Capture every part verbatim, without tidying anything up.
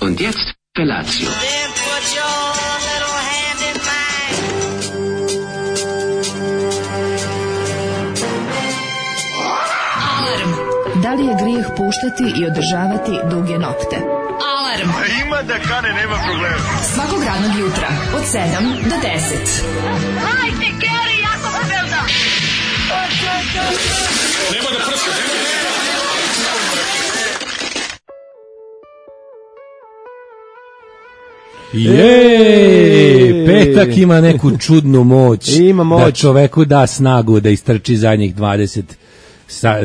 Und jetzt Felatio. Then put your little hand in mine. Alarm. Da li je grijeh puštati i održavati duge nokte? Alarm. Ima da kane, nema problema. Svakog radnog jutra od sedam do deset. Hajde, Geri, jako se velda. Nema da prska, nema da prska. Jej, petak ima neku čudnu moć. Ima moć. Da čoveku da snagu da istrči zadnjih dvadeset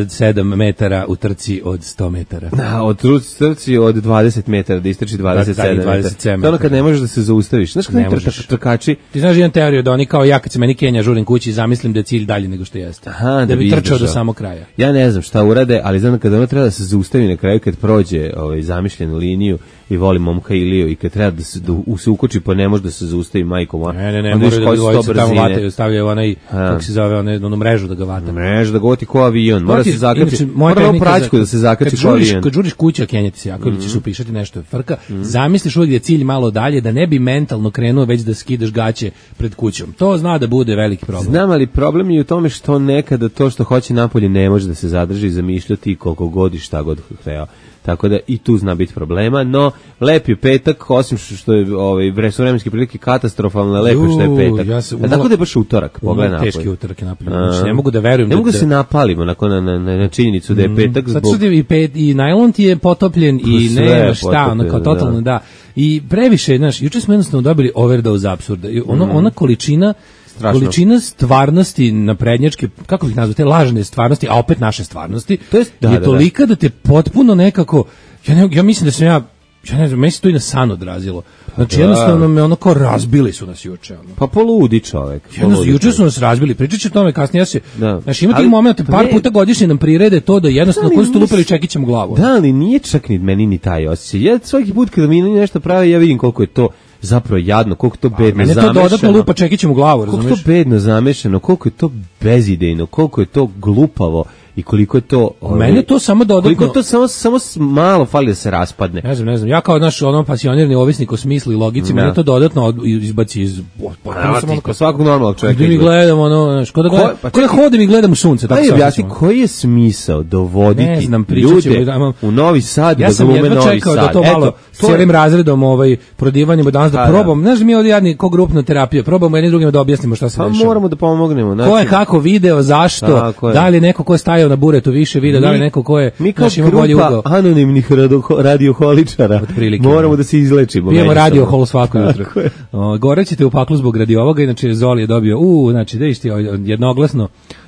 sedam metara u trci od sto metara. Da, od trci od dvadeset metara, da istrči dvadeset sedam metara. dvadeset sedam To je ono kad ne možeš da se zaustaviš. Znaš kad ne ne možeš. trkači? Ti znaš jedan teoriju da oni kao ja kad se meni Kenja žurim kući zamislim da je cilj dalje nego što jeste. Aha, da, da bi bi trčao izdržao. do samog kraja. Ja ne znam šta urade, ali znam da kada ono treba da se zaustavi na kraju, kad prođe ovaj, zamišljenu liniju i voli momka Iliju i kad treba da se, da se ukoči pa ne može da se zaustavi majkom. Ne, ne, ne, onda mora vidiš da koje su to dvojice tamo brzine. vataju, stavljaju onaj, kako se zove, onaj, onu mrežu da ga vata. Mreža da goti ko avion, mora Ti- se zakači, inače, moja mora na tehnika praćku za- da se zakači kad ko žuriš, avion. Kad žuriš kuća, kenjati se jako, ili ćeš upišati nešto frka, zamisliš uvijek da je cilj malo dalje, da ne bi mentalno krenuo već da skidaš gaće pred kućom. To zna da bude veliki problem. Znam, ali problem je u tome što nekada to što hoće napolje ne može da se zadrži i zamišljati koliko god i šta god hteo. Tako da i tu zna biti problema, no lep je petak, osim što, što je ovaj, vre, su vremenske prilike katastrofalne, lepo je što je Ju, petak. ja se A umalo- tako da je baš utorak, pogledaj Umalo napolje. teški utorak je napolje. A. Znači, ne mogu da verujem Ne da- mogu da da- se napalimo nakon na, na, na, na činjenicu da je petak Sad zbog... su i pet i najlon ti je potopljen i sve je nema šta, ono kao potopljeno, totalno da. I previše, znaš, juče smo jednostavno dobili overdose apsurda. I ono, ona količina Strašno. količina stvarnosti naprednjačke, kako bih nazvao, te lažne stvarnosti, a opet naše stvarnosti, To jest- da, je da, da. tolika da te potpuno nekako, ja, ne, ja mislim da sam ja, ja ne znam, meni se to i na san odrazilo. Znači, da. jednostavno me ono kao razbili su nas juče. Ono. Pa poludi čovek. Jedno, poludi juče čovek. su nas razbili, pričat ću o tome kasnije. Ja se, Da. znači, ima tih Ali- momenta, pa par ne- puta godišnje nam prirede to da jednostavno, Da, koji ali su tu lupili nis- čekićem u glavu. Da, ali nije čak ni meni ni taj osjećaj. Ja svaki put kada mi nešto pravi, ja vidim koliko je to zapravo jadno, koliko je to bedno Mene to zamešano. dodatno lupa čekićem u glavu, Koliko je razumiješ? to bedno zamešano, koliko je to bezidejno, koliko je to glupavo i koliko je to... ovaj, Mene to samo dodatno- Koliko to samo, samo s- malo fali da se raspadne. Ne znam, ne znam. Ja kao naš ono pasionirni ovisnik o smislu i logici, Da. mene to dodatno od- izbaci iz... potpuno Evo sam ti, ono kod kao- svakog normalnog čovjeka. Gde mi izgleda. gledamo, ono, znaš, ko da, Ko- gledam, pa ko da čekaj. hodim i gledam u sunce, tako Daj se objasni, osjećam. koji je smisao dovoditi Ne znam, pričat ćemo, ljude da imam- u Novi Sad Ja da sam glume jedva Novi čekao Sad? da to malo Eto, to je- cijelim razredom ovaj, prodivanjem danas da Pa, da. probam. Znaš, mi ovdje jadni ko grupna terapija, probamo jedni drugima da objasnimo šta se Pa dešava. moramo da pomognemo. Znači, Ko je kako video, zašto, Tako je. da li je neko ko je stajao na buretu više video, da li je Mi- neko ko je Mi kao znaš, ima bolji grupa ugao. anonimnih rado- radioholičara Otprilike, moramo da. da se izlečimo. Pijemo međusobno. radio hol svako jutro. Tako je. O, Gore ćete u paklu zbog radi ovoga, inače Zoli je dobio, u, znači, da išti, jednoglasno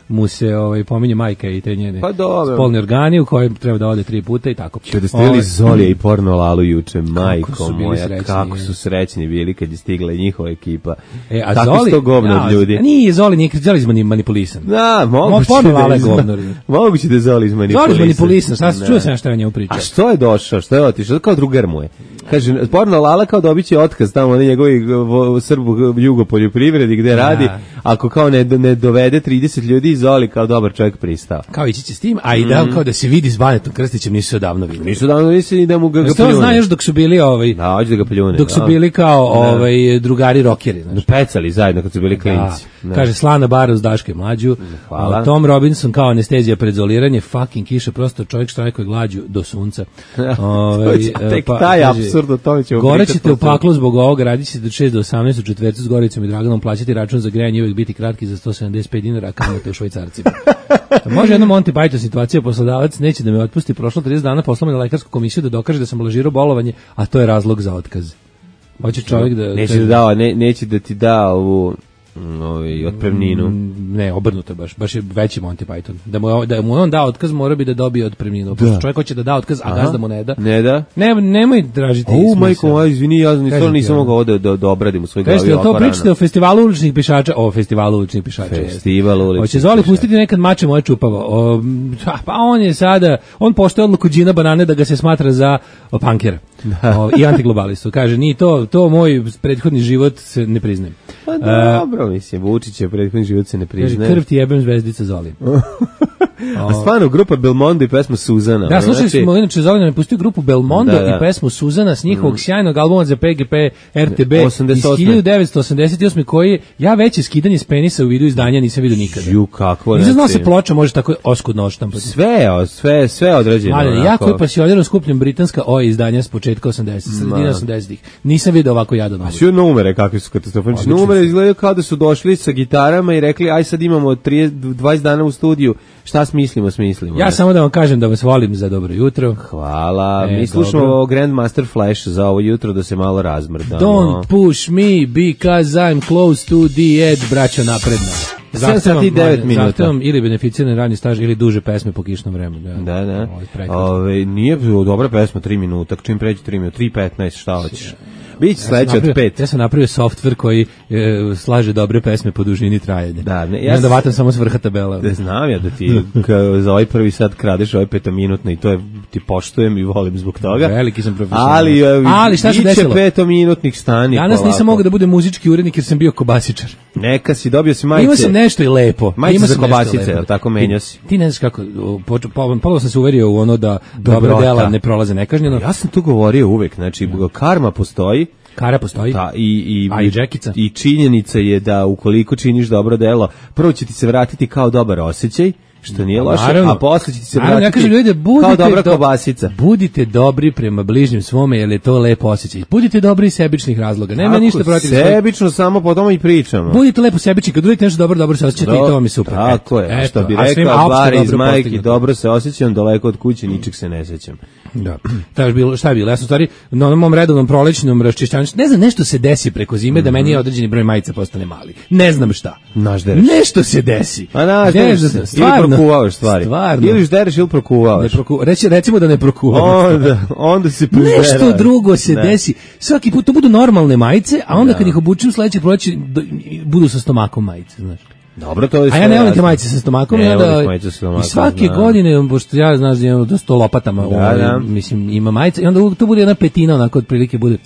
mu se ovaj, pominje majka i te njene Pa dobro. spolni organi u kojem treba da ode tri puta i tako. Kada ste vidjeli Ovaj, Zolija i Porno Lalu juče, majko su bili moja, srećni, kako je. su srećni bili kad je stigla i njihova ekipa. E, a Kako Zoli, su to govno ja, od ljudi? a nije Zoli, nije Zoli izmani- manipulisan. Da, moguće Porno da Lala je izma- govno. Moguće da je Zoli izmanipulisan. Zoli izmanipulisan, šta se Da. čuo sam ja šta je o njemu pričao. A što je došao, što je otišao, kao drugar mu je. Kaže, Porno Lala kao dobit će otkaz tamo na njegovi vo- Srbu jugo poljoprivredi gde radi, ako kao ne, ne dovede trideset ljudi, Zoli kao dobar čovjek pristao. Kao ići će s tim, a i da kao da se vidi s Banetom Krstićem nisu se odavno vidjeli. Nisu davno misli da mu ga, ga Jesi to pljune. zna još dok su bili ovaj, Da, hoće da ga pljune. dok su da. bili kao ovaj drugari rokeri, znaš. Pecali zajedno kad su bili klinci. Da. Kaže Slana Bara uz Daške mlađu. Hvala. A Tom Robinson kao anestezija pred zoliranje, fucking kiša, prosto čovjek štrajkuje glađu do sunca. Ovaj, To će- tek taj kaže, apsurd, o tome ćemo Gore pričati ćete u posle. paklu zbog ovoga, radit ćete od šest do osamnaest u četvrtu s Goricom i Draganom, plaćati račun za grejanje i uvijek biti kratki za sto sedamdeset pet dinara, a kamate u švajcarcima. Može jedna Monty Python situacija, poslodavac neće da me otpusti, prošlo trideset dana poslao me na lekarsku komisiju da dokaže da sam lažirao bolovanje, a to je razlog za otkaz. Hoće čovjek da... Neće da, da, ne, neće da ti da ovu mm, ovaj, otpremninu. Mm, Ne, obrnuto baš, baš je veći Monty Python. Da mu, da mu on da otkaz, mora bi da dobije otpremninu. Da. Čovjek hoće da da otkaz, a Aha. gazda mu ne da. Ne da? Ne, nemoj tražiti O, smisao. majko moja, izvini, ja Kažem nisam, ti, nisam ono. mogao da, da, da obradim u svoj glavi Kažete, jel to ovako pričate rano. o festivalu uličnih pišača? O, festivalu uličnih pišača. jeste. Festival uličnih Hoće Zoli pišača. pustiti nekad mače moje čupavo. O, ha, pa on je sada, on poštuje odluku Đina Banane da ga se smatra za o, punkera. O, i antiglobalistu. Kaže, ni to, to moj prethodni život se ne priznajem. Pa dobro, mislim, Vučić je prethodni život se ne Kaže, priznaje. krv ti jebem zvezdica Zoli. A stvarno, grupa Belmondo i pesma Suzana. Da, slušali znači, smo, inače, Zolina mi pustio grupu Belmondo Da, da. i pesmu Suzana s njihovog mm. sjajnog albuma za P G P R T B osamdeset osme. iz hiljadu devetsto osamdeset osme koji ja veće skidanje s penisa u vidu izdanja nisam vidio nikada. Ju, kakvo. Nisam znao znači, se ploča može tako oskudno odštampati. Sve, o, sve, sve određeno. Ali onako. ja koji pasionirano skupljam britanska O izdanja s početka osamdesetih, sredina osamdesetih. Nisam vidio ovako jadan. A sve numere kakvi su katastrofanični. Numere izgledaju kao da su došli sa gitarama i rekli aj sad imamo trideset, dvadeset dana u studiju, šta smislimo, smislimo. Ja samo da vam kažem da vas volim za dobro jutro. Hvala. E, Mi slušamo dobro. Grandmaster Flash za ovo jutro da se malo razmrdamo. Don't push me because I'm close to the edge, braćo napredna. sedam sati i devet minuta. Zahtevam ili beneficirani radni staž ili duže pesme po kišnom vremenu. Da, Da, da. Ovo je prekrasno. Ove, nije dobra pesma, tri minuta, čim pređe tri minuta, tri petnaest, šta hoćeš? Biće sam sledeće od napravio- pet. Ja sam napravio softver koji e, slaže dobre pesme po dužini trajanja. Da, ne, I ja onda sam- vatam samo s vrha tabela. Da znam ja da ti ka, za ovaj prvi sad kradeš ovaj petominutni i to je, ti poštujem i volim zbog toga. Veliki sam profesionalac. Ali, e, Ali šta se biće desilo? petominutnih stani. Danas polako. nisam mogao da budem muzički urednik jer sam bio kobasičar. Neka si, dobio si majice. Imao sam nešto i lepo. Majice Imao za sam nešto kobasice, lepo. jel tako, menjao si? Ti ne znaš kako, počeo, polovno sam se uverio u ono da dobra Dobrota. dela ne prolaze nekažnjeno. Ja sam tu govorio uvek, znači karma postoji. Kara postoji. Da, i, i, A i džekica. i činjenica je da ukoliko činiš dobro delo, prvo će ti se vratiti kao dobar osjećaj, što nije loše, Naravno. a posle će ti se Naravno, ja vratiti kažem ljudi, budite kao dobra do- kobasica. Budite dobri prema bližnjim svome, jer je to lepo osjećaj. Budite dobri iz sebičnih razloga. Nema Tako, ništa protiv svojih- sebično, samo po tome i pričamo. Budite lepo sebični, kad uradite nešto dobro, dobro se osjećate i to vam je super. Tako Eto, je, a što bi eto, a svima rekao opšte Bari iz dobro majke, postignuto. dobro se osjećam, daleko od kuće, ničeg se ne sećam. Da. Šta je bilo? Šta je bilo? Ja sam u stvari na onom mom redovnom prolećnom raščišćavanju. Ne znam, nešto se desi preko zime da meni je određeni broj majica postane mali. Ne znam šta. Naždereš. Nešto se desi. A znaš, Ne ne, znam, ili stvarno. prokuvavaš stvari. Stvarno. Ili ždereš ili prokuvavaš. Ne proku, reći, recimo da ne prokuvam. Onda, onda se prizderaš. Nešto drugo se Da. desi. Svaki put to budu normalne majice, a onda kad ih obučem sledeće proleće do- budu sa stomakom majice, znaš. Dobro, to je A sve ja ne volim te jasno. majice sa stomakom. Ne i onda- voliš majice sa stomakom, I svake znam. godine, pošto ja znaš da imam dosta lopatama, Da, ovaj, da. mislim, ima majice, i onda uvijek to bude jedna petina, onako, otprilike bude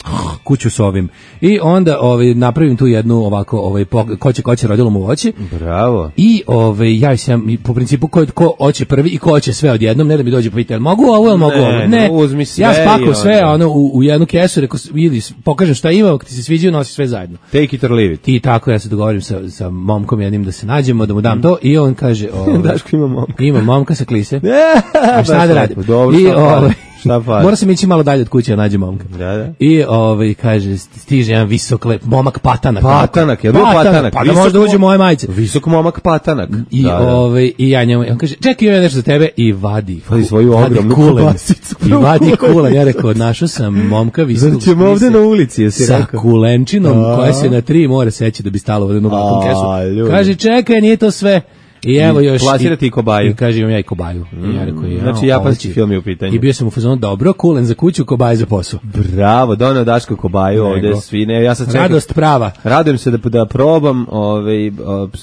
kuću s ovim. I onda ovaj, napravim tu jednu ovako, ovaj, po- ko će, ko će rodilo mu voće. Bravo. I ovaj ja sam i po principu ko ko hoće prvi i ko hoće sve odjednom, ne da mi dođe pa pita jel mogu ovo ili mogu Ne, ovo. Ne, uzmi sve ja i spakujem sve onda. ono u, u jednu kesu, rekao vidi, pokažem šta ima, ako ti se sviđa nosi sve zajedno. Take it or leave it. I tako ja se dogovorim sa sa momkom jednim da se nađemo, da mu dam to i on kaže, ovaj, Daško ima momka. ima momka sa klise. A A šta da radim? Dobro, I šta fali? ovaj Šta fali? mora sam ići malo dalje od kuće da nađem momka. Da, da. I ovaj kaže stiže jedan visok lep momak patanak. Patanak, je bio patanak. Pa da Visok možda uđe mo- moje majice. Visok momak patanak. I Da, da. ovaj i ja njemu on kaže čekaj imam nešto za tebe i vadi Vadi svoju vadi ogromnu kulen. kobasicu. I vadi kulen. Ja rekao našao sam momka visokog Zar ćemo ovde spise na ulici, jesi sa rekao? kulenčinom A. koja se na tri mora seći da bi stalo u jednu ovakvu A, kesu. ljudi. Kaže čekaj nije to sve. I evo I još plasira ti i kobaju. I kaže imam ja i kobaju. I ja rekao, ja, Znači, japanski ovo će- film je u pitanju. I bio sam u fazonu dobro, kulen za kuću, kobaj za posao. Bravo, doneo Daško kobaju ovde Nego. svi. Ne, ja sad čekam. Radost prava. Radujem se da da probam, ovaj o,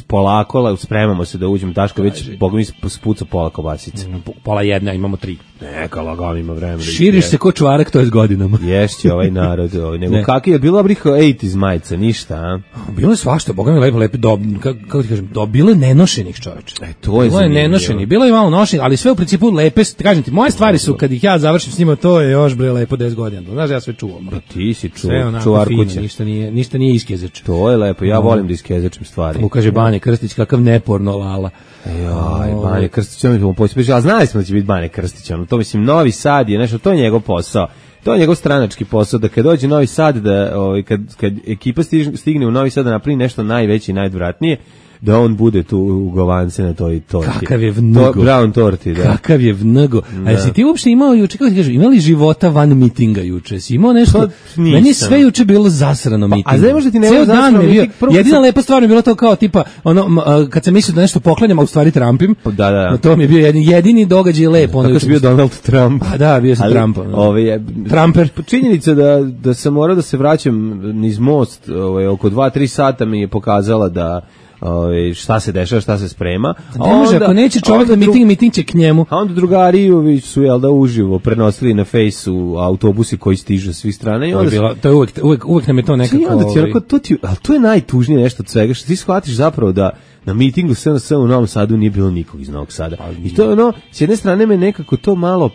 polako, la- spremamo se da uđemo. Daško već boga mi spuca pola kobasice. Pola jedna, imamo tri. Neka lagano ima vremena. da Širiš ih se ko čvarak, to je s godinama. ješće ovaj narod, ovaj. Nego Ne. kakvi je bilo dobrih osamdesetih majica, ništa, a? Bilo je svašta, boga mi lepo, lepo, do, kako, kako ti kažem, do, bilo je nenošenih čoveče. E, to je Bilo je zanimljivo. nenošenih, bilo je malo nošenih, ali sve u principu lepe, kažem ti, moje stvari su, kad ih ja završim s njima, to je još bre lepo deset godina. Znaš, ja sve čuvam. Pa ti si ču, Sve onako čuvar fino, kuće. ništa nije, ništa nije iskezeč. To je lepo, ja volim da iskezečem stvari. Mu kaže Bane Krstić, kakav neporno lala. Joj, Bane Krstić, on mi ćemo poći, a znali smo da će biti Bane Krstić, ono, to mislim, Novi Sad je nešto, to je njegov posao. To je njegov stranački posao, da kad dođe Novi Sad, da ovaj, kad, kad ekipa stigne, stigne u Novi Sad da napravi nešto najveće i najodvratnije, da on bude tu u govance na toj torti. Kakav je vnugo. To, brown torti, da. Kakav je vnugo. A jesi ti uopšte imao juče, kako ti kažem, imali života van mitinga juče? Si imao nešto? Pa, nisam. Meni je sve juče bilo zasrano mitinga. a znaš možda ti ne Ceo bilo dan zasrano mi je bio. miting? Prvo Jedina sam- lepa stvar mi je bilo to kao tipa, ono, m, a, kad sam mislio da nešto poklanjam, a u stvari trampim. Da, da. No, to mi je bio jedini, jedini događaj lep. Ono Kako juče si bio mislim. Donald Trump. Pa da, bio sam Ali, Trump. ono. ovaj, je- Trumper. Činjenica da, da sam morao da se vraćam niz most ovaj, oko dva tri sata mi je pokazala da ovaj, šta se dešava, šta se sprema. Ne može, ako neće čovjek na miting, miting će k njemu. A onda drugari su, jel da, uživo prenosili na fejsu autobusi koji stižu s svih strana. I To je, onda bilo, to je uvek, uvek, uvek nam je to nekako... I onda ti, ovaj, onako, to, ti, ali to je najtužnije nešto od svega, što ti shvatiš zapravo da na mitingu S N S u Novom Sadu nije bilo nikog iz Novog Sada. I to je ono, s jedne strane me nekako to malo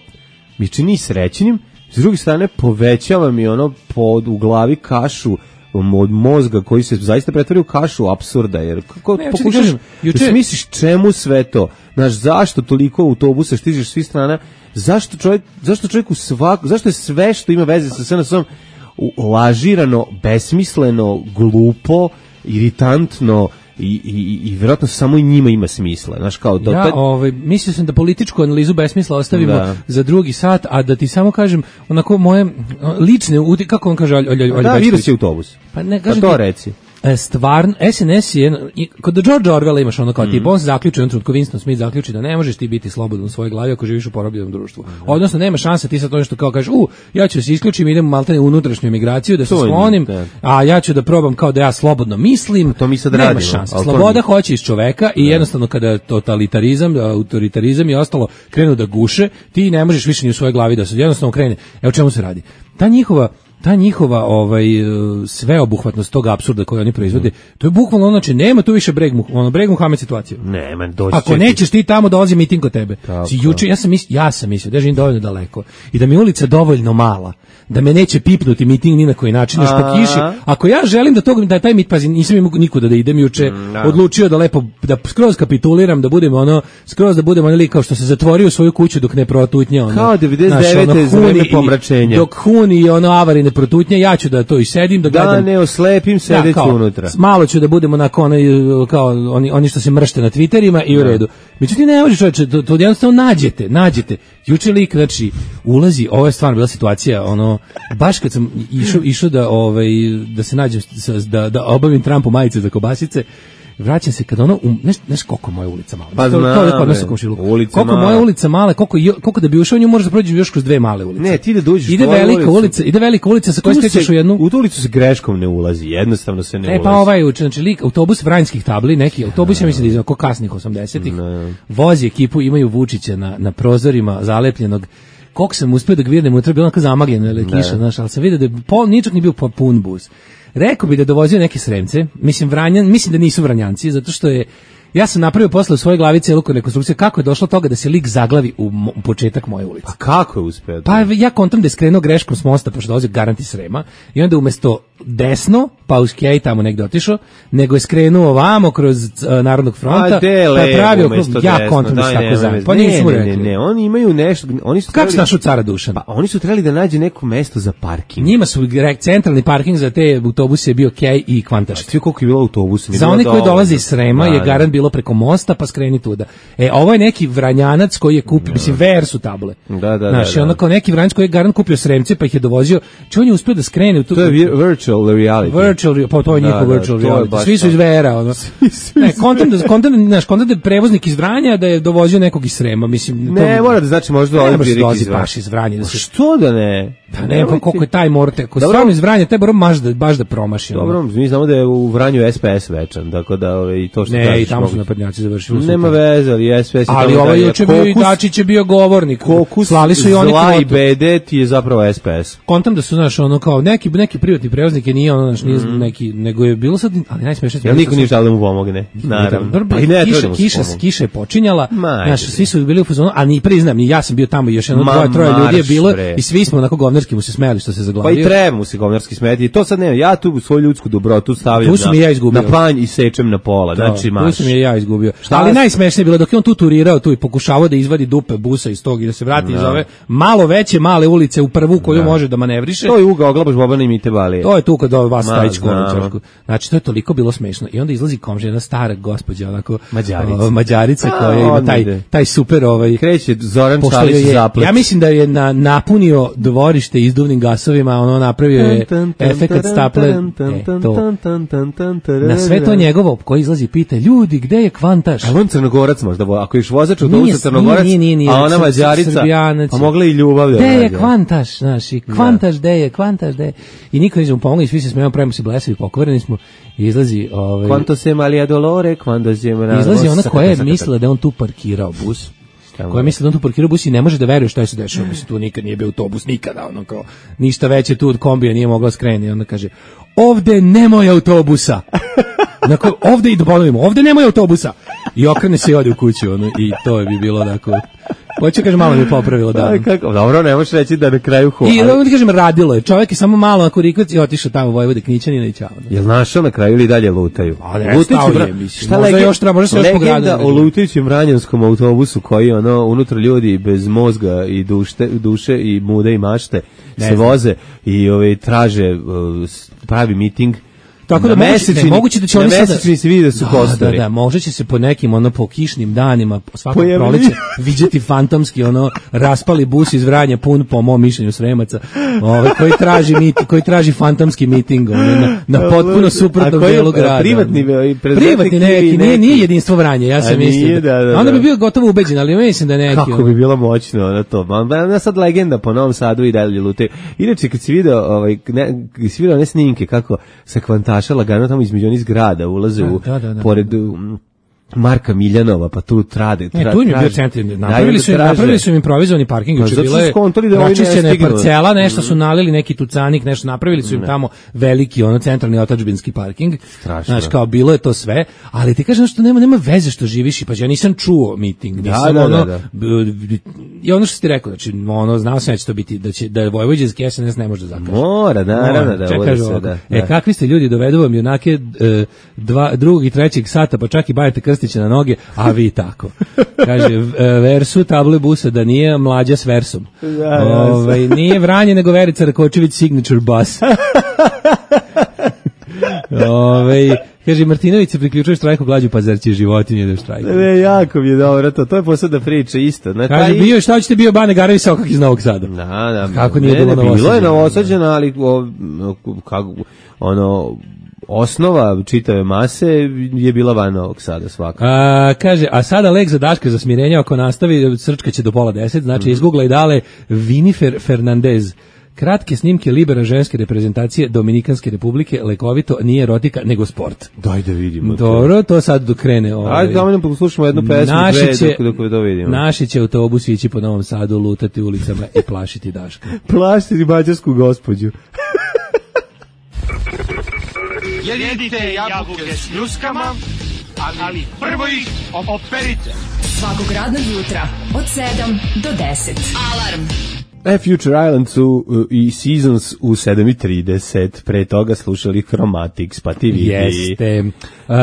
mi čini srećnim, s druge strane povećava mi ono pod, u glavi kašu od mozga koji se zaista pretvori u kašu apsurda, jer kako Ne, pokušaš kažem, juče- da smisliš čemu sve to, znaš, zašto toliko autobusa stižeš svih strana, zašto čovjek, zašto čovjek u svaku, zašto je sve što ima veze sa S N S-om lažirano, besmisleno, glupo, iritantno i, i, i vjerojatno samo i njima ima smisla, znaš, kao da, Ja, taj- ovaj, mislio sam da političku analizu besmisla ostavimo Da. za drugi sat, a da ti samo kažem, onako moje lične, uti- kako on kaže, Olja Olja da, Bećković? virus je autobus. Pa ne, Pa kažem to ti, reci. e, stvarno, S N S je, i kod George Orwella imaš ono kao Mm. tipa, on se zaključi, on trenutku Winston Smith zaključi da ne možeš ti biti slobodan u svojoj glavi ako živiš u porobljenom društvu. Odnosno, nema šanse ti sad to nešto kao kažeš, u, ja ću da se isključim, idem maltene u unutrašnju emigraciju, da se To je, sklonim, da. a ja ću da probam kao da ja slobodno mislim. To mi sad nema radimo, šanse. ali to Sloboda nije. hoće iz čoveka i jednostavno kada totalitarizam, autoritarizam i ostalo krenu da guše, ti ne možeš više ni u svojoj glavi da se jednostavno krene. Evo o čemu se radi. Ta njihova ta njihova ovaj e, sveobuhvatnost tog apsurda koji oni proizvode, to je bukvalno ono, znači nema tu više breg mu, ono breg Muhamed situacija. Ne, man, doći Ako će ti- nećeš ti tamo dolazi miting kod tebe. Tako. Si juče ja sam mislio, ja sam mislio da živim dovoljno daleko i da mi je ulica dovoljno mala da me neće pipnuti miting ni na koji način još po A. kiši. Ako ja želim da tog da taj mit pazi nisam imao nikuda da idem juče, da. odlučio da lepo da skroz kapituliram, da budem ono skroz da budem ono lik kao što se zatvorio u svoju kuću dok ne protutnja ono. Kao devedeset znaš, devete ono, za vreme Huni i- pomračenja. Dok Huni i ono avari ne protutnja, ja ću da to i sedim da Da gledam. ne oslepim sedeći kao, unutra. s- Malo ću da budemo onako onaj, kao oni, oni što se mršte na Twitterima i u redu. Međutim, ne može čovječe, to, to jednostavno nađete, nađete. Juče lik, znači, ulazi, ovo je stvarno bila situacija, ono, baš kad sam išao, išao da, ovaj, da se nađem, sa- da, da obavim Trumpu majice za kobasice, vraćam se kad ono, um, neš, neš koliko je moja ulica mala. Pa to, to je znam, kod nas bre. u komšiluku. Ulica Koliko je moja mala. ulica mala, koliko, jo- koliko da bi ušao u nju možeš da prođeš još kroz dve male ulice. Ne, ti da dođeš Ide u tvoju velika ulicu. ulica, ide velika ulica sa kojoj Tu skrećeš se- u jednu. U tu ulicu se greškom ne ulazi, jednostavno se ne E ulazi. pa ovaj uče, znači lik, autobus vranjskih tabli, neki autobus, ja mislim da je oko kasnih osamdesetih, vozi ekipu, imaju Vučića na, na prozorima zalepljenog, koliko sam uspio da ga vidim, unutra je bilo onako zamagljeno, ili kiša, znaš, ali sam vidio da je pol, ničak nije bio po- pun bus. Rekao bi da je dovozio neke Sremce, mislim, Vranjan, mislim da nisu Vranjanci, zato što je, ja sam napravio posle u svojoj glavi celu rekonstrukciju kako je došlo do toga da se lik zaglavi u, mo- u početak moje ulice. Pa kako je uspeo? to? Pa ja kontam da je skrenuo greškom s mosta, pošto dolazio garant iz Srema, i onda umesto desno, pa uz Kej tamo negde otišao, nego je skrenuo ovamo kroz uh, Narodnog fronta, A de pa je pravio, levo umesto ja desno, kontam da se daj, tako nema zajedno. veze. Pa nisu mu ne, ne, rekli. ne, ne, oni imaju nešto, oni su Kako se trebali- našao cara Dušan? Pa oni su trebali da nađu neko mesto za parking. Njima su gre- centralni parking za te autobuse je bio Kej i Kvantaš. Svi koliko je bilo autobusa. nije Za bilo one koji dovoljno. dolaze iz Srema Da, je da. garant bilo preko mosta, pa skreni tuda. E, ovo je neki Vranjanac koji je kupio, mislim, ver su table. Da, da, Znaš, da, i da. ono kao neki Vranjanac koji je garant kupio Sremce, pa ih je dovozio. Če on je uspio da skrene u tu... To je vi- virtual reality. Virtual, re- pa to je Da, njihov da, virtual to je reality. baš Svi su to. iz Vera, ono. Ne, kontam da, kontam, da- znaš, kontam da je prevoznik iz Vranja, da je dovozio nekog iz Srema, mislim... Ne, to- mora da znači možda Ne dolazi može da direkt dolazi iz Vranja. baš iz Vranja. Da se, Što da ne? pa ne, pa Nemoj koliko ti- je taj morte, ako Dobro. stvarno iz Vranja, taj moram baš da, baš da promaši. ono. Dobro, mi znamo da je u Vranju S P S večan, tako da ove, i to što Ne, kažeš i tamo su mogu- naprednjaci završili. su Nema tamo. veze, ali S P S je Ali tamo ovaj dalje. juče bio i Kokus- Dačić je bio govornik. Kokus Slali su i oni zla i kvotu. bede ti je zapravo S P S. Kontam da su, znaš, ono kao neki, neki privatni prevoznike, nije ono, znaš, nije Mhm. neki, nego je bilo sad, ali najsmešnije. Jel niko nije želeo da mu pomogne? Naravno. Dobro, Pa i ne, kiša, treba da mu se kiša, pomogne. kiša je počinjala, Ma, znaš, ajde, svi su bili u fazonu, a ni priznam, ni ja sam bio tamo i još jedno Ma, dvoje, troje ljudi je marš, bilo bre. i svi smo onako govnarski mu se smejali što se Pa i zaglavio. treba mu se govnarski smeti. To sad ne, ja tu svoju ljudsku dobrotu stavljam Tu sam na, i ja izgubio. na panj i sečem na pola. Da, Znači, tu marš. sam je ja izgubio. Šta Ali vas- najsmešnije je bilo dok je on tu turirao tu i pokušavao da izvadi dupe busa iz tog i da se vrati iz ove malo veće male ulice u prvu koju može da manevriše. To je Uga Oglabaš Bobana i Mite Balije. To je tu kod vas Ma, stajić znamo. kovačku. Znači to je toliko bilo smešno. I onda izlazi komšija, jedna stara gospođa, onako Mađarica. o, Mađarica A, koja ima odmah taj ide. taj super ovaj Kreće Zoran pošto Čalić joj je, zaplet. ja mislim da je na, napunio dvorište dvorište izduvnim gasovima, ono napravio je efekat staple. E, to. Na sve to njegovo, koji izlazi pita, ljudi, gde je Kvantaš? A on Crnogorac možda, ako ješ vozač autobusa Crnogorac, nije, nije, nije, a ona Mađarica, a mogla i ljubav da gde je Kvantaš, znaš, i Kvantaš, gde je, Kvantaš, gde je. I niko neće mu pomoći, svi se smijemo, pravimo se blesavi, pokvareni smo, i izlazi... Ovaj, Quanto se malija dolore, quando se... Izlazi ona koja je mislila da on tu parkirao bus, koja je mislila da on tu parkirao bus i ne može da veruje šta je se dešava, mislim, tu nikad nije bio autobus, nikada, ono kao, ništa veće tu od kombija nije mogla skreni, onda kaže, ovde nemoj autobusa, dakle, ovde i da ponovimo, ovde nemoj autobusa, i okrene se i ode u kuću, ono, i to je bi bilo, dakle, hoće kaže malo mi je popravilo da. Dobro, ne možeš reći da na kraju ho. I da kažem radilo je. Čovjek je samo malo ako rikac i otišao tamo Vojvode Knićanina i ćao. Jel našao na kraju ili dalje lutaju? Lutajući, šta možda još treba, možda se još pograditi. Legenda o lutajućem ranjanskom autobusu koji ono unutra ljudi bez mozga i duše, duše i mude i mašte ne se znam. Voze i ove traže uh, pravi miting. Tako da moguće, moguće da će oni sada se vidi da su kostori. Da, da, možda će se po nekim ono po kišnim danima svakog proleća viđati fantomski ono raspali bus iz Vranja pun po mom mišljenju Sremaca, ovaj koji traži mit, koji traži fantomski miting ono, na, na potpuno suprotnom delu grada. Privatni privatni neki, nije, nije jedinstvo Vranja, ja sam mislio. Da, da, da. Onda bi bio gotovo ubeđen, ali mislim da neki. Kako bi bilo moćno na to. Ma sad legenda po Novom Sadu i dalje lute. Inače kad si video ovaj ne, si video ne snimke kako se Kvantaša lagano tamo između onih zgrada ulaze u da, da, da, pored um, Marka Miljanova, pa tu trade. Tra, ne, tu im je bio centar. Napravili su, napravili su im improvizovani parking, juče bila je račišćena parcela, nešto su nalili neki tucanik, nešto napravili su im ne. Tamo veliki ono centralni otadžbinski parking. Znaš, kao bilo je to sve, ali ti kažem što nema nema veze što živiš i pa ja nisam čuo miting, nisam da, ono, da, da. I ono što si ti rekao, znači ono znao sam da će to biti da će da je vojvođanski S N S ne može da zakaže. Mora, naravno da bude se da. E kakvi ste ljudi, dovedu vam junake dva drugog i trećeg sata, pa čak i bajete krstiće na noge, a vi tako. Kaže versu table busa da nije mlađa s versom. Da, ovaj nije Vranje nego Verica Rakočević signature bus. Ovaj kaže Martinović se priključuje štrajku glađu pazarće životinje da štrajku. Ne, jako mi je dobro to. To je posebna priča isto. Na kaže taj... bio šta hoćete bio Bane Garevi Sokak iz Novog Sada. Da, da. Kako nije ne, bilo, ne, bilo je Novosađeno, ali o, kako ono osnova čitave mase je bila van Novog Sada svaka. A, kaže, a sada lek za Daška za smirenje ako nastavi, srčka će do pola deset, znači mm. izgooglaj dale Vinifer Fernandez. Kratke snimke libera ženske reprezentacije Dominikanske republike, lekovito, nije erotika, nego sport. Daj da vidimo. Dobro, to sad dok krene. Ovaj. Ajde, da nam poslušamo jednu pesmu, dve, će, dok, dok to vidimo. Naši će autobus ići po Novom Sadu, lutati ulicama i plašiti Daška. Plašiti mađarsku gospođu. Jedite jabuke s ljuskama, ali prvo ih operite. Svakog radnog jutra od sedam do deset. Alarm. E, Future Island su uh, i Seasons u sedam i trideset, pre toga slušali Chromatics, pa ti vidi. Jeste. Uh,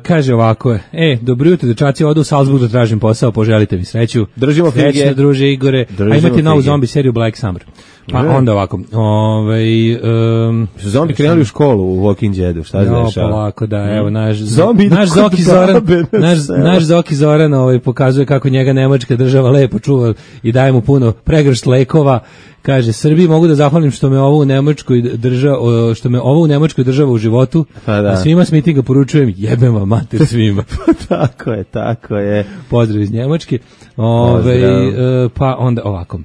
kaže ovako, e, dobro jutro, dečaci, odu u Salzburg da tražim posao, poželite mi sreću. Držimo fige. Srećno, druže Igore. Držimo a imate novu zombi seriju Black Summer. Pa ne. Onda ovako, ovaj um, su zombi krenuli u školu u Walking Deadu, šta se dešava? Pa lako da, evo naš zombi naš Zoki Zoran, naš naš Zoki Zoran ovaj pokazuje kako njega nemačka država lepo čuva i daje mu puno pregršt lekova. Kaže Srbiji mogu da zahvalim što me ovo u Nemačkoj država što me ovo u Nemačkoj država u životu. Pa da. A svima s mitinga poručujem jebem vam mater svima. Pa tako je, tako je. Pozdrav iz Njemačke. Ovaj uh, pa onda ovako.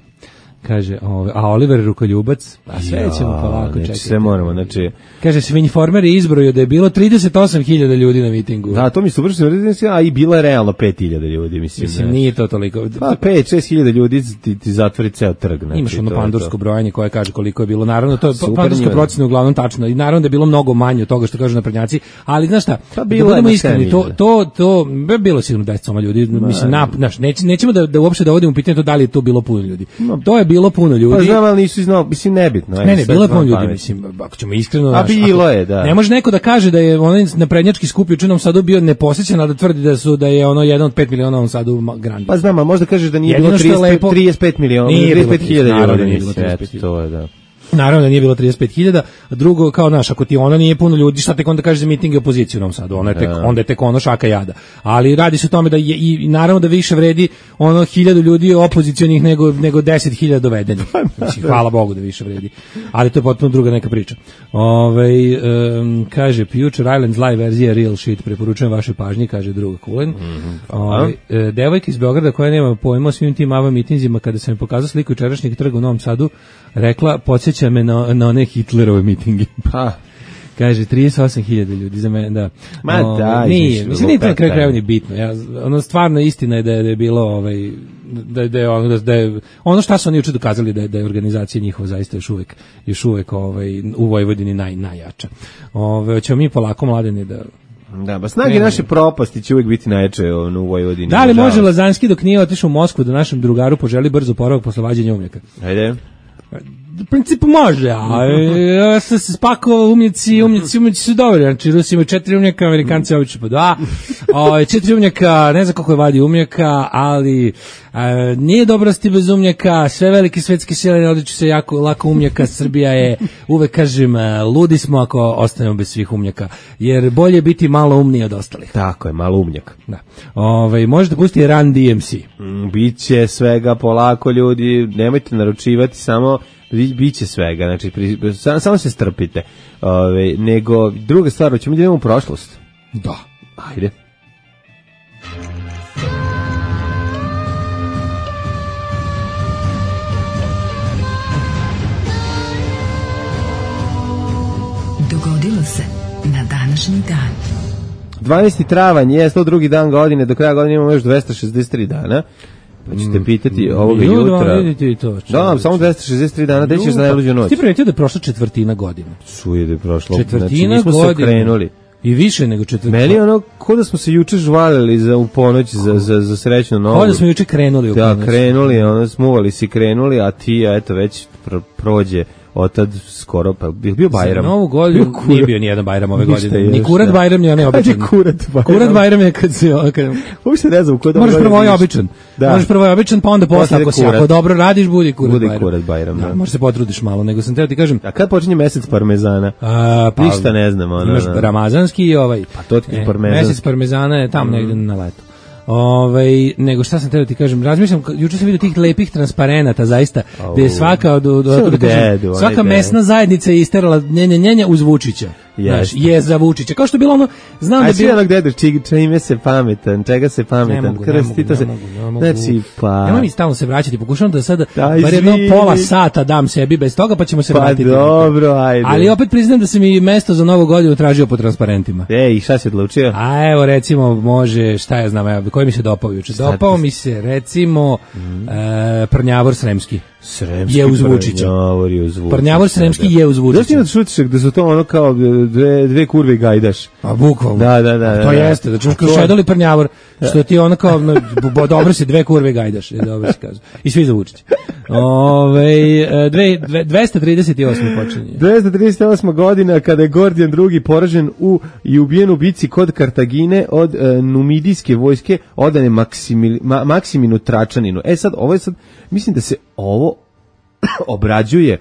Kaže, ove, a Oliver Rukoljubac, a sve ja, ćemo polako čekati. Sve moramo, znači... Kaže, Svinjformer je izbrojio da je bilo trideset osam hiljada ljudi na mitingu. Da, to mi se uvršeno, a i bila je realno pet hiljada ljudi, mislim. Mislim, nije to toliko. Pa pet šest hiljada ljudi ti, ti zatvori ceo trg. Znači, imaš ono pandursko brojanje koje kaže koliko je bilo. Naravno, to je pandurske procene uglavnom tačno. I naravno da je bilo mnogo manje od toga što kažu naprednjaci. Ali, znaš šta, pa da budemo iskreni, to, to, to, bilo sigurno deset ljudi. Mislim, na, naš, neć, nećemo da, da uopšte dovodimo pitanje to da li je to bilo puno ljudi. No. To je bilo puno ljudi. Pa znam, ali nisu znao, mislim, nebitno. Ne, ne, bilo je puno ljudi, mislim, ako ćemo iskreno... A bilo je, da. Ne može neko da kaže da je onaj naprednjački skup u Čunom Sadu bio neposjećan, a da tvrdi da su da je ono jedan od pet miliona u Sadu grandi. Pa znam, a možda kažeš da nije jedino bilo trideset pet miliona, trideset pet hiljada ljudi. To je, da. Naravno da nije bilo trideset pet hiljada, a drugo, kao naš, ako ti ono nije puno ljudi, šta tek onda kaže za miting i opoziciju u Novom Sadu, ono je tek, onda je tek ono šaka jada. Ali radi se o tome da je, i, i naravno da više vredi ono hiljadu ljudi opozicionih nego, nego deset hiljada dovedenih. Mislim, hvala Bogu da više vredi. Ali to je potpuno druga neka priča. Ove, um, kaže, Future Islands live verzija real shit, preporučujem vašoj pažnji, kaže druga Kulen. Mm-hmm. Ove, e, devojka iz Beograda koja nema pojma o svim tim ava mitinzima, kada sam mi pokazao sliku jučerašnjeg trga u Novom Sadu, rekla, podsjeća me na, na one Hitlerove mitinge. Pa. Kaže, trideset osam hiljada ljudi za mene, da. Ma o, da, nije, mislim, nije to na kraju krajeva ni bitno. Ja, ono, stvarno istina je da je, da je bilo, ovaj, da, da, je, ono, da, da je, ono šta su oni juče dokazali da je, da je organizacija njihova zaista još uvek, još uvek ovaj, u Vojvodini naj, najjača. Ove, ćemo mi polako, Mladene, da... Da, ba snage naše propasti će uvijek biti najjače ono, u Vojvodini. Da li može Lazanski dok nije otišao u Moskvu da našem drugaru poželi brzo poravak posle vađenja umnjaka? Ajde. U principu može, a ja sam se spakovao umnjaci, umnjaci, umnjaci su dobri, znači Rusi imaju četiri umnjaka, Amerikanci obično po dva, o, četiri umnjaka, ne znam koliko je vadi umnjaka, ali a, nije dobrosti bez umnjaka, sve velike svetske sile ne odliču se jako lako umnjaka, Srbija je, uvek kažem, ludi smo ako ostanemo bez svih umnjaka, jer bolje biti malo umniji od ostalih. Tako je, malo umnjak. Da. Ove, možete pustiti Run D M C. Mm, biće svega polako, ljudi, nemojte naručivati, samo biće svega, znači pri, sam, samo se strpite. Ove, nego druga stvar, hoćemo da idemo u prošlost. Da. Ajde. Dogodilo se na današnji dan. dvanaesti travanj je sto drugi dan godine, do kraja godine imamo još dvesta šezdeset tri dana. Pa ćete pitati ovoga jutra. Vidite i to. Da, samo dvesta šezdeset tri dana, da ćeš za najluđu noć. Ti primetio da je prošla četvrtina godine. Suje da je prošlo. Četvrtina znači, godine. se okrenuli. I više nego četvrtina. Meni ono, ko da smo se juče žvalili za u ponoć za, za, za srećnu novu. Ko da smo juče krenuli u Da, ponoć. krenuli, ono, smuvali si krenuli, a ti, eto, već pr prođe otad skoro, pa je bio Bajram. Za novu godinu nije bio nijedan Bajram ove godine. Još, Ni kurat da. Bajram, ni onaj običan. Ajde, kurat Bajram. Kurat Bajram je kad se... Kad... Uopšte ne znam, kod Možeš prvo ovaj običan. Da. Možeš prvo ovaj običan, pa onda posle, ako si ako dobro radiš, budi kurat Budi Bajram. kurat Bajram, da. Da, možeš se potrudiš malo, nego sam teo ti kažem... A kad počinje mesec parmezana? A, pa, Ništa ne znam. Ono, imaš ramazanski i ovaj... Pa to ti je e, parmezanski. Mesec parmezana je tamo mm. negde na letu. Ovaj nego šta sam teo ti kažem, razmišljam, juče sam vidio tih lepih transparenata zaista, oh. gde je svaka od, od, od, da kažem, svaka mesna zajednica je isterala njenje njenje uz Vučića. Znaš, je za Vučića. Kao što je bilo ono, znam a da bi ono gde čime se pametan, čega se pametan, krstito se. Znači pa. Nemoj mi stalno se vraćati, pokušavam da sada Daj, bar jedno pola sata dam sebi bez toga, pa ćemo se pa vratiti. Dobro, ajde. Ali opet priznam da se mi mesto za Novu godinu tražio po transparentima. Ej, šta si odlučio? A evo recimo može, šta ja znam, evo, koji mi se dopao juče? Dopao mi se recimo mm. e, Prnjavor Sremski. Sremski je uz Vučića. Prnjavor je uz Vučića. Prnjavor Sremski je uz Vučića. Zašto imaš šutišak da su to ono kao dve, dve kurve i gajdaš? A bukvalno. Da, da, da. To da, jeste, da čuš kao šedoli Prnjavor, što ti ono kao, no, dobro si, dve kurve i gajdaš, je dobro si kažu. I svi za Vučića. Ove, dve, dve, dvesta trideset osma počinje. dvesta trideset osma godina kada je Gordijan drugi poražen u i ubijen u bici kod Kartagine od e, numidijske vojske odane Maksimil, ma, Maksiminu Tračaninu. E sad, ovo je sad, mislim da se ovo obrađuje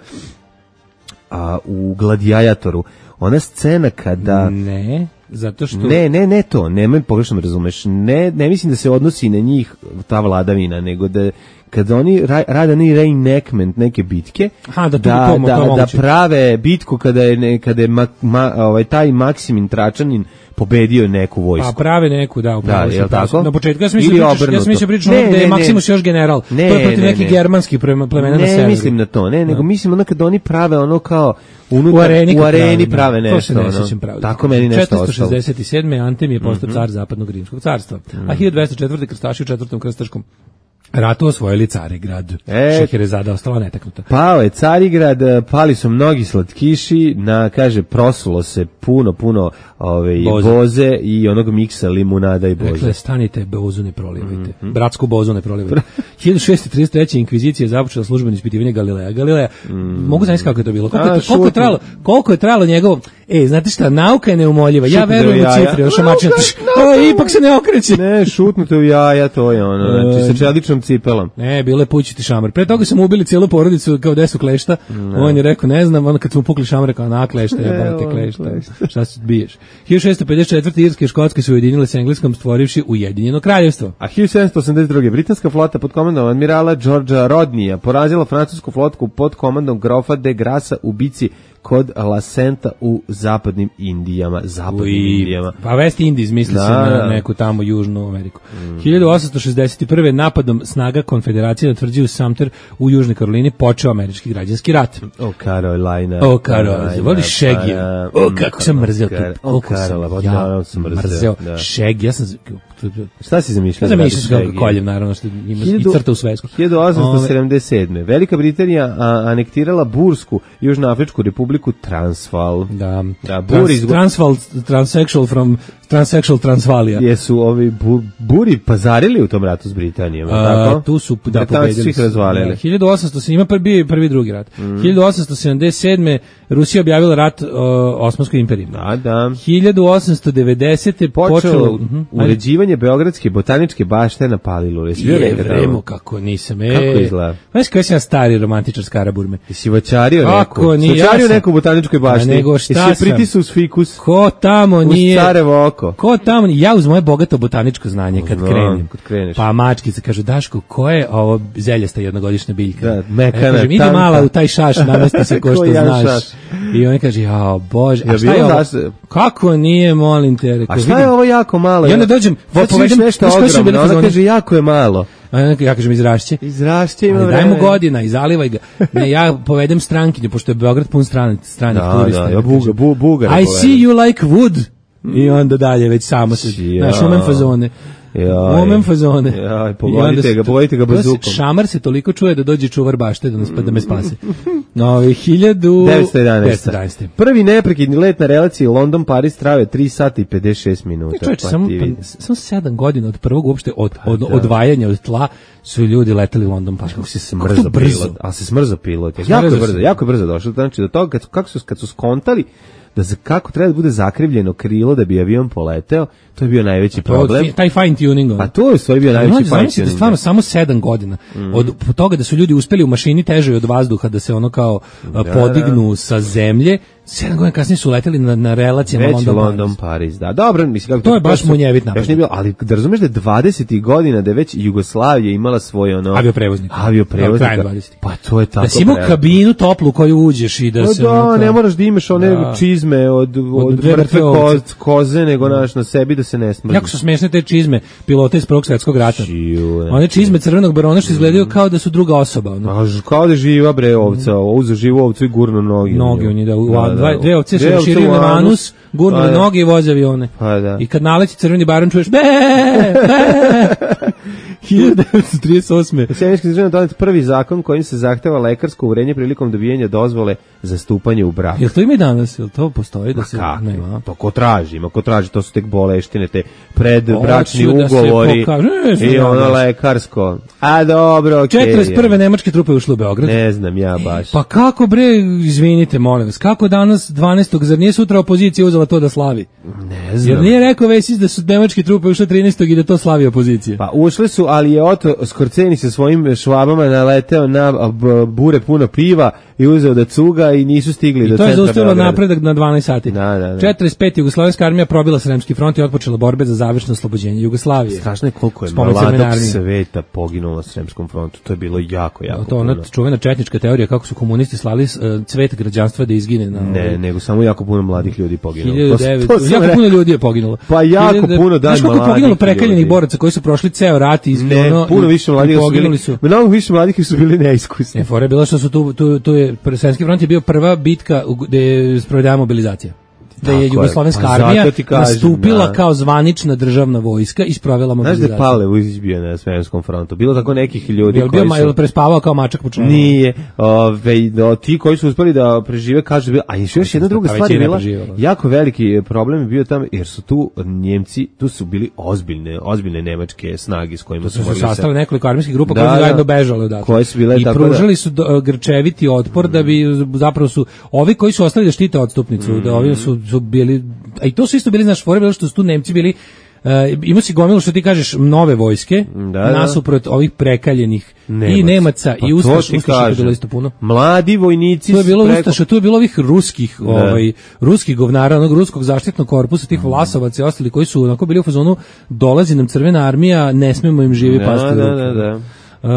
a, u Gladiatoru. Ona scena kada... Ne, zato što... Ne, ne, ne to, nemoj pogrešno me razumeš. Ne, ne mislim da se odnosi na njih ta vladavina, nego da kada oni ra, rade ni reenactment neke bitke, Aha, da, da, to, da, to da prave bitku kada je, ne, kada je ma, ma, ovaj, taj Maksimin Tračanin pobedio neku vojsku. Pa prave neku, da, upravo. Da, je tako? Na početku ja sam mislio pričaš, ja sam mislio pričaš ono gde je Maksimus još general. Ne, to je protiv ne, nekih ne. germanskih plemena na severu. Ne, mislim na to, ne, nego da. Mislim ono kada oni prave ono kao unutar, u areni, u areni prave, prave nešto. To se ne ono, sjećam pravo. Tako meni nešto ostalo. četiristo šezdeset sedme Antem je postao mm -hmm. car Zapadnog Rimskog carstva. Mm -hmm. A hiljadu dvesta četvrte krstaši u četvrtom krstaškom ratu osvojili Carigrad. E, Šahirezada ostala netaknuta. Pao je Carigrad, pali su mnogi slatkiši, na, kaže, prosulo se puno, puno ove, boze. boze i onog miksa limunada i boze. Rekle, stanite, bozu ne prolivajte. Mm -hmm. Bratsku bozu ne prolivajte. hiljadu šeststo trideset treće inkvizicija je započela službeno ispitivanje Galileja. Galileja, mm -hmm. mogu zamisliti kako je to bilo. Koliko, A, je, koliko, je trajalo, koliko je trajalo njegovo... E, znate šta, nauka je neumoljiva. Ja Šutnite verujem u u jaja. cifre, ošamačina. O, ipak se ne okreće. Ne, šutnute u jaja, to je ono, znači sa čeličnom cipelom. Ne, bilo je pućiti šamar. Pre toga su mu ubili cijelu porodicu kao desu klešta. On je rekao, ne znam, onda kad su mu pukli šamar, kao na klešta, ja te klešta. Šta se biješ? hiljadu šessto pedeset četvrte Irske i Škotske su ujedinile s Engleskom stvorivši Ujedinjeno kraljevstvo. A hiljadu sedamsto osamdeset druge britanska flota pod komandom admirala Georgea Rodneya porazila francusku flotku pod komandom grofa de Grassa u bici kod La Senta u zapadnim Indijama, zapadnim I, Indijama. pa West Indies misli Da, se na da. neku tamo južnu Ameriku. Mm. hiljadu osamsto šezdeset prve napadom snaga konfederacije na tvrđavu Sumter u Južnoj Karolini počeo američki građanski rat. O Carolina. O Carolina, voli Shaggy. O, kako sam mrzeo tu. O Kako sam Carola, ja sam mrzeo. Da. Shaggy, ja sam... Šta si zamišljao? Ja zamišljao sam kako koljem, naravno, što ima i crta u svesku. hiljadu osamsto sedamdeset sedme Velika Britanija a, anektirala Bursku Južnoafričku republiku Transvaal. Da. Da, Bur Trans, izgo... Transvaal, transsexual from transsexual Transvalija. Jesu ovi bu, Buri pazarili u tom ratu s Britanijom, A, tako? tu su da Britanci pobedili. su ih razvalili. Da, hiljadu osamsto se ima prvi prvi drugi rat. Mm. hiljadu osamsto sedamdeset sedme Rusija objavila rat uh, Osmanskoj imperiji. Da, da. hiljadu osamsto devedesete Počelo, počelo uh uh-huh, uređivanje Beogradske botaničke bašte na Palilu. Jesi bio je nekada? vremo kako nisam. E, Kako izgleda? Znaš kako sam ja stari romantičar s Karaburme. Jesi voćario Kako neku? nije, Voćario ja sam- neku u botaničkoj bašti? A nego šta Jesi sam? pritisao uz fikus? Ko tamo Uz nije... carevo oko? Ko tamo, ja uz moje bogato botaničko znanje kad Znam, krenem, kad kreneš. pa mačkice kažu, Daško, ko je ovo zeljasta jednogodišnja biljka? Da, mekana, ja kažem, idi tanka. mala u taj šaš, namesti se ko Ko što jedan znaš. šaš. I on kaže, jao, bože, a Ja šta je bilo ovo? daš- Kako nije, molim te, rekao, A šta je vidim. ovo jako malo? I onda dođem, Sad ću povedem- viš nešto znaš koji su bili ogromno. Ona fazoni? kaže, jako je malo. A ja kažem, izrašće. Izrašće ima Ali vreme. daj mu godina i zalivaj ga. Ne, ja povedem strankinju, pošto je Beograd pun stranih, stranih Da, turista. da, ja buga, bu, bugara I povedem. see you like wood. I onda dalje, već samo se, Ja. znaš, umem fazone. Jaj. Umem fazone. Jaj, I pogodite onda se- ga, pogodite ga to se- bazukom. Šamar se toliko čuje da dođe čuvar bašte da, nas, da me spase. No, hiljadu... devetsto jedanaeste. devetsto jedanaeste. Prvi neprekidni let na relaciji London-Paris trajao tri sata i pedeset šest minuta. Čovječe, Pa samo, ti vidi. pa, samo sedam godina od prvog uopšte od, od, da. odvajanja od tla su ljudi leteli London Paris. Kako si se Kako smrzao to brzo? pilot, a se smrzao pilot. Jako Smrzao je brzo, se. jako je brzo došlo. Znači, do toga, kad, kako su, kad su skontali da za, kako treba da bude zakrivljeno krilo da bi avion poleteo, to je bio najveći To, problem. taj fine tuning. ono. Pa to je u stvari bio najveći Mlađe, fine zamislite tuning. stvarno samo sedam godina. Od po toga da su ljudi uspeli u mašini težoj od vazduha da se ono kao a, podignu sa zemlje, sedam godina kasnije su leteli na, na relacijama Već London, London, Paris. Paris, da. Dobro, mislim kako To je baš su- munjevit još napad. nije bilo, ali da razumeš da je dvadesetih godina da je već Jugoslavija imala svoj ono Avioprevoznika. avioprevoznika. Krajem dvadesetih. Pa to je tako. Da si imao pre- kabinu toplu u koju uđeš i da Pa se... da, ono kao- ne moraš da imaš one Da. čizme od, od, dve mrtve mrtve ko, ovce. koze, nego naš na sebi da se ne smrzi. Jako su smešne te čizme pilota iz Prvog svjetskog rata. Čiju, ne. One čizme crvenog barona što izgledaju kao da su druga osoba. Ono. A, ž- kao da je živa bre ovca, uzu živu ovcu i gurno nogi. Noge u njih, da, u, Da, da. dva, dve ovce se Dve ovce raširio u na anus. anus, gurnuli Pa da. noge i voze avione. Pa da. I kad naleći crveni baron čuješ be, be. hiljadu devetsto trideset osme. Sjenički državno donet prvi zakon kojim se zahteva lekarsko uverenje prilikom dobijanja dozvole za stupanje u brak. Jel to ima i danas? Jel to postoji da se... Kako? Nema. To ko traži, ima ko traži, to su tek boleštine, te predbračni Hoću da se ugovori pokaže, ne znam i ja ono baš. lekarsko. A dobro, okej. četrdeset prve nemačke trupe ušle u Beograd. Ne znam ja baš. Pa kako bre, izvinite, molim vas, kako danas dvanaestog zar nije sutra opozicija uzela to da slavi? Ne znam. Jer nije rekao Vesis da su nemačke trupe ušle trinaestog i da to slavi opozicija. Pa ušli su, ali je Oto Skorceni sa svojim švabama naleteo na a, b- bure puno piva i uzeo da cuga i nisu stigli do I to je centra zaustavilo Beograda. napredak na dvanaest sati. Da, da, da. četrdeset pete Jugoslovenska armija probila Sremski front i otpočela borbe za završno oslobođenje Jugoslavije. Strašno je koliko je S pomoć Crvene mladog armije. sveta poginulo na Sremskom frontu. To je bilo jako, jako To ona puno. čuvena četnička teorija kako su komunisti slali uh, cvet građanstva da izgine na Ne, ovaj, nego samo jako puno mladih ljudi poginulo. hiljadu To- devetsto to sam jako rekao. puno ljudi je poginulo. Pa jako hiljadu- puno, daj, Znaš koliko je mladih poginulo prekaljenih ljudi. boraca koji su prošli ceo rat i Ne, ono, puno i- više i mladih su poginuli bili, su. mnogo više mladih su bili neiskusni. E, fora je bila što su tu, tu, tu je, Sremski front je bio prva bitka u- gde je sprovedena mobilizacija. da je Tako jugoslovenska je. Pa armija zato ti kažem, nastupila da. kao zvanična državna vojska i sprovela Znaš da je mobilizaciju. Pavle Vujsić bio na Svemirskom frontu? Bilo tako nekih ljudi Jel bio koji ma- su... jel prespavao kao mačak po čelu? Nije. Ove, do, ti koji su uspeli da prežive, kažu da je bilo... A još još jedna druga Pa stvar je većina bila, preživjela. jako veliki problem je bio tamo, jer su tu Njemci, tu su bili ozbiljne, ozbiljne nemačke snage s kojima To su su se morali se... sastale nekoliko armijskih grupa Da, koje su da. zajedno bežale odatle. Koje su bile I tako da- pružali su do- grčeviti otpor da bi zapravo su ovi koji su ostali da štite odstupnicu, da ovi su, su bili, a i to su isto bili, znaš, fore bilo što su tu Nemci bili. Uh, ima si gomilu što ti kažeš nove vojske Da, da. nasuprot ovih prekaljenih Nemaca. i Nemaca Pa i to Ustaša, ti Ustaša je kažem. bilo isto puno. Mladi vojnici To je bilo preko- Ustaša, tu je bilo ovih ruskih, ovaj ruskih govnara, onog ruskog zaštitnog korpusa, tih Vlasovaca i ostali koji su onako bili u fazonu, dolazi nam crvena armija, ne smemo im živi Da, pasti u da, ruke. da, da. Uh,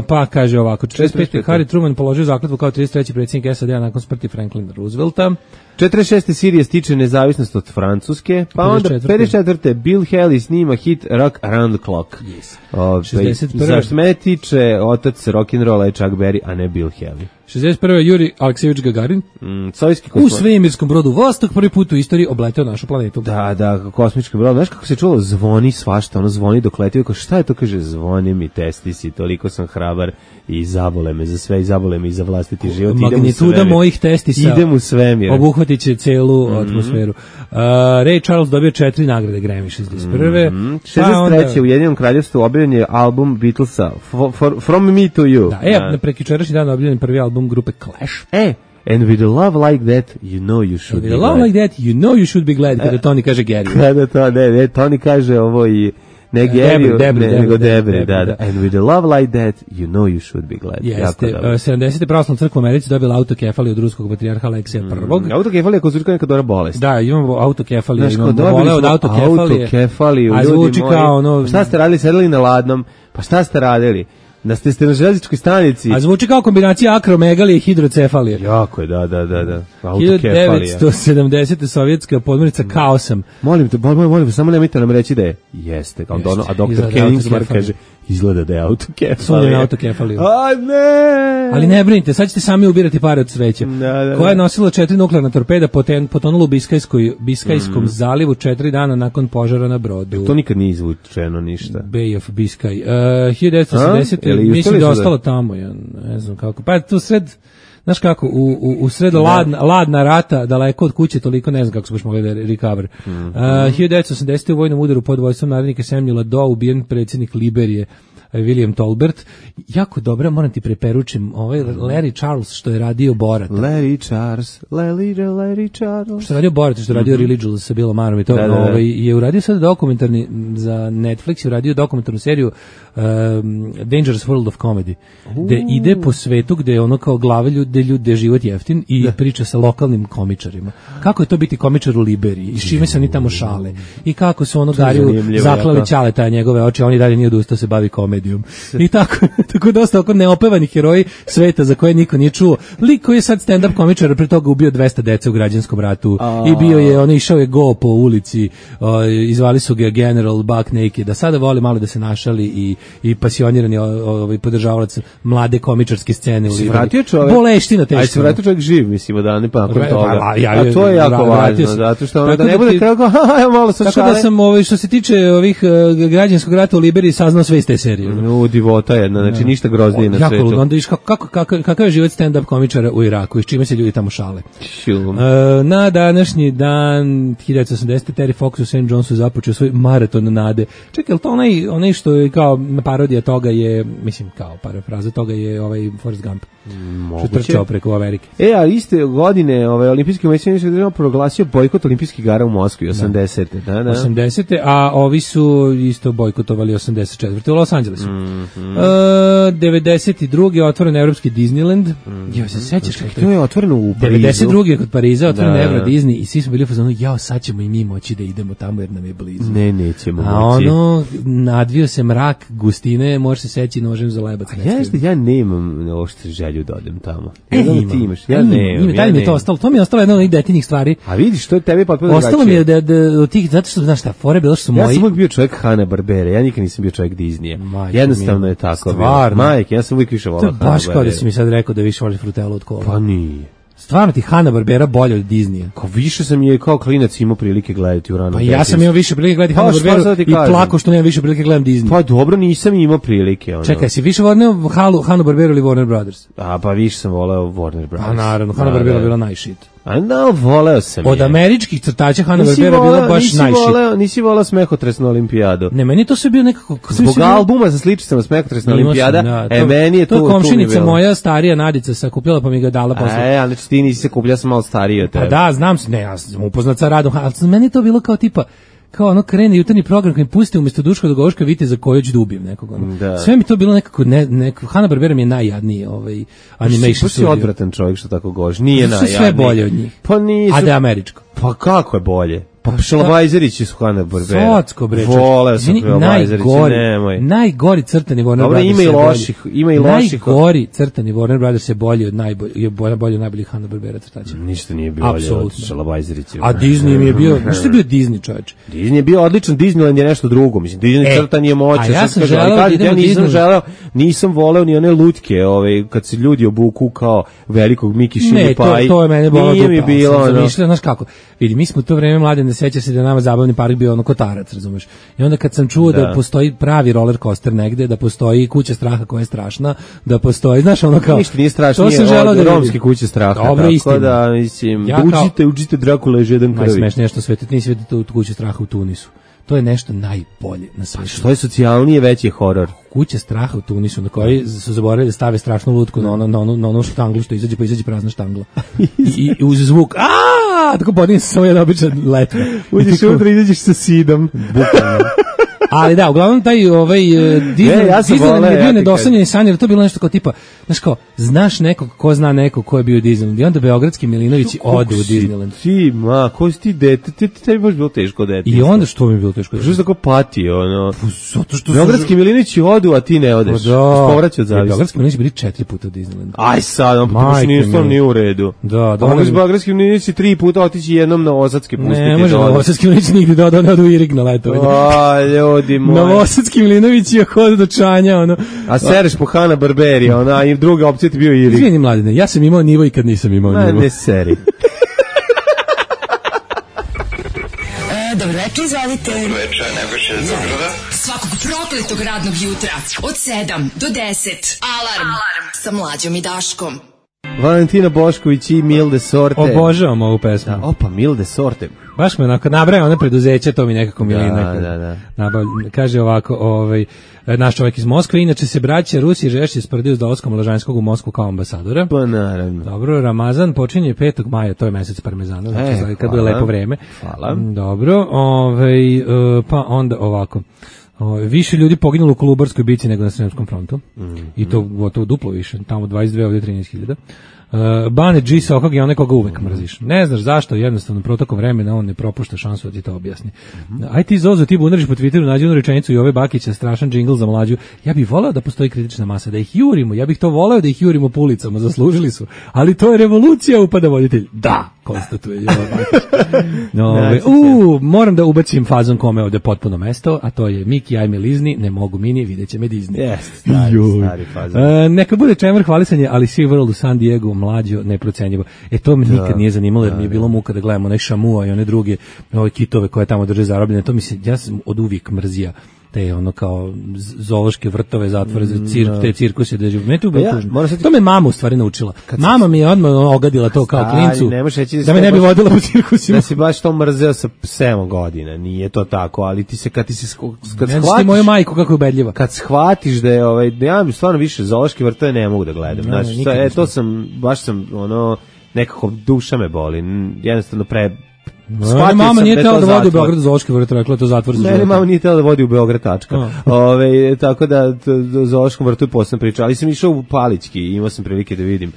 pa kaže ovako, četrdeset pete. Harry Truman položio zakletvu kao trideset treći predsjednik S A D-a nakon smrti Franklina Roosevelta. četrdeset šeste. Sirija stiče nezavisnost od Francuske, pa onda pedeset četvrte. pedeset četvrte. Bill Haley snima hit Rock Around the Clock. Yes. Ove, šezdeset prve. Za što mene tiče, otac rock'n'rolla je Chuck Berry, a ne Bill Haley. šezdeset prve. Juri Aleksejević Gagarin Mm, sovjetski u kosmo... svemirskom brodu Vostok prvi put u istoriji obleteo našu planetu. Da, da, kosmički brod. Znaš kako se čulo, zvoni svašta, ono zvoni dok leti, kao šta je to, kaže, zvoni mi testisi, toliko sam hrabar i zabole me za sve, i zabole me i za vlastiti život. Idem u Magnituda svemir. mojih testisa Idem u svemir. obuhvatit će celu atmosferu. Uh, Ray Charles dobio četiri nagrade Grammy šezdeset prve. Mm, Pa šezdeset treće. onda- u Ujedinjenom kraljevstvu objavljen je album Beatlesa For, for, From Me to You. Da, e, na prekjučerašnji dan objavljen prvi album grupe Clash. E, and with a love like that, you know you should With be a love glad. like that, you know you should be glad, kada Tony kaže Gary. Kada to, ne, ne, Tony kaže ovo i ne Debri, Gary, Debri, ne, Debri, nego Debri, Debri, da, da. da. And with a love like that, you know you should be glad. Jako Jeste, dobro. uh, sedamdesete. pravoslavna crkva u Americi dobila autokefaliju od ruskog patrijarha Aleksija prvog. Autokefalija kod zvuči kao neka dobra bolest. Da, imamo autokefaliju, Znaš, imamo kao dobili vole od smo autokefalije. autokefaliju, A ljudi zvuči moji. kao ono... Šta ste radili, sedeli na ladnom? Pa šta ste radili? Da ste, ste na železničkoj stanici? A zvuči kao kombinacija akromegalije i hidrocefalije. Jako je, da, da, da, da. Autokefalija. hiljadu devetsto sedamdesete. sovjetska podmornica Kaosam. Molim te, molim, molim, samo nemojte nam reći da je. Jeste, kao Jeste, ono, a doktor izgleda Kenningsmar autokefalija. kaže, izgleda da je autokefalija. Sumnjam na autokefaliju. A ne! Ali ne brinite, sad ćete sami ubirati pare od sveća. Da, da, da. Koja je nosila četiri nuklearna torpeda, poten, potonula u Biskajskoj, Biskajskom zalivu četiri dana nakon požara na brodu. To nikad nije izvučeno ništa. Bay of Biscay. Uh, hiljadu devetsto osamdesete. A? Jel mislim uspeli da je su da- ostalo tamo, ja ne znam kako. Pa tu sred, znaš kako, u, u, u sred ladna, ladna rata, daleko od kuće, toliko ne znam kako smo baš mogli da recover. Mm -hmm. uh, hiljadu devetsto osamdesete. u vojnom udaru pod vojstvom narednika Samuela Doe ubijen predsjednik Liberije, William Tolbert. Jako dobro, moram ti preperučim, ovaj Larry Charles što je radio Borata. Larry Charles, Larry, Larry Charles. Što je radio Borat, što je radio mm -hmm. Religious sa Billom Marom i to, Da, da, da. ovaj, je uradio sad dokumentarni, za Netflix je uradio dokumentarnu seriju um, Dangerous World of Comedy, gde ide po svetu gde je ono kao glave ljude, ljude život jeftin i priča sa lokalnim komičarima. Kako je to biti komičar u Liberiji i s čime se oni tamo šale i kako su ono Gariju zanimljivo, zaklali jako. Ćaleta njegove oči, oni dalje nije odustao se bavi komedijom. I tako, tako dosta oko neopevani heroji sveta za koje niko nije čuo. Lik koji je sad stand-up komičar, pre toga ubio dvesta dece u građanskom ratu i bio je, on je išao je go po ulici, o, izvali su ga General Buck Naked, da sada voli malo da se našali i, i pasionirani ovaj podržavalac mlade komičarske scene u Se Liberiji. vratio čovjek. Boleština teška. Aj se vratio čovjek živ, mislim, da ne pakom Vra- toga. pa, ja- A to je jako vra- vratio važno, se. zato što ono Tako da ne da bude ti- kao, ha, malo sa Tako šale. da sam ovaj, što se tiče ovih uh, građanskog rata u Liberiji saznao sve iz te serije. U, divota jedna, znači ništa groznije na Jako svetu. ludo, onda viš kako, kako, kako, kakav je život stand-up komičara u Iraku i s čime se ljudi tamo šale. Šum. E, na današnji dan hiljadu devetsto osamdesete. Terry Fox u Saint Johnsu započeo svoj maraton nade. Čekaj, je li to onaj, onaj što je kao parodija toga je, mislim kao parafraza toga je ovaj Forrest Gump. Što je trčao preko Amerike. E, a iste godine ovaj, olimpijski komisionički država proglasio bojkot olimpijskih igara u Moskvi, osamdesete. Da, da. osamdesete. A ovi su isto bojkotovali osamdeset četvrte. u Los Angelesu. Mm E, devedeset druge. otvoren evropski Disneyland. Mm Jo, se sećaš kako To je otvoreno u Parizu. devedeset druge. kod Pariza otvoren Da, Euro da. Disney i svi smo bili u fazonu, jao, sad ćemo i mi moći da idemo tamo jer nam je blizu. Ne, nećemo A moći. ono, nadvio se mrak gustine, može se seći nožem za lebac. Ja, jeste, ja nemam ošte želju da odem tamo. E, Ja znam da imam. ti imaš, ja Imam, nemam. imam, ja dalje mi je to nemam. ostalo. To mi je ostalo jedna od onih detinih stvari. A vidiš, to je tebi potpuno Ostalo mi je drugačije. da, da od tih, zato što, znaš šta, fore bilo što su Ja moji... sam uvijek bio čovjek Hanna Barbera, ja nikad nisam bio čovjek Disneya. Majko Jednostavno mila. je tako. Stvarno? Bilo. Majke, ja sam uvijek više To volao je Hanna baš kao da Barbera. si mi sad rekao da više voliš frutelu od kola. Pa nije. Stvarno ti Hanna-Barbera bolje od Disneya. Kao više sam je kao klinac imao prilike gledati u ranom. Pa ja sam imao više prilike gledati Pa, šta Hanna-Barberu sad ti i kažem? plako što nemam više prilike gledam Disney. Pa dobro, nisam imao prilike. Ono. Čekaj, si više voleo Hanna-Barberu ili Warner Brothers? A pa više sam voleo Warner Brothers. A naravno, Hanna-Barbera bila najshit. A no, voleo sam Od je. američkih crtača Hanna-Barbera Nisi bila voleo- baš nisi najshit. voleo- Nisi voleo Smehotresnu olimpijadu. Ne, meni to sve bio nekako... Zbog albuma sa sličicama Smehotresna Imao sam, olimpijada, da, e, meni je to... To tu mi komšinica bilo. moja, starija Nadica, sakupljala pa mi ga dala posle. E, ali znači ti nisi se kupio, ja sam malo stariji od Pa tebe. da, znam se, ne, ja sam upoznat sa radom, ali meni je to bilo kao tipa, kao ono krene jutarnji program koji mi pusti umjesto Duška Dogoška vidite za koju ću da ubijem nekog. Ono. Da. Sve mi to bilo nekako, ne, nekako Hanna-Barbera mi je najjadniji ovaj, animation Pa si studio. odvratan čovjek što tako govoriš. Nije Sve najjadniji. sve bolje od njih. Pa nisu. A da je američko. Pa kako je bolje? Pa šta? Šalabajzerići su Hanna-Barbera. Socko bre. Voleo sam Izvini, Šalabajzerići, najgori, nemoj. najgori crtani Warner Dobro, Brothers. ima i je bolji. loših, ima i loših. Najgori crtani Warner Brothers je bolji od najbolji, je bolji, bolji od najboljih Hanna-Barbera crtača. Ništa nije bilo bolje od Apsolutno. Šalabajzerići. A Disney mi je bio, znaš što je bio Disney, čoveče? Disney je bio odličan, Disneyland je nešto drugo. Mislim, Disney E, crtan je moćan. a ja sad sam kažem, ali želeo da kažem, idem ja u nisam Disneyland. želeo, nisam voleo ni one lutke, ovaj, kad se ljudi obuku kao velikog Miki Šilje Ne, to, Paj. to je mene bolalo Nije dupe, mi ali bilo, sam ono. zamišljao, znaš kako, vidi, mi smo u to vreme mlade, ne seća se da je nama zabavni park bio ono kotarac, razumeš? I onda kad sam čuo da, Da. postoji pravi roller coaster negde, da postoji kuća straha koja je strašna, da postoji, znaš, ono kao... Ništa nije strašno, to nije sam želeo od da vidim. romske kuće straha. Dobro, tako istina. da, mislim, Ja da kao- uđite, uđite Drakula je žedan krvi. Najsmešnije što svetu, nisi vidio tu, tu kuću straha u Tunisu. To je nešto najbolje na svetu. Što je socijalnije, veći je horor. Kuća straha u Tunisu na kojoj su zaboravili da stave strašnu lutku na ono na ono na onu štanglu što izađe pa izađe prazna štangla. I, i uz zvuk a tako podigne se samo jedna obična letka. Uđeš unutra i izađeš sa sidom. Bukvalno. Ali da, uglavnom taj ovaj uh, Disney, Ne, ja sam Disneyland voleo, je bio ja ti nedosanjeni san, jer to je bilo nešto kao tipa, znaš kao, znaš nekog ko zna nekog ko je bio u Disneylandu i onda beogradski Milinovići ode u Disneyland. Ti, ma, ko si ti dete? Ti, ti, tebi baš bilo teško dete. I onda što mi je bilo teško? Što se tako pati, ono? Zato što su... Beogradski Milinovići odu, a ti ne odeš. Pa da. Povraćaj od Jer zavisi. Beogradski Milinovići bili četiri puta u Disneylandu. Aj sad, on baš Majke nije stvarno mi. nije u redu. Da, da, Da, mogu ono- s Beogradskim Milinovići tri puta otići jednom na Osadski pustiti. Ne, može da ode. Novosadski Milinović nigdje da ode, ne ode u Irig na letovanje. A, ljudi moji. Novosadski Milinović je hod do čanja, ono. A sereš po Hanna Barberi, ona, i druga opcija ti bio Irig. Izvini, mladine, ja sam imao nivo i kad nisam imao Ma, nivo. ne seri. E, dobro večer, izvalite. Večer, Nebojša iz Beograda. Svakog prokletog radnog jutra od sedam do deset. Alarm, Alarm. Sa mlađom i Daškom. Valentina Bošković i Milde Sorte. Obožavam ovu pesmu. Da, opa, Milde Sorte. Baš me onako nabraja one preduzeće, to mi nekako Milina. Da, da, da. Nabavlja, kaže ovako, ovaj, naš čovjek iz Moskve, inače se braća Rusije žešće sprdaju s dolaskom Lažanskog u Moskvu kao ambasadora. Pa naravno. Dobro, Ramazan počinje petog maja, to je mesec parmezana, znači E, znači kad hvala. bude lepo vreme. Hvala. Mm, Dobro, ovaj, e, pa onda ovako. O, više ljudi poginulo u Kolubarskoj bici nego na Sremskom frontu. Mm. I to gotovo duplo više, tamo dvadeset dve, ovdje trinaest hiljada. Uh, Bane G. Sokog je onaj koga uvek mrziš. Ne znaš zašto, jednostavno protokom vremena on ne propušta šansu da ti to objasni. Mhm. Aj ti Zozo, ti bunariš po Twitteru, nađi onu rečenicu i ove Bakića, strašan džingl za mlađu. Ja bih voleo da postoji kritična masa, da ih jurimo, ja bih to voleo da ih jurimo po ulicama, zaslužili su. Ali to je revolucija, upada voditelj. Da, konstatuje Jovan Bakić. No, ove, u, moram da ubacim fazon kome ovde potpuno mesto, a to je Miki, ajme lizni, ne mogu mini, vidjet će me Disney. Jeste, stari, Joj. stari fazon. E, neka bude čemer hvalisanje, ali Sea World u San Diego, mlađo, neprocenjivo. E, to me nikad nije zanimalo, jer mi je bilo muka da gledamo onaj Šamua i one druge ove kitove koje tamo drže zarobljene. To mi se, ja sam od uvijek mrzija te ono kao z- zoološke vrtove, zatvore za cirk, te cirkuse da živu. Mene to bilo Ja, tužno. moram sad ti- To me mama u stvari naučila. Mama mi je odmah ogadila to kao Stari, klincu. ne možeš reći da Da si me to ne bi baš- vodila po cirkusima. Da si baš to mrzeo sa sedam godina, nije to tako, ali ti se kad ti se sk- kad Ne znaš ti shvatiš, moju majku kako je ubedljiva. kad shvatiš da je ovaj da ja bi stvarno više zoološke vrtove ne mogu da gledam. Ne, ne, Znači, nikad to, e, nisam. to sam baš sam ono nekako duša me boli. N- Jednostavno pre Ne, mama sam nije je tela to da vodi u zatvor. Beograd zoološki vrt, rekla je to zatvor za Ne, ne, život. mama nije htjela da vodi u Beograd, tačka. Ove, tako da t- do zoološkom vrtu je posebna priča, ali sam išao u Palićki i imao sam prilike da vidim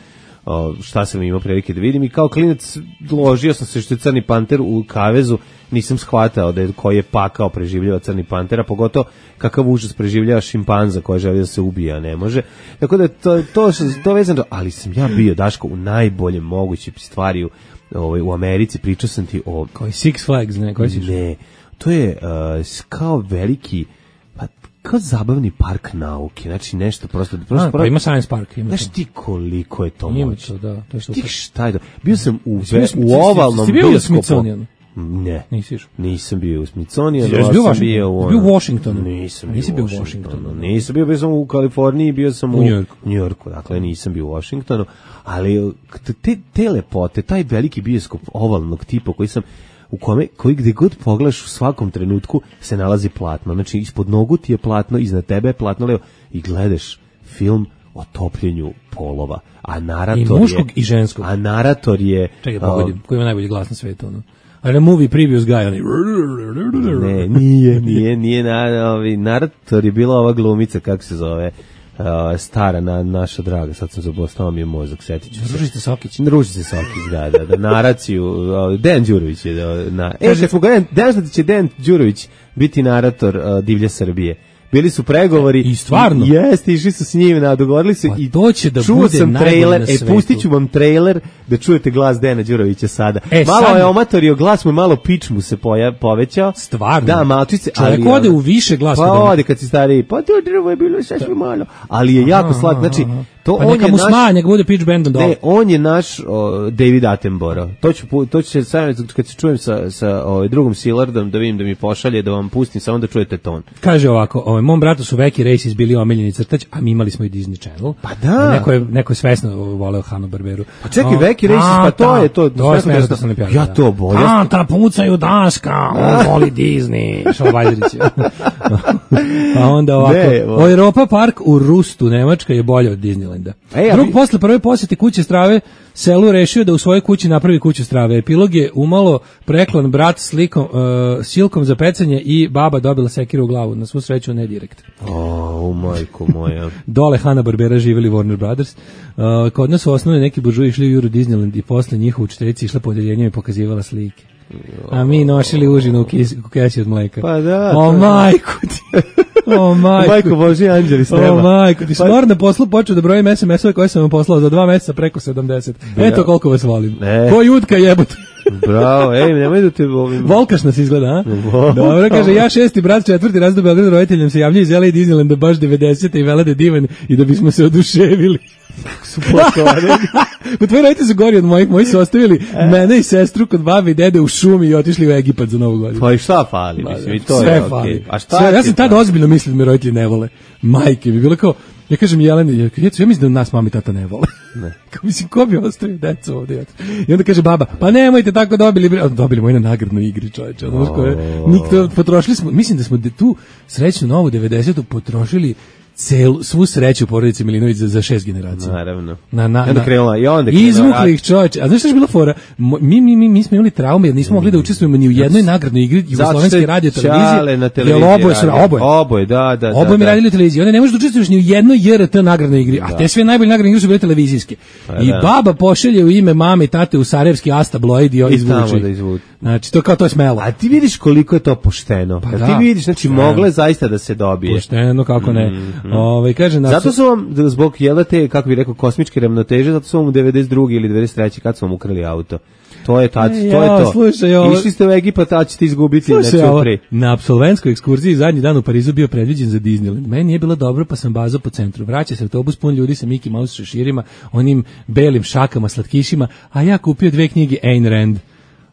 o, šta sam imao prilike da vidim i kao klinac ložio sam se što je Crni panter u kavezu, nisam shvatao da je koji je pakao preživljava Crni panter, a pogotovo kakav užas preživljava šimpanza koja želi da se ubija, ne može. Tako da to, to, to vezano, ali sam ja bio, Daško, u najboljem moguće stvari u, ovaj, u Americi, pričao sam ti o Koji Six Flags, ne, koji si išao? ne, to je uh, kao veliki, pa kao zabavni park nauke, znači nešto prosto... prosto A, pa ima Science Park. Ima znaš to. ti koliko je to Ima moćno. to, da. To je Ti super. šta je to? Bio sam u, Jesi bio ve, u u Smith- ovalnom jesi bio u bioskopu. Smithsonianu? Ne. Nisi išao? Nisam bio u Smithsonianu, Jesi ali bio u sam Washingtonu? bio u... Jesi bio u Washingtonu? Nisam Nisi bio u bio u Washingtonu. Washingtonu. Nisam bio, bio sam u Kaliforniji, bio sam u, U New Yorku. New Yorku, dakle nisam bio u Washingtonu, ali te, te lepote, taj veliki bioskop ovalnog tipa koji sam u kome, koji gde god pogledaš u svakom trenutku se nalazi platno. Znači, ispod nogu ti je platno, iznad tebe je platno, levo, i gledaš film o topljenju polova. A narator I muškog je, i ženskog. A narator je... Čekaj, pogodim, koji ima najbolji glas na svetu, ono. Ali movie previous guy, oni... Ne, nije, nije, nije, na, ovi, narator je bila ova glumica, kako se zove, uh, stara, na, naša draga, sad sam zabostao mi je mozak, setit ću se. Ružica Sokić. Ružica Sokić, da, da, da, naraciju, uh, Dejan Đurović je, da, na, e, kad smo ga, Dejan, da će Dejan Đurović biti narator uh, Divlje Srbije. Bili su pregovori. I stvarno? Jeste, išli su s njim, na, dogovorili su Pa i to će da čuo bude sam najbolje trailer, na e, svetu. pustit ću vam trailer da čujete glas Dejana Đurovića sada. E, malo sad- je omatorio glas, mu je malo pič mu se poja, povećao. Stvarno? Da, malčice. Čovjek ali, ode ono, u više glasa. Pa od onog. ode kad si stariji, pa to drvo je bilo sasvim malo. Ali je jako slatko, znači, to Pa on neka je mu naš... sma, neka bude pitch bandom dole. Ne, on je naš o, David Attenborough. To ću pu- to će se sad kad se čujem sa sa ovaj drugom Sillardom da vidim da mi pošalje da vam pustim samo da čujete ton. Kaže ovako, ovaj, mom bratu su Veki Races bili omiljeni crtač, a mi imali smo i Disney Channel. Pa da. Neko je, neko je svesno voleo Hannu-Barberu. Pa čekaj, O, Veki Races, pa to ta, je to- To je svesno smešno da- sam napravio, ja da. to bolje. Tanta pucaju daška, on voli Disney. Šala Vajdrić. A onda ovako, Ne, o- o, Europa Park u Rustu, Nemačka je bolja od Disneylanda. Ej, a Drug vi- posle prve posete kuće strave selu rešio da u svojoj kući napravi kuću strave. Epilog je umalo preklon brat slikom, uh, silkom za pecanje i baba dobila sekiru u glavu. Na svu sreću ne direkt. O, majko moja. Dole Hanna-Barbera živjeli Warner Brothers. Uh, kod nas su osnovne neki buržuji išli u Euro Disneyland i posle njihovu učiteljica išla po odeljenju i pokazivala slike. A mi nosili užinu u, kis, u kesi od mleka. Pa da, O to- majku ti. O majku. Majko Božji anđeli s neba. O majku ti. Pa- Smor na poslu počeo da brojim es em esove koje sam vam poslao za dva meseca preko sedamdeset. Eto koliko vas volim. Ne. Ko jutka jebote. Bravo, ej, nemoj da te ovim... Volkaš nas izgleda, a? Wow. Dobro, kaže, ja šesti brat, četvrti raz do Beograda roditeljom se javljaju iz L A Disneylanda baš devedesete i vele da je divan i da bismo se oduševili. su potovane. Pa tvoji roditelji su gori od mojih, moji su ostavili mene i sestru kod babi i dede u šumi i otišli u Egipat za Novu godinu. Pa i šta fali, mislim, i to Sve je fali. okej. A šta Sve, ti ja sam je tada to? ozbiljno mislio da me roditelji ne vole. Majke mi, bilo kao, ja kažem Jeleni, ja, ja, ja mislim da nas mami i tata ne vole. Ne. Kao, mislim, ko bi ostavio decu ovdje? I onda kaže baba, pa nemojte tako dobili, bre- dobili moji na nagradnoj igri, čovječe. Ono što je, nikto, potrošili smo, mislim da smo de- tu srećnu novu devedesetu potrošili celu, svu sreću porodice Milinović za, za šest generacija. Naravno. Na, na, I onda na- krenula, i onda krenula izvukli rat. ih čovječe. A znaš što je bila fora? Mo- Mi, mi, mi, mi smo imali traume jer nismo mogli da učestvujemo ni u jednoj nagradnoj igri Jugoslovenske radio Čale na televiziji. Jer oboje su radio. oboje. Oboje, da, da. Oboje da, mi da. radili u televiziji. Onda ne možeš da učestvuješ ni u jednoj J R T nagradnoj igri. A te sve najbolje nagradne igre su bile televizijske. I da. baba pošalje u ime mame i tate u Sarajevski Asta Bloid i I izvuče tamo ih. da izvuče. Znači, to kao to je smelo. A ti vidiš koliko je to pošteno. Pa Kad da. ti vidiš, znači Pošteno. mogle zaista da se dobije. Pošteno, kako ne. Ovaj kaže na Zato su vam, da zbog jela te, kako bi rekao, kosmičke ravnoteže, zato su vam u devedeset druge ili devedeset treće kad su vam ukrali auto. To je tad, E, to je jao, to. slušaj, ovo- Išli ste u Egipat, a ćete izgubiti Slušaj, na ovo, Ćupri. na apsolventskoj ekskurziji zadnji dan u Parizu bio predviđen za Disneyland. Meni je bilo dobro pa sam bazao po centru. Vraća se autobus pun ljudi sa Mickey Mouse šeširima, onim belim šakama, slatkišima, a ja kupio dve knjige Ayn Rand.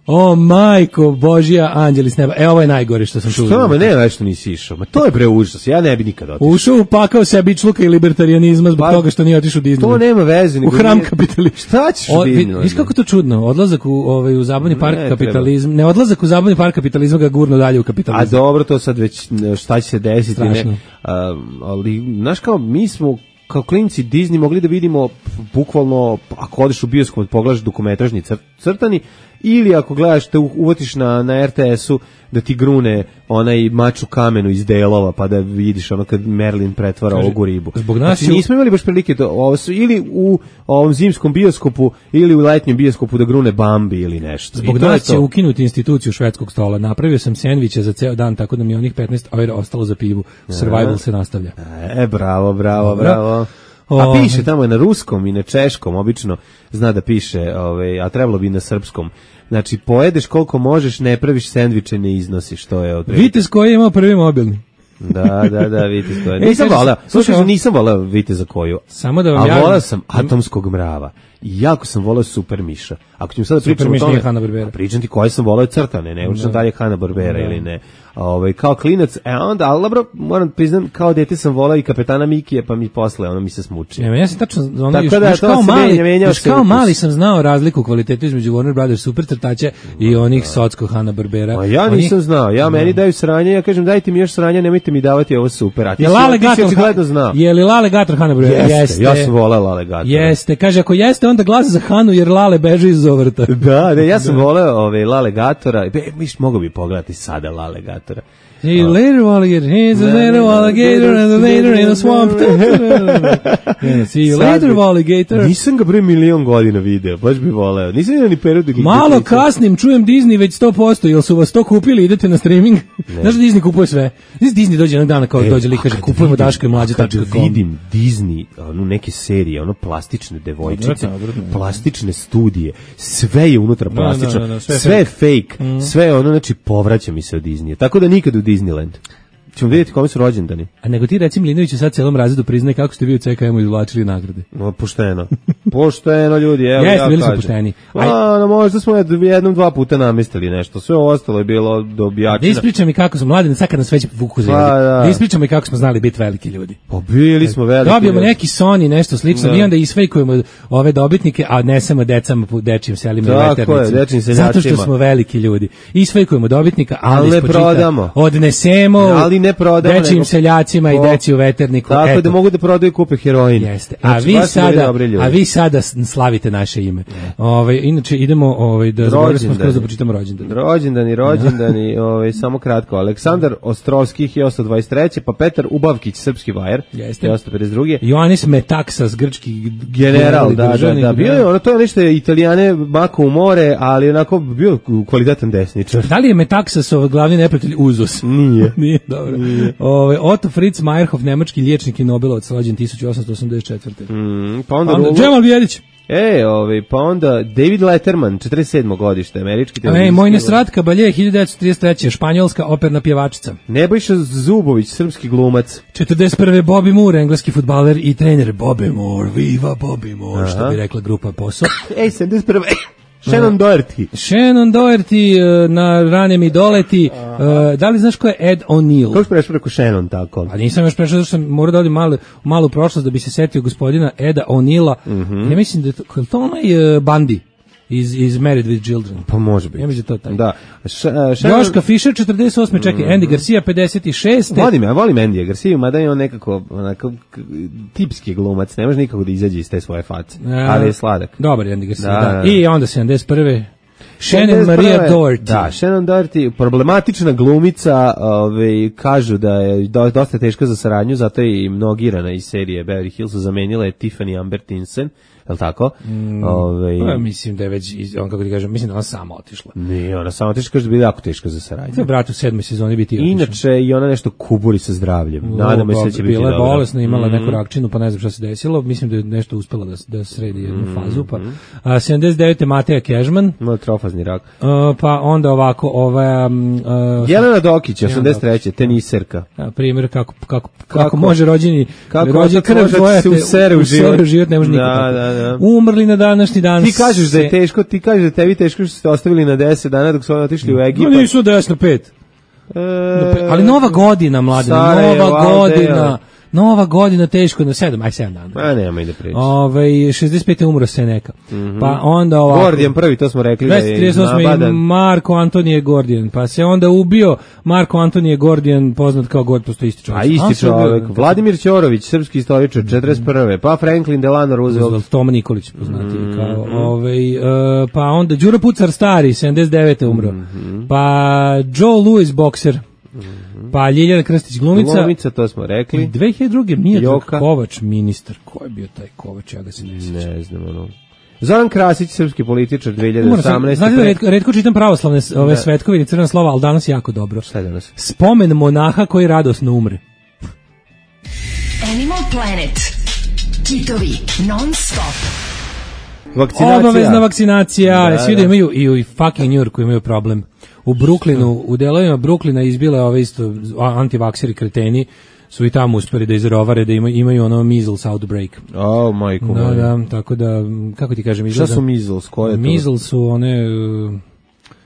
O majko Božja, anđeli s neba. E, ovo je najgore što sam čuo. Što, ma ne, nešto nisi išao. Ma to je bre užas, ja ne bi nikad otišao. Ušao upakao sebičluka i libertarijanizma zbog Pa, toga što nije otišao u Disneyland. To nema veze. U nego hram nije- kapitalizma. Šta ćeš u O, vi- Disneylandu? Viš kako to čudno, odlazak u, ovaj, u zabavni park Ne, kapitalizma, ne odlazak u zabavni park kapitalizma ga gurno dalje u A kapitalizam. dobro, to sad već ne, šta će se desiti, Strašno. ne. A, ali, znaš kao, mi smo kao klinci Disney mogli da vidimo bukvalno, ako odeš u bioskop, pogledaš dokumentarni cr crtani, ili ako gledaš, te u- uvatiš na, na R T S-u da ti grune onaj mač u kamenu iz delova, pa da vidiš ono kad Merlin pretvara Kaže, ovu ribu. zbog nas Znači, je- nismo imali baš prilike to, ovo su ili u ovom zimskom bioskopu, ili u letnjem bioskopu da grune Bambi ili nešto. Zbog I to je nas će to. ukinuti instituciju švedskog stola. Napravio sam sendviče za ceo dan, tako da mi je onih petnaest eura ostalo za pivu. Survival se nastavlja. E, bravo, bravo, Dobro. bravo. A Ovaj. piše tamo je na ruskom i na češkom, obično zna da piše, ovaj, a trebalo bi i na srpskom. Znači, pojedeš koliko možeš, ne praviš sendviče, ne iznosiš, to je odredno. Vitez koji je imao prvi mobilni. Da, da, da, Vitez koja. E, Nisam kaže- voleo, slušaj, slušaj, nisam voleo Viteza koju. Samo da vam A javim- voleo sam Atomskog mrava. I jako sam voleo Super Miša. Ako ćemo sada Super pričamo o Miš tome, nije Hanna-Barbera. a pričam ti koje sam voleo crtane, ne učim da li je Hanna-Barbera Da. ili ne. Ovaj kao klinac, e onda, ali dobro, moram priznam, kao dete sam voleo i Kapetana Mikija, pa mi posle ono mi se smuči. Ja, ja sam tačno ono Tako još, da, još to kao se mali, menja, menjao još se kao ukus. mali sam znao razliku u kvalitetu između Warner Brothers super crtača i onih Socko Hanna-Barbera. A ja Oni- nisam znao, ja meni daju sranje, ja kažem dajte mi još sranja, nemojte mi davati ovo super, a ti Je si, Lale ti si Gator očigledno znao. Je li Lale Gator Hanna-Barbera? Jeste, ja sam voleo Lale Gatora. Jeste, kaže ako jeste onda glas za Hanu jer Lale beže iz Zovrta. Da, ne, ja sam voleo ove Lale Gatora, be, miš mogu bi pogledati sada Lale Gatora. See you later, alligator. Here's a little alligator and a later in a swamp. Yeah, see you Sad later, bi- alligator. Nisam ga bre milion godina video, baš bi voleo. Nisam vidio ni period. Malo kasnim, čujem Disney već sto posto, jel su vas to kupili, idete na streaming? Znaš da Disney kupuje sve? Znaš da Disney dođe jednog dana kao dođe lik kaže kupujemo Daško i mlađe Kad tačka com. vidim Disney, ono neke serije, ono plastične devojčice, Odvratno, odvratno. plastične studije, sve je unutra Da, plastično, da, da, sve je sve je fake, sve je ono, znači povraća mi se od Disneya. Tako da nikad u Disneyland. Ćemo vidjeti kome su rođendani. A nego ti reci Milinoviću sad celom razredu priznaj kako ste vi u C K M-u izvlačili nagrade. No, pošteno. Pošteno, ljudi, evo Jeste, ja bili su kažem. pošteni. A, no, možda smo jednom, dva puta namestili nešto. Sve ostalo je bilo dobijačina. Da ispričam mi kako smo mladi, sad kad nas već vuku za Pa, jezik. da. Da ispričam mi kako smo znali biti veliki ljudi. Pa bili smo veliki. Dobijemo ljudi. neki Sony, nešto slično, Da. mi onda isfejkujemo ove dobitnike, a nesemo decama po dečijim selima i Tako veternicima. je, dečijim Zato što seljacima. smo veliki ljudi. Isfejkujemo dobitnika, ali, Ali ne ispočita prodamo. odnesemo Ali ne prodamo, dečijim nego- seljacima i O, deci u veterniku. Tako Eto. da mogu da prodaju kupe heroin. Jeste. A Znači, vi baš su bili sada, dobri ljudi. a vi sada s- slavite naše ime. Ovaj inače idemo ovaj da zaboravili smo skroz da pročitamo rođendan. Rođendani, rođendani, ovaj samo kratko. Aleksandar Ostrovski hiljadu osamsto dvadeset treće pa Petar Ubavkić, srpski vajer, Jeste. hiljadu osamsto pedeset druge Ioannis Metaxas, grčki General, da, da, državnik, da, bio je, ono, to je nešto Italijane mako u more, ali onako bio kvalitetan desničar. Da li je Metaxasov glavni neprijatelj Uzos? Nije. Nije, dobro. Ove, Otto Fritz Meyerhoff, nemački liječnik i Nobelovac, rođen hiljadu osamsto osamdeset četvrte. Mm, pa onda, Onda Rulo- Džemal Bijedić. E, ovaj, pa onda David Letterman, četrdeset sedmo godište, američki Ej, televizijski. moj Nesrat Kabalje, hiljadu devetsto trideset treće. španjolska operna pjevačica. Nebojša Zubović, srpski glumac. četrdeset prve. Bobby Moore, engleski fudbaler i trener. Bobby Moore, viva Bobby Moore, što bi rekla grupa Posao. Ej, sedamdeset prve Shannon Doherty. Shannon Doherty eh, na Rane mi doleti. Eh, da li znaš ko je Ed O'Neill? Kako si prešao preko Shannon tako? A nisam još prešao, zato što sam morao da odim malu, malu prošlost da bi se setio gospodina Eda O'Neilla. Ja mislim da je to, je li to onaj uh, Bundy iz, iz Married with Children. Pa može biti. Ja mislim da je to taj. Da. Š, uh, Shannon... Joška Fischer, četrdeset osme čekaj, Andy Garcia, pedeset šeste Volim, ja volim Andy Garcia, mada je on nekako onako, k- tipski glumac, ne može nikako da izađe iz te svoje face, ali je sladak. Dobar je Andy Garcia, Da, da. da. I onda sedamdeset prve. Shannon sedamdeset prve Maria Doherty. Da, Shannon Doherty, problematična glumica, ovaj, kažu da je do, dosta teška za saradnju, zato je i mnogirana iz serije Beverly Hills, zamenila je Tiffany Amber Tinsen, je li tako? Mm, ovaj, Pa, mislim da je već, iz- on kako ti kažem, mislim da ona sama otišla. nije, ona samo teška, kaže da bi bila jako teška za saradnju. To je brat u sedmoj sezoni biti otišao. Inače, i ona nešto kuburi sa zdravljem. Nadamo se da će biti bila je dobro. bolesna, imala Mhm. neku rakčinu, pa ne znam šta se desilo. Mislim da je nešto uspela da, da sredi jednu Mhm. fazu. Pa, a, sedamdeset devete. Mateja Kežman, Ima trofazni rak. a, pa onda ovako, ova... um, a, Jelena Dokić, osamdeset treće teniserka. a, primjer kako, kako, kako, Kako? može rođeni Kako rođen otac krv može da tvoja se te usere u život. život ne može Da, nikako. da, da. Umrli na današnji dan. Ti kažeš da je se- teško, ti kažeš da je tebi teško što ste ostavili na deset dana dok su oni otišli u Ma Egipat. nisu desno pet. E, Ali nova godina, mladine, Sarajevo, nova Aldeja. godina. Nova godina teško na sedam, aj sedam dana. A nema i da priča. Ovaj šezdeset pete umro Seneka. Pa onda ovako. Gordijan prvi, to smo rekli da dvesta je trideset osme. nabadan. Marko Antonije Gordijan. Pa se onda ubio Marko Antonije Gordijan, poznat kao God, postoji isti čovjek. A isti On se ubio- čovjek. Vladimir Ćorović, srpski istoričar, četrdeset prve. Pa Franklin Delano Roosevelt. Roosevelt, Toma Nikolić poznati kao ovaj e, pa onda Đuro Pucar stari sedamdeset devete umro. Pa Joe Louis bokser. Pa Ljiljana Krstić glumica. Glumica, to smo I rekli. dve hiljade druge. Miodrag Joka. Kovač, ministar. Ko je bio taj Kovač? Ja ga se ne sjećam. Ne znam, ono. Zoran Krasić, srpski političar, dve hiljade Moram sam- osamnaeste. Znate da redko, redko čitam pravoslavne s- ove svetkovine, crvena slova, ali danas jako dobro. Šta je danas? Spomen monaha koji radosno umre. Animal Planet. Kitovi non stop. Vakcinacija. Obavezna vakcinacija. Da, Svi da imaju i u fucking New Yorku imaju problem. U Brooklynu, u delovima Brooklyna izbile ove isto antivakseri kreteni su i tamo uspeli da izrovare da imaju, imaju ono measles outbreak. Oh, majko Da, moj. da, tako da, kako ti kažem, izgleda... Šta su measles? Koje je to? Measles su one... uh,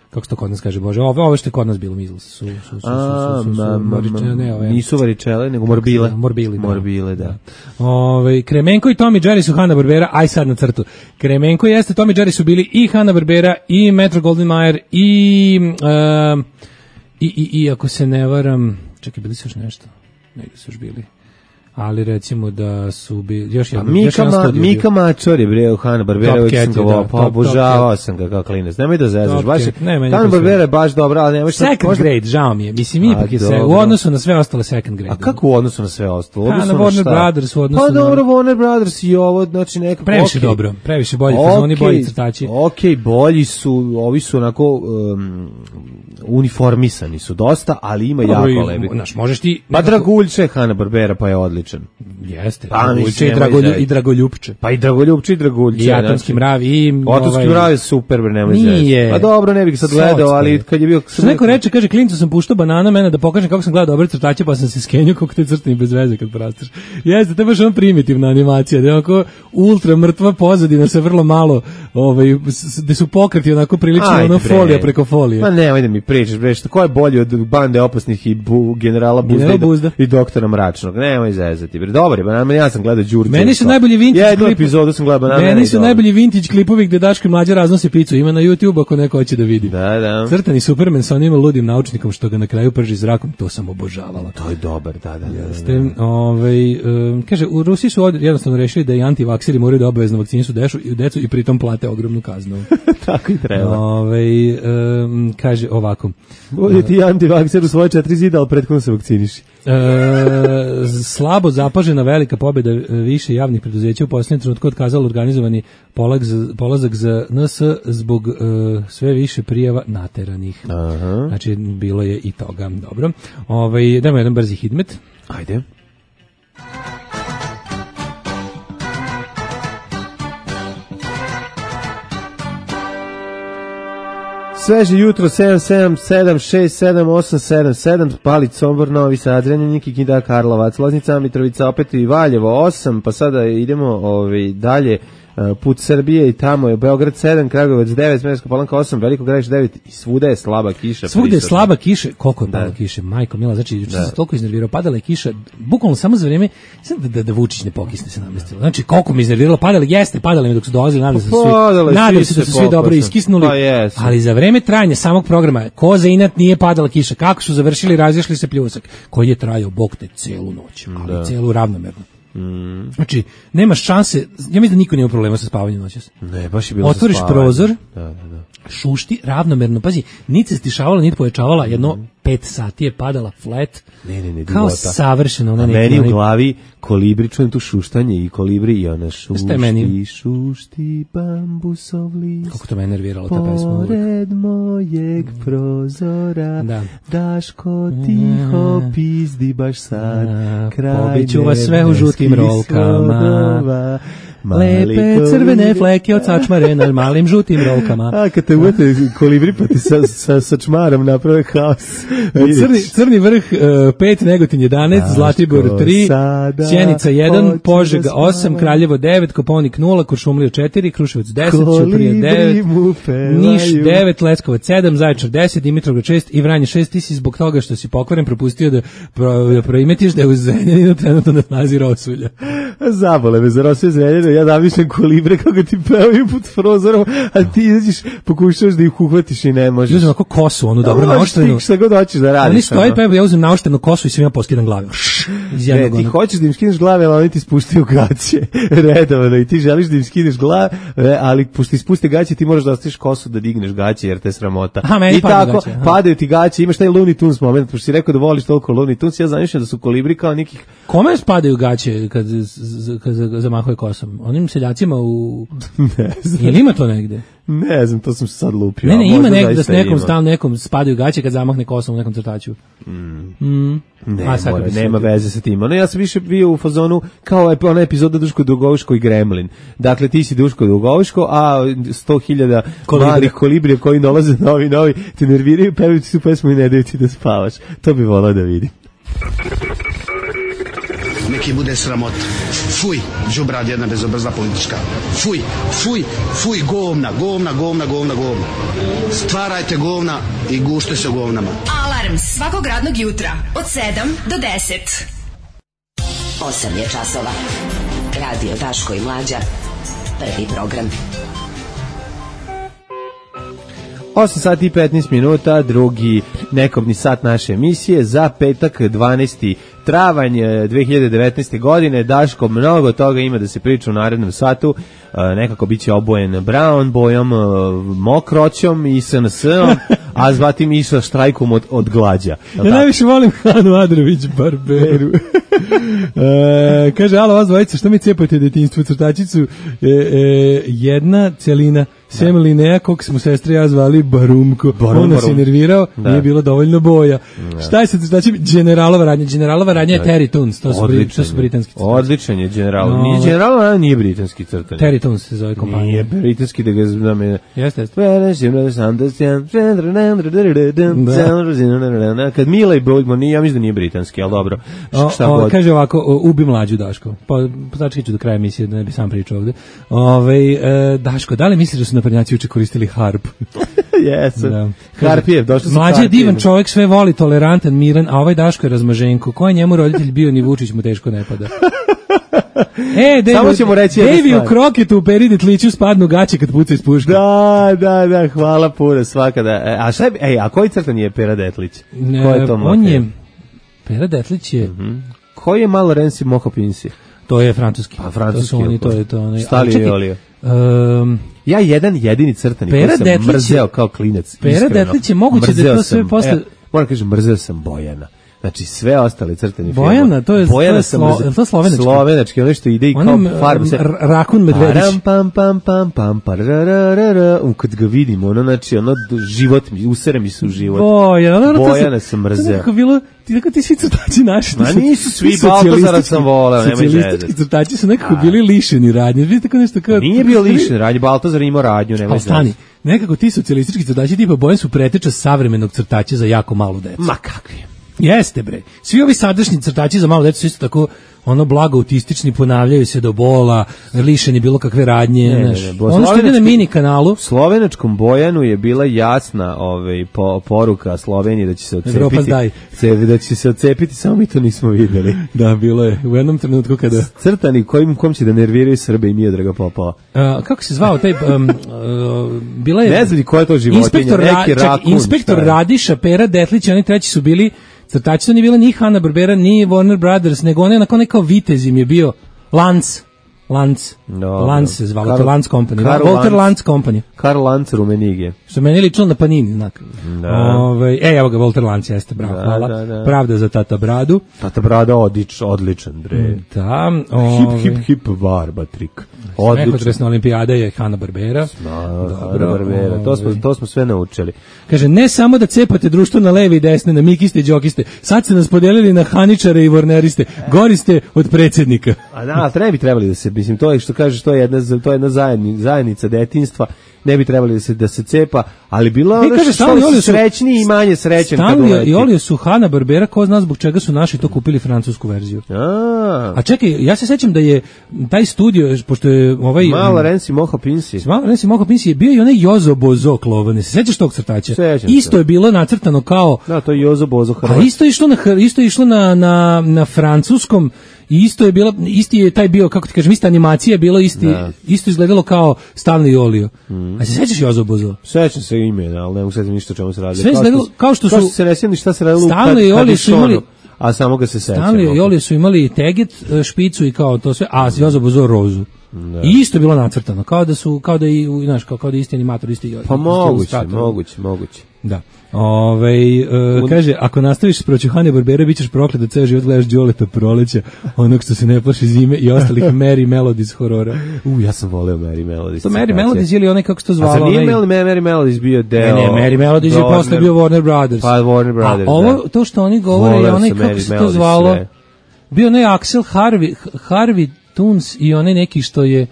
kako se to kod nas kaže, Bože, ove, ove što je kod nas bilo measles su, su, su, su, A, su, su, su, ma, ma, varičene, ne, ove, nisu varičele, nego morbile. Morbili, da. Morbile, da. Ove, Kremenko i Tom i Jerry su Hanna-Barbera, aj sad na crtu. Kremenko jeste, Tom i Jerry su bili i Hanna-Barbera, i Metro-Goldwyn-Mayer, i, uh, i, i, i, ako se ne varam, čekaj, bili su još nešto, negdje su još bili. Ali recimo da su bili još jedan, Mika, još jedan ma, studio Mika Mačor je bre u Hanna-Barbera, uvijek sam ga da, pa obožavao sam ga kao klinac. Nemoj da zezaš, Top baš je, Cat, ne, meni Hanna-Barbera je baš dobra, ali nemoj šta... Second grade, žao mi je. Mislim, ipak je se, u odnosu na sve ostale second grade. A kako u odnosu na sve ostalo? U Pa, odnosu na Warner Brothers, u odnosu pa, na... dobro, Warner Brothers i ovo, znači nekako... Previše okay. dobro, previše bolji, okay. Oni bolji crtači. Ok, bolji su, ovi su onako um, uniformisani su dosta, ali ima jako lebi. Znaš, možeš ti... Pa Draguljče Hanna-Barbera, pa je odličan. Jeste, Pa, Draguljče i, Dragolju, i Dragoljupče. Pa i Dragoljupče i Draguljče. I Atomski mrav i... Atomski ovaj, mrav je super, nemoj nije. Pa dobro, ne bih sad gledao, ali kad je bio... Što neko reče, kaže, klincu sam puštao banana mene da pokažem kako sam gledao dobre crtače, pa sam se skenio kako te crtani bez veze kad prastaš. Jeste, to je baš ono primitivna animacija, da je onako ultra mrtva pozadina sa vrlo malo, ovaj, gde su pokreti onako prilično ono folija preko folije. Ma nemoj da mi pričaš, bre, što ko je bolji od bande opasnih i bu, generala Buzda, General i, Buzda i doktora Mračnog. Nemoj zezati, bre. Dobar je banana, ja sam gledao Đurđe. Meni su najbolji vintage Jednu klip... epizodu sam gledao banana. Meni su najbolji vintage klipovi gde Daško i Mlađa raznose picu. Ima na YouTube ako neko hoće da vidi. Da, da. Crtani Superman sa onim ludim naučnikom što ga na kraju prži zrakom, to sam obožavala. To je dobar, da, da. Jeste. Da, da. Ovaj, um, kaže, u Rusiji su od, jednostavno rešili da i antivakseri moraju da obavezno vakcinišu dešu i decu i pritom plate ogromnu kaznu. Tako i treba. Ovaj, um, kaže ovako. Ovdje ti antivakser u svoje četiri zida, ali prethodno se vakciniši. E, slabo zapažena velika pobjeda više javnih preduzeća u posljednjem trenutku otkazalo organizovani polak za, polazak za N S zbog e, sve više prijava nateranih. Aha. Znači, bilo je i toga. Dobro. Ovaj, dajmo jedan brzi hidmet. Ajde. Sveže jutro sedam sedam sedam šest sedam osam sedam sedam, Palić, Sombor, Novi Sad, Zrenjanin, Kikinda, Karlovac, Loznica, Mitrovica, opet i Valjevo osam, pa sada idemo ovaj, dalje, put Srbije i tamo je Beograd sedam, Kragujevac devet, Smederevska Palanka osam, Veliko Gradište devet i svuda je slaba kiša. Svuda je slaba kiša, koliko je palo da. kiše, majko mila, znači juče se toliko iznervirao, padala je kiša, bukvalno samo za vrijeme, da, da, da Vučić ne pokisne se namestilo. Znači koliko mi iznerviralo, padale, jeste, padale mi dok su dolazili, nadam se da su svi, nadam se da su svi dobro iskisnuli, pa ali za vreme trajanja samog programa, ko za inat nije padala kiša, kako su završili, razišli se pljusak, koji je trajao, bog te, celu noć, ali da. Celu ravnomerno. Mm. Znači, nemaš šanse, ja mislim da niko nema problema sa spavanjem noćas. Ne, baš je bilo. Otvoriš prozor, da, da, da. šušti ravnomerno, pazi, niti se stišavala, niti pojačavala, jedno mm. pet sati je padala flat, ne, ne, ne, kao savršeno. Ona meni u glavi kolibri, čujem tu šuštanje i kolibri i ona šušti, šušti bambusov list. Kako to me nerviralo ta pesma. Pored mojeg prozora, da. Daško tiho pizdi baš sad, kraj pobiću vas sve u žutim rolkama. Lepe crvene fleke od sačmare na malim žutim rolkama. A kad te uvete kolibri pa ti sa, sa, sa čmarom naprave haos. Crni, crni vrh pet, uh, Negotin jedanaest, Zlatibor tri, Sjenica jedan, Požega osam, Kraljevo devet, Koponik nula, Kuršumlija četiri, Kruševac deset, Ćuprija devet, Niš devet, Leskovac sedam, Zaječar deset, Dimitrovgrad šest i Vranje šest. Ti si zbog toga što si pokvaren propustio da, pro, da proimetiš da je u Zrenjaninu trenutno na snazi rosulja. Zabole me za rosulja Zrenjaninu, ja zamišljam kolibre kako ti pevaju pod prozorom, a ti izađeš, pokušaš da ih uhvatiš i ne možeš. Uzmem ako kosu, onu dobro naoštrenu. Šta god hoćeš da radiš. Oni stoji, pa ja uzmem naoštrenu kosu i svima poskidam glave. Ne, ti hoćeš da im skineš glave, ali oni ti spuštaju gaće. Redovno, i ti želiš da im skineš glave, ali pošto ti spuste gaće, ti moraš da ostaviš kosu da digneš gaće, jer te sramota. Aha, i tako, gaće, padaju ti gaće, imaš taj Looney Tunes moment, pošto si rekao da voliš toliko Looney Tunes, ja zamišljam da su kolibri kao nekih... Kome spadaju gaće kad, kad zamahuje kosom? Onim seljacima u... Ne znam. Jel ima to negde? Ne znam, to sam se sad lupio. Ne, ne, ima Možda nek, da s zaista nekom ima. stalno nekom spadaju gaće kad zamahne kosom u nekom crtaču. Mm. Mm. Ne, A, sad mora, bi se nema vidio. veze sa tim. Ono, ja sam više bio u fazonu kao ep- ona epizoda Duško Dugoviško i Gremlin. Dakle, ti si Duško Dugoviško, a sto hiljada Kolibri. malih kolibrija koji dolaze novi, novi, te nerviraju, pevaju ti su pesmu i ne daju ti da spavaš. To bi volao da vidim. Neki bude sramot. Fuj, đubrad jedna bezobrazna politička. Fuj, fuj, fuj, govna, govna, govna, govna, govna. Stvarajte govna i gušte se govnama. Alarm svakog radnog jutra od sedam do deset. osam je časova. Radio Daško i Mlađa. Prvi program. osam sati i petnaest minuta, drugi nekobni sat naše emisije za petak dvanaesti travanj dve hiljade devetnaeste. godine. Daško, mnogo toga ima da se priča u narednom satu. Nekako biće obojen brown bojom, mokroćom i S N S-om, a zvatim i sa štrajkom od, od glađa. Ja najviše volim Hanu Adrović Barberu. e, kaže, alo, vas dvojica, što mi cepate detinjstvo, crtačicu? E, e, jedna celina, sem linea, kog smo sestre ja zvali Barumko. Barum, On nas je barum. nervirao, Da. nije bilo dovoljno boja. Šta je sa crtačima? Generalova radnja. Generalova radnja je Terry Toons, to su, bri, to su britanski crtači. Odličan je general. No, Nije general, a nije britanski crtanje. Terry Toons se zove kompanija. Nije britanski da ga znam je. Jeste, jeste. Kad Mila i Bojgman, ja mislim da nije britanski, ali dobro. O, Šta o, god. kaže ovako, o, ubi Mlađu Daško. Pa začekat ću do kraja emisije da ne bi sam pričao ovde. Ove, e, Daško, da li misliš da su naprednjaci uče koristili harp? Jesam. Da. Harpijev, došli su Mlađi je Harpijevi. divan čovjek, sve voli, tolerantan, miran, a ovaj Daško je razmaženko. Ko je njemu roditelj bio, ni Vučić mu teško ne pada. E, Dave, Samo ćemo reći jednu Dave u stvar. kroketu u peri tliću spadnu gaće kad puca iz puške. Da, da, da, hvala puno svaka da. E, a šta je, ej, a koji crtan je Pera Detlić? Ko je to on mafija? je, Pera Detlić je, Koji je malo Renzi Mohopinsi? to je francuski. A, francuski, To su oni, jel' to je to. Onaj, Stali ali čekaj, i Olio. Um, Ja jedan jedini crtani Pera koji sam Detlić je- mrzeo kao klinac. Pera iskreno. Detlić je moguće da Mrzeo to sve sam, posle- e, moram kažem, mrzeo sam Bojana. Znači sve ostale crtani Bojana, filmove. to je- Bojana to je sam slo- mrzeo. je to slovenački? Slovenački, ono što ide i kao Onom, farba. se- r- Rakun Medvedić. Param, pam, pam, pam, pam, parararara. U, kad ga vidim, ono, znači, ono, d- život mi, usere mi se u život. Bojana, ono, to Bojana sam To je mrzeo. nekako bilo, ti tako ti svi crtači naši. Ma ti su- nisu svi, ti Baltazara socijalistički- sam voleo, nemoj socijalistički zezati. crtači su nekako bili lišeni radnje. Vidite tako nešto kao... Nije bio lišen radnje, Baltazar imao radnju, nemoj Ali stani, zezati. nekako ti socijalistički crtači tipa Bojan su preteča savremenog crtača za jako malu decu. Ma kakvi. Jeste bre. Svi ovi sadašnji crtači za malu decu su isto tako ono blago autistični, ponavljaju se do bola, lišeni bilo kakve radnje, Ne, ne, znaš. ne, bo- Ono što ide na slovenački- mini kanalu, Slovenačkom Bojanu je bila jasna ovaj, po, poruka Sloveniji da će se Evropa odcepiti. zdaj. Se, da će se odcepiti, samo mi to nismo videli. da, bilo je u jednom trenutku kada... Crtani kojim kom će da nerviraju Srbe i Miodraga Popova. A, kako se zvao taj... Um, uh, bila je... Ne znam ni ko je to životinja, Inspektor, Ra- neki čak, rakun, inspektor šta je? Radiša, Pera Detlić i oni treći su bili crtači, to nije bila ni Hanna Barbera, ni Warner Brothers, nego on je onako nekao vitez im je bio Lance. Lance. Dobro. Lance se zvalo, Karl- to Lance Company. Karl Walter Lance. Lance Company. Karl Lanz Rumenige. Što meni lično na Panini, znak. Da. Ove, e, evo ga, Walter Lance, jeste, bravo, Da, hvala. da, da. Pravda za tata bradu. Tata Brada odič, odličan, bre. Da, Hip, ove, hip, hip, barba trik. Odličan. Mehotresna olimpijada je Hanna Barbera. Dobro, Barbera. To smo, to smo sve naučili. Kaže, ne samo da cepate društvo na leve i desne, na mikiste i džokiste, sad ste nas podelili na haničare i vorneriste, gori ste od predsjednika. A da, ali ne bi trebali da se, mislim, to je što kažeš, to je jedna, to je jedna zajedni, zajednica detinjstva, ne bi trebali da se, da se cepa, ali bilo I ono kaže, što Stanley su Olio su- srećni i manje srećan kad Stanley uleti. i Olio su Hanna Barbera, ko zna zbog čega su naši to kupili francusku verziju. A, A čekaj, ja se sećam da je taj studio, pošto je ovaj... malo Renzi Moho Pinsi. Malo Renzi Moho Pinsi je bio i onaj Jozo Bozo Klovane. Se sećaš tog crtača? Sećam Isto se. je bilo nacrtano kao... Da, to je Jozo Bozo A Hrvat. isto je išlo na hr- isto je išlo na na na francuskom i isto je bilo isti je taj bio kako ti kažem ista animacija je bilo isti Da. isto izgledalo kao Stanley i Olio. A se sećaš Jozo Bozo? Sećam se imena, ali ne mogu sećam ništa o čemu se radi. Sve izgledalo kao što su- se ne sjećam ni šta se radilo u Stanley i kad- Olio su imali- Kadišonu, a samo ga se sećam. Stanley i Olio su imali teget, e, špicu i kao to sve, a Jozo Bozo rozu. I isto je bilo nacrtano, kao da su kao da i u- znaš kao kao da je isti animator, isti. Pa isti moguće, ilustrator. moguće, moguće. Da. Ovaj e, kaže, ako nastaviš s proćuhane Barbera, bićeš proklet da ceo život gledaš Đoleta Proleća, onog što se ne plaši zime i ostalih Merry Melodies horora. U, ja sam voleo Merry Melodies. To Merry Melodies ili onaj kako se to zvalo? A zar nije onaj... Merry Melodies bio deo? Ne, ne, Merry Melodies je posle bio Warner Brothers. Pa Warner Brothers, a ovo, da. to što oni govore je onaj kako se to zvalo? Sve. Bio onaj Axel Harvey, Harvey Tunes i onaj neki što je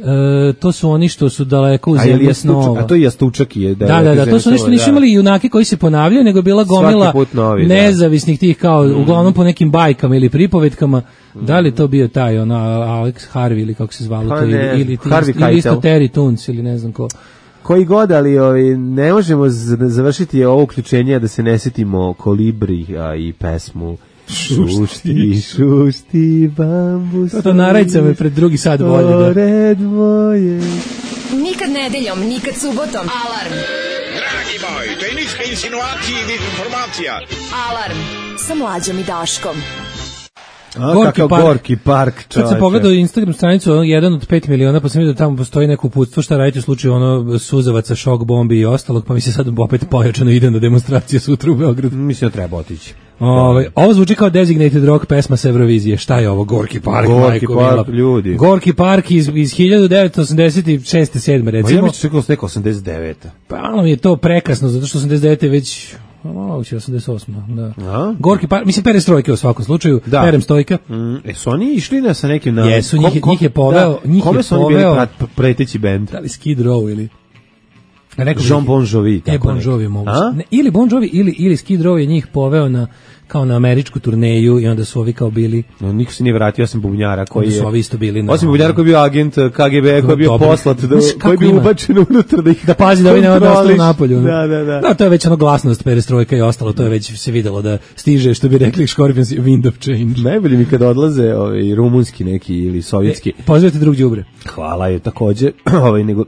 E, to su oni što su daleko u zemlji snova. A to je Jastučak je. Da, da, da, da, to su oni što nisu imali junake koji se ponavljaju, nego bila gomila novi, nezavisnih tih kao, mm. uglavnom po nekim bajkama ili pripovetkama. Mm. Da li to bio taj, ona, Alex Harvey ili kako se zvalo pa to, ne, ili, ili, ili isto Terry Tunes ili ne znam ko. Koji god, ali ovi, ne možemo završiti ovo uključenje da se ne setimo Kolibri a, i pesmu Šušti, šušti, bambus. To, to narajca me pred drugi sad volje. Pored moje. Nikad nedeljom, nikad subotom. Alarm. Dragi moj, to je ništa insinuacije i dezinformacija. Alarm sa Mlađom i Daškom. A, gorki, park. gorki park, čovječe. Kad se pogledao Instagram stranicu, ono, jedan od pet miliona, pa sam vidio da tamo postoji neko uputstvo šta raditi u slučaju ono suzavaca, šok bombi i ostalog, pa mi se sad opet pojačano idem na demonstracije sutra u Beogradu. Mislim da treba otići. Ove, ovo zvuči kao Designated Rock pesma sa Eurovizije. Šta je ovo? Gorki park, Gorki park, ljudi. Gorki park iz, iz hiljadu devetsto osamdeset šeste sedme recimo. Ma ja mi ću čekalo s neko osamdeset devete. Pa ono mi je to prekasno, zato što osamdeset devete već... Ovo će osamdeset osma, da. A? Gorki park, mislim perestrojke u svakom slučaju, da. Perem stojka. Mm, e, su oni išli na sa nekim... Na, Jesu, njih, kom, njih je poveo... Da, njih kome je su oni bili prat, preteći bend? Da li Skid Row ili... Jean Bon Jovi. E, Bon Jovi moguće. Ili Bon Jovi ili, ili Skid Row je njih poveo na kao na američku turneju i onda su ovi kao bili... No, niko se nije vratio, osim bubnjara koji je... su ovi isto bili na... Osim bubnjara koji je bio agent K G B, koji je bio poslat, da, koji je bio ubačen unutra da ih da pazi da ovi ne ostalo napolju. Da, da, da. No, to je već ono glasnost, perestrojka i ostalo, to je već se videlo da stiže, što bi rekli Scorpions, wind of change. Najbolje mi kada odlaze ovaj, rumunski neki ili sovjetski. E, pozivate drug đubre. Hvala je takođe, ovaj, nego...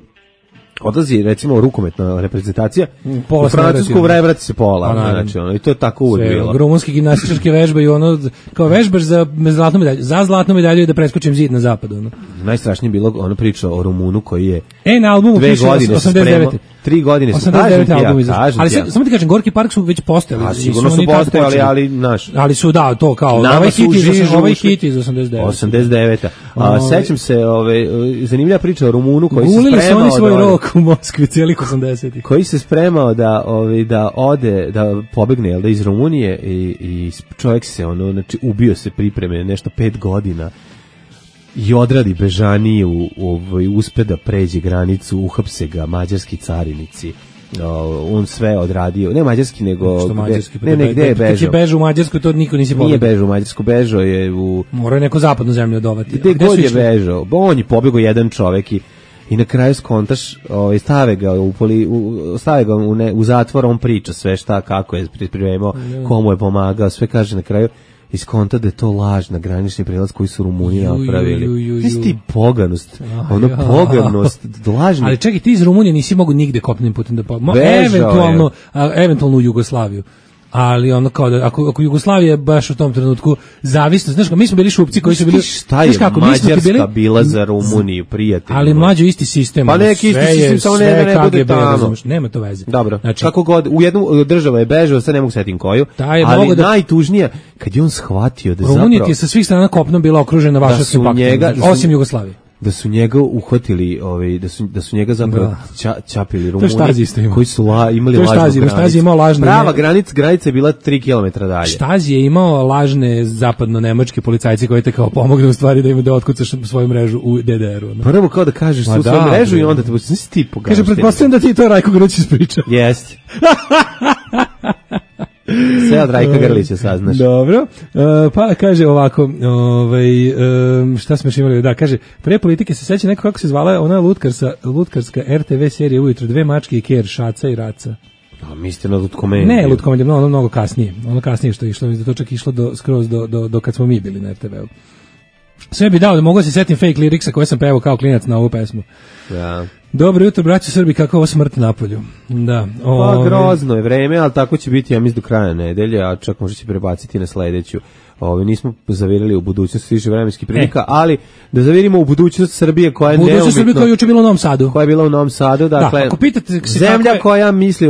odlazi recimo rukometna reprezentacija pola u Francusku vrati se pola, pa, znači ono, i to je tako uvijek bilo. Rumunski gimnastičarske vežbe i ono kao vežbaš za zlatnu medalju, za zlatnu medalju da preskočim zid na zapadu. Ono. Najstrašnije bilo ono priča o Rumunu koji je e, na albumu dve godine osamdeset devete tri godine se kažem album ja, kažem ali ja. Samo ti kažem, Gorki park su već postojali. A sigurno su postojali, ali naš. Ali su da, to kao ovaj hit iz ovaj hit iz osamdeset devete. osamdeset devete. A sećam se, ove zanimljiva priča o Rumunu koji se spremao. Gulili su oni svoj rok u Moskvi cijelih osamdesetih. Koji se spremao da ovaj da ode, da pobegne jel da iz Rumunije i i čovjek se ono znači ubio se pripreme nešto pet godina. I odradi bežaniju, ovaj, uspe da pređe granicu, uhapse ga mađarski carinici. Uh, on sve odradio, ne mađarski nego što mađarski, ne, ne, gde je bežao? Kad je bežao u Mađarsku, to niko nisi pobegao. Nije bežao u Mađarsku, bežao je u... Morao je neku zapadnu zemlju odovati. Gde god je bežao? On je pobegao jedan čovek i, i na kraju skontaš, ovaj, stave ga u, poli, u, stave ga u, ne, u zatvor, on priča sve šta, kako je pripremao, komu je pomagao, sve kaže na kraju. Iskonta da je to laž na granični prelaz koji su Rumuni napravili. Isti poganost, ono ja. poganost, lažni. Ali čekaj, ti iz Rumunije nisi mogu nigde kopnenim putem da pobegao. Eventualno, a, eventualno u Jugoslaviju. Ali ono kao da, ako, ako Jugoslavija baš u tom trenutku zavisno, znaš, mi smo bili šupci koji su bili... Šta je kako, Mađarska bili, bila za Rumuniju, prijatelj? Ali mlađo isti sistem. Pa neki isti sistem, samo ne, ne bude tamo. Razumeš, nema to veze. Dobro, znači, kako god, u jednu državu je bežao, sad ne mogu setim koju, ali da, najtužnija, kad je on shvatio da zapravo... Rumunija je sa svih strana kopnom bila okružena Vašarskim paktom, osim Jugoslavije. Da su njega uhvatili, ovaj da su da su njega zapravo ča, čapili Rumuni koji su la, imali lažnu granicu. Štazi imao lažne. Prava granica, granica je bila tri kilometra dalje. Štazi je imao lažne zapadno-nemačke policajce koji te kao pomognu u stvari da im da otkucaš svoju mrežu u D D R-u. No? Prvo kao da kažeš svu svoju mrežu i onda te nisi ti pogaš. Kaže, pretpostavljam da ti to Rajko Grlić ispriča. Jeste. Sve od Rajka Grlića saznaš. Dobro, uh, pa kaže ovako, ovaj, um, šta smo još imali, da, kaže, pre politike se seća neko kako se zvala ona lutkarsa, lutkarska R T V serija ujutro, dve mačke i ker, Šaca i Raca. A mislite na Lutkomediju? Ne, Lutkomediju, no, ono mnogo kasnije, ono kasnije što je išlo, da to čak išlo do, skroz do, do, do kad smo mi bili na R T V-u. Sve bi dao da mogu se setim fake liriksa koje sam pevao kao klinac na ovu pesmu. Ja. Dobro jutro, braćo Srbi, kako ovo smrt napolju. Da. Pa grozno je vreme, ali tako će biti, ja mislim, do kraja nedelje, a čak možda će prebaciti na sledeću. Ove, nismo zavirili u budućnost više vremenskih prilika, e. ali da zavirimo u budućnost Srbije koja je neumitno... Budućnost Srbije koja je juče bila u Novom Sadu. Koja je bila u Novom Sadu, dakle... Da, ako pitate se zemlja je... koja misli,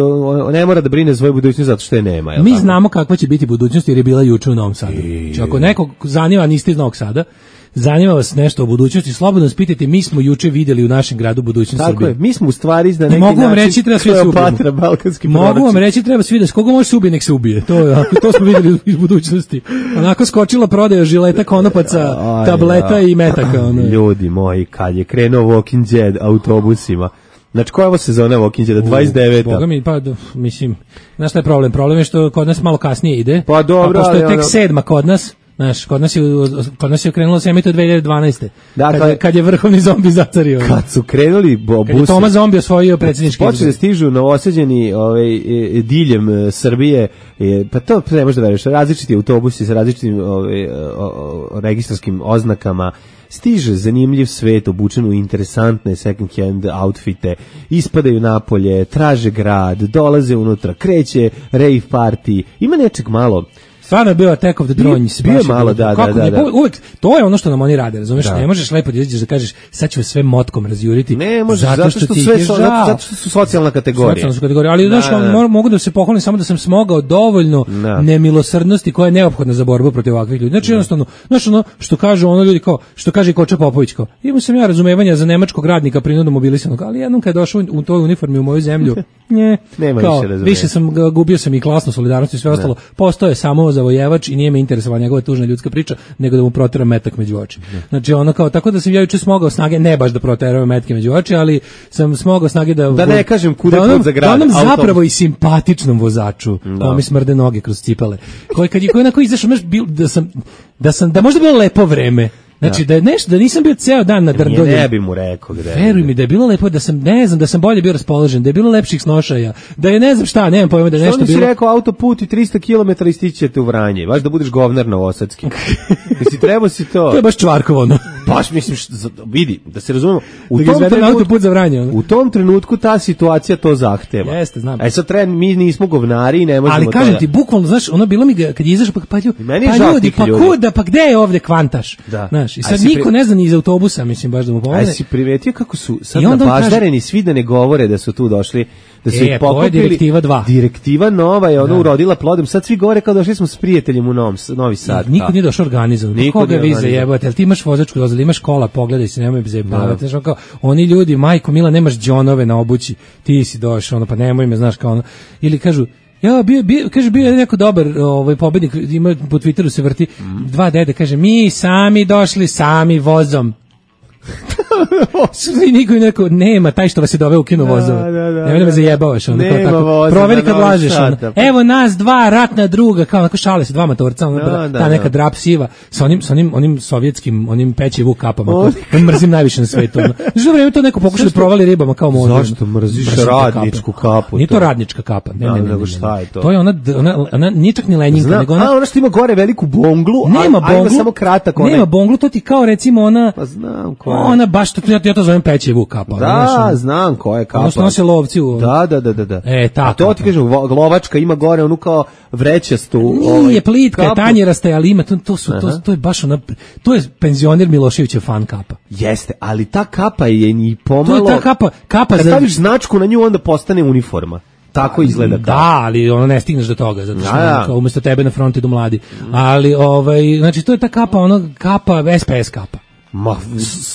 ne mora da brine svoju budućnost zato što je nema. Mi tako? znamo kakva će biti budućnost jer je bila juče u Novom Sadu. I... Ako nekog zanima, niste iz Novog Sada, zanima vas nešto o budućnosti, slobodno spitajte, mi smo juče videli u našem gradu budućnost Tako Srbije. Je, mi smo u stvari na neki mogu vam način reći, treba svi da se ubijemo. balkanski Mogu vam reći, treba svi da se, koga može se ubije, nek se ubije. To, je, to smo videli iz budućnosti. Onako skočila prodaja žileta, konopaca, tableta i metaka. Ono. Ljudi moji, kad je krenuo Walking Dead autobusima, znači koja je ovo sezona Walking Dead, dvadeset deveta? Boga mi, pa, mislim, znaš šta je problem? Problem je što kod nas malo kasnije ide. Pa dobro, a pošto je tek ono... sedma kod nas, znaš, kod nas je, kod nas je krenulo se dve hiljade dvanaeste. Dakle, kad, je, kad je vrhovni zombi zacario. Kad su krenuli busi. Kad je Toma zombi osvojio predsjednički izbor. Počeli da stižu novosađeni ovaj, diljem Srbije, pa to ne možeš da veriš, različiti autobusi sa različitim ovaj, registarskim oznakama, stiže zanimljiv svet obučen u interesantne second hand outfite, ispadaju napolje, traže grad, dolaze unutra, kreće rave party, ima nečeg malo. Stvarno je bio Attack of the Drones. Bio je malo, da, da, da, da. Uvijek, to je ono što nam oni rade, razumeš? Da. Ne možeš lepo da izađeš da kažeš, sad ću sve motkom razjuriti. Ne možeš, zato što, zato što, sve so, zato, zato što su socijalna kategorija. Socijalna su kategorija, ali da, znaš, da. mogu da se pohvalim samo da sam smogao dovoljno da. nemilosrdnosti koja je neophodna za borbu protiv ovakvih ljudi. Znači, jednostavno, znaš ono, što kažu ono ljudi kao, što kaže i Koča Popović kao, imao sam ja razumevanja za nemačkog radnika prinudno mobilisanog, ali jednom kad je došao u toj uniformi u moju zemlju, nje, nema kao, više razumevanja. Više sam, gubio sam i klasnu solidarnost i sve ostalo, postoje samo zavojevač i nije me interesovala njegova tužna ljudska priča, nego da mu protera metak među oči. Znači ono kao, tako da sam ja juče smogao snage, ne baš da proteram metke među oči, ali sam smogao snage da... Da ne kažem kuda da put za grad. Da onom zapravo i simpatičnom vozaču, da mi smrde noge kroz cipele, koji kad je koji onako izašao, da sam, da sam, da možda bilo lepo vreme, znači da je nešto, da nisam bio ceo dan na Drndolju. Ne bi mu rekao gde. Veruj mi da je bilo lepo, da sam, ne znam, da sam bolje bio raspoložen, da je bilo lepših snošaja, da je ne znam šta, nemam pojma da je nešto bilo. Što si rekao autoput i trista kilometara i stići ćete u Vranje, baš da budeš govnar novosadski. Jesi trebao si to. To je baš Čvarkovo ono. Baš mislim, vidi, da se razumemo, u da tom trenutku autoput za Vranje. Ono. U tom trenutku ta situacija to zahteva. Jeste, znam. E sad treba, mi nismo govnari i ne možemo. Ali kažem ti, bukvalno, znaš, ono bilo mi ga, kad je izašao, pa, pa, pa ljudi, pa kuda, pa gde je ovde Kvantaš? Da. Znaš, i sad niko ne zna ni iz autobusa, mislim, baš da mu pomogne. Aj si primetio kako su sad nabaždareni kaže... svi da ne govore da su tu došli, da su e, ih pokupili. To je direktiva dva. Direktiva nova je ono da. urodila plodom. Sad svi govore kao došli smo s prijateljem u Novom, Novi Sad. Niko nije došao organizovan. Koga vi zajebate? Jel ti imaš vozačku dozvolu, imaš kola, pogledaj se, nemoj zajebavati. Znaš, kao, oni ljudi, majko Mila, nemaš džonove na obući, ti si došao, ono, pa nemoj me, znaš, kao ono. Ili kažu, ja, bio, bio, kaže, bio je neko dobar ovaj, pobednik, ima po Twitteru se vrti, mm. dva dede, kaže, mi sami došli, sami vozom. I niko neko nema taj što vas je doveo u kino vozove. Nemoj da me zajebavaš. Ono, nema tako, voza, proveri kad lažeš. Ono. Sata, Evo nas dva ratna druga, kao onako šale se dva motorca, ono, da, da, ta neka da. drap siva sa onim, sa onim, onim sovjetskim, onim peći vuk kapama. On mrzim najviše na svetu. Ono. Za vreme to neko pokušao da provali ribama kao možda. Zašto mrziš radničku kapu? Nije to radnička kapa. Ne, da, ne, ne, nego šta je to? To je ona, ona, ona nije čak ni lenjinka. Zna, nego ona, a ona što ima gore veliku bonglu, nema a, bonglu, a samo kratak. Onaj. Nema bonglu, to ti kao recimo ona, pa znam koja. Ona baš, ja, ja to zovem peći vuk kapa. Da, ono, znam koja je kapa. Ono što nose lovci u... Da, da, da, da. E, ta a to kapa. Ti kažem, lovačka ima gore onu kao vrećastu... Nije ovaj, plitka, kapu. tanjerasta, ali ima, to, to, su, to, to je baš ona... To je penzioner Miloševićev fan kapa. Jeste, ali ta kapa je ni pomalo... To je ta kapa, kapa kad za... staviš značku na nju, onda postane uniforma. Tako izgleda kao. Da, ali ono ne stigneš do toga, zato što ja, ja. Kao, umjesto tebe na frontu idu mladi. Ali, ovaj, znači, to je ta kapa, ono, kapa, S P S kapa. Ma,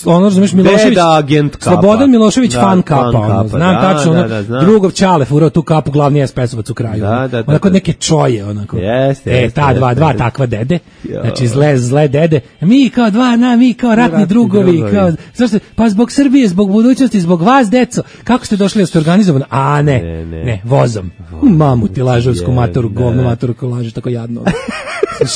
ono razumeš Milošević, agent kapa. Slobodan Milošević da, fan kapa, fan ono, znam da, tačno, da, ono, da, da, drugov Čale furao tu kapu, glavni S P S-ovac u kraju, da, da, da, onako da, neke čoje, onako, jeste, e, jeste, ta dva, jeste, dva jeste. takva dede, jo. Znači zle, zle dede, mi kao dva, na, mi kao ratni, ratni drugovi, drugovi, kao, zašto, pa zbog Srbije, zbog budućnosti, zbog vas, deco, kako ste došli da ste organizovani, a ne, ne, ne, ne vozom, vozom. Mamu ti lažovsku matoru, govno matoru ko lažeš tako jadno.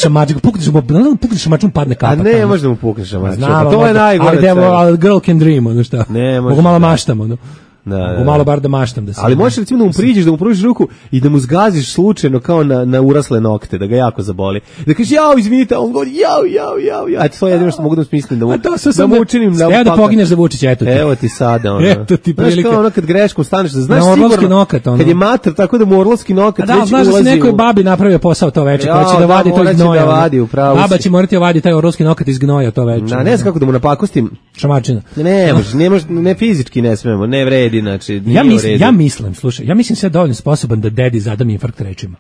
Šamačku, pukneš mu, pukneš šamačkom padne kapa. A ne, možda mu pukneš šamačkom. Znam, to je najgore. Ali, ali girl can dream, ono šta. Ne, mogu malo maštamo, ono. Da, Mogu da. malo bar da maštam da se. Ali možeš recimo da mu priđeš, da mu pružiš ruku i da mu zgaziš slučajno kao na, na urasle nokte, da ga jako zaboli. Da kažeš jao, izvinite, a on govori jao, jao, jao, jao. Eto, to je jedino što mogu da smislim da mu, da mu učinim. Da, da, da pogineš za Vučića, eto ti. Evo ti sada, ono. Eto ti prilika. Znaš kao ono kad greškom staneš, da znaš na orlovski sigurno, nokat, ono. kad je mater, tako da mu orlovski nokat da, već znaš ulazi. Da, znaš da se nekoj u... babi napravio posao to veče, koja će da, da vadi to iz gnoja. Da vadi, upravo Baba si. će morati vadi taj orlovski nokat iz gnoja to veče. Na, ne znam kako da mu napakostim. Šamačina. Ne, može, ne može, ne fizički ne smemo, ne vredi, znači. Ja mislim, ja mislim, slušaj, ja mislim sve dovoljno sposoban da dedi zadam infarkt rečima.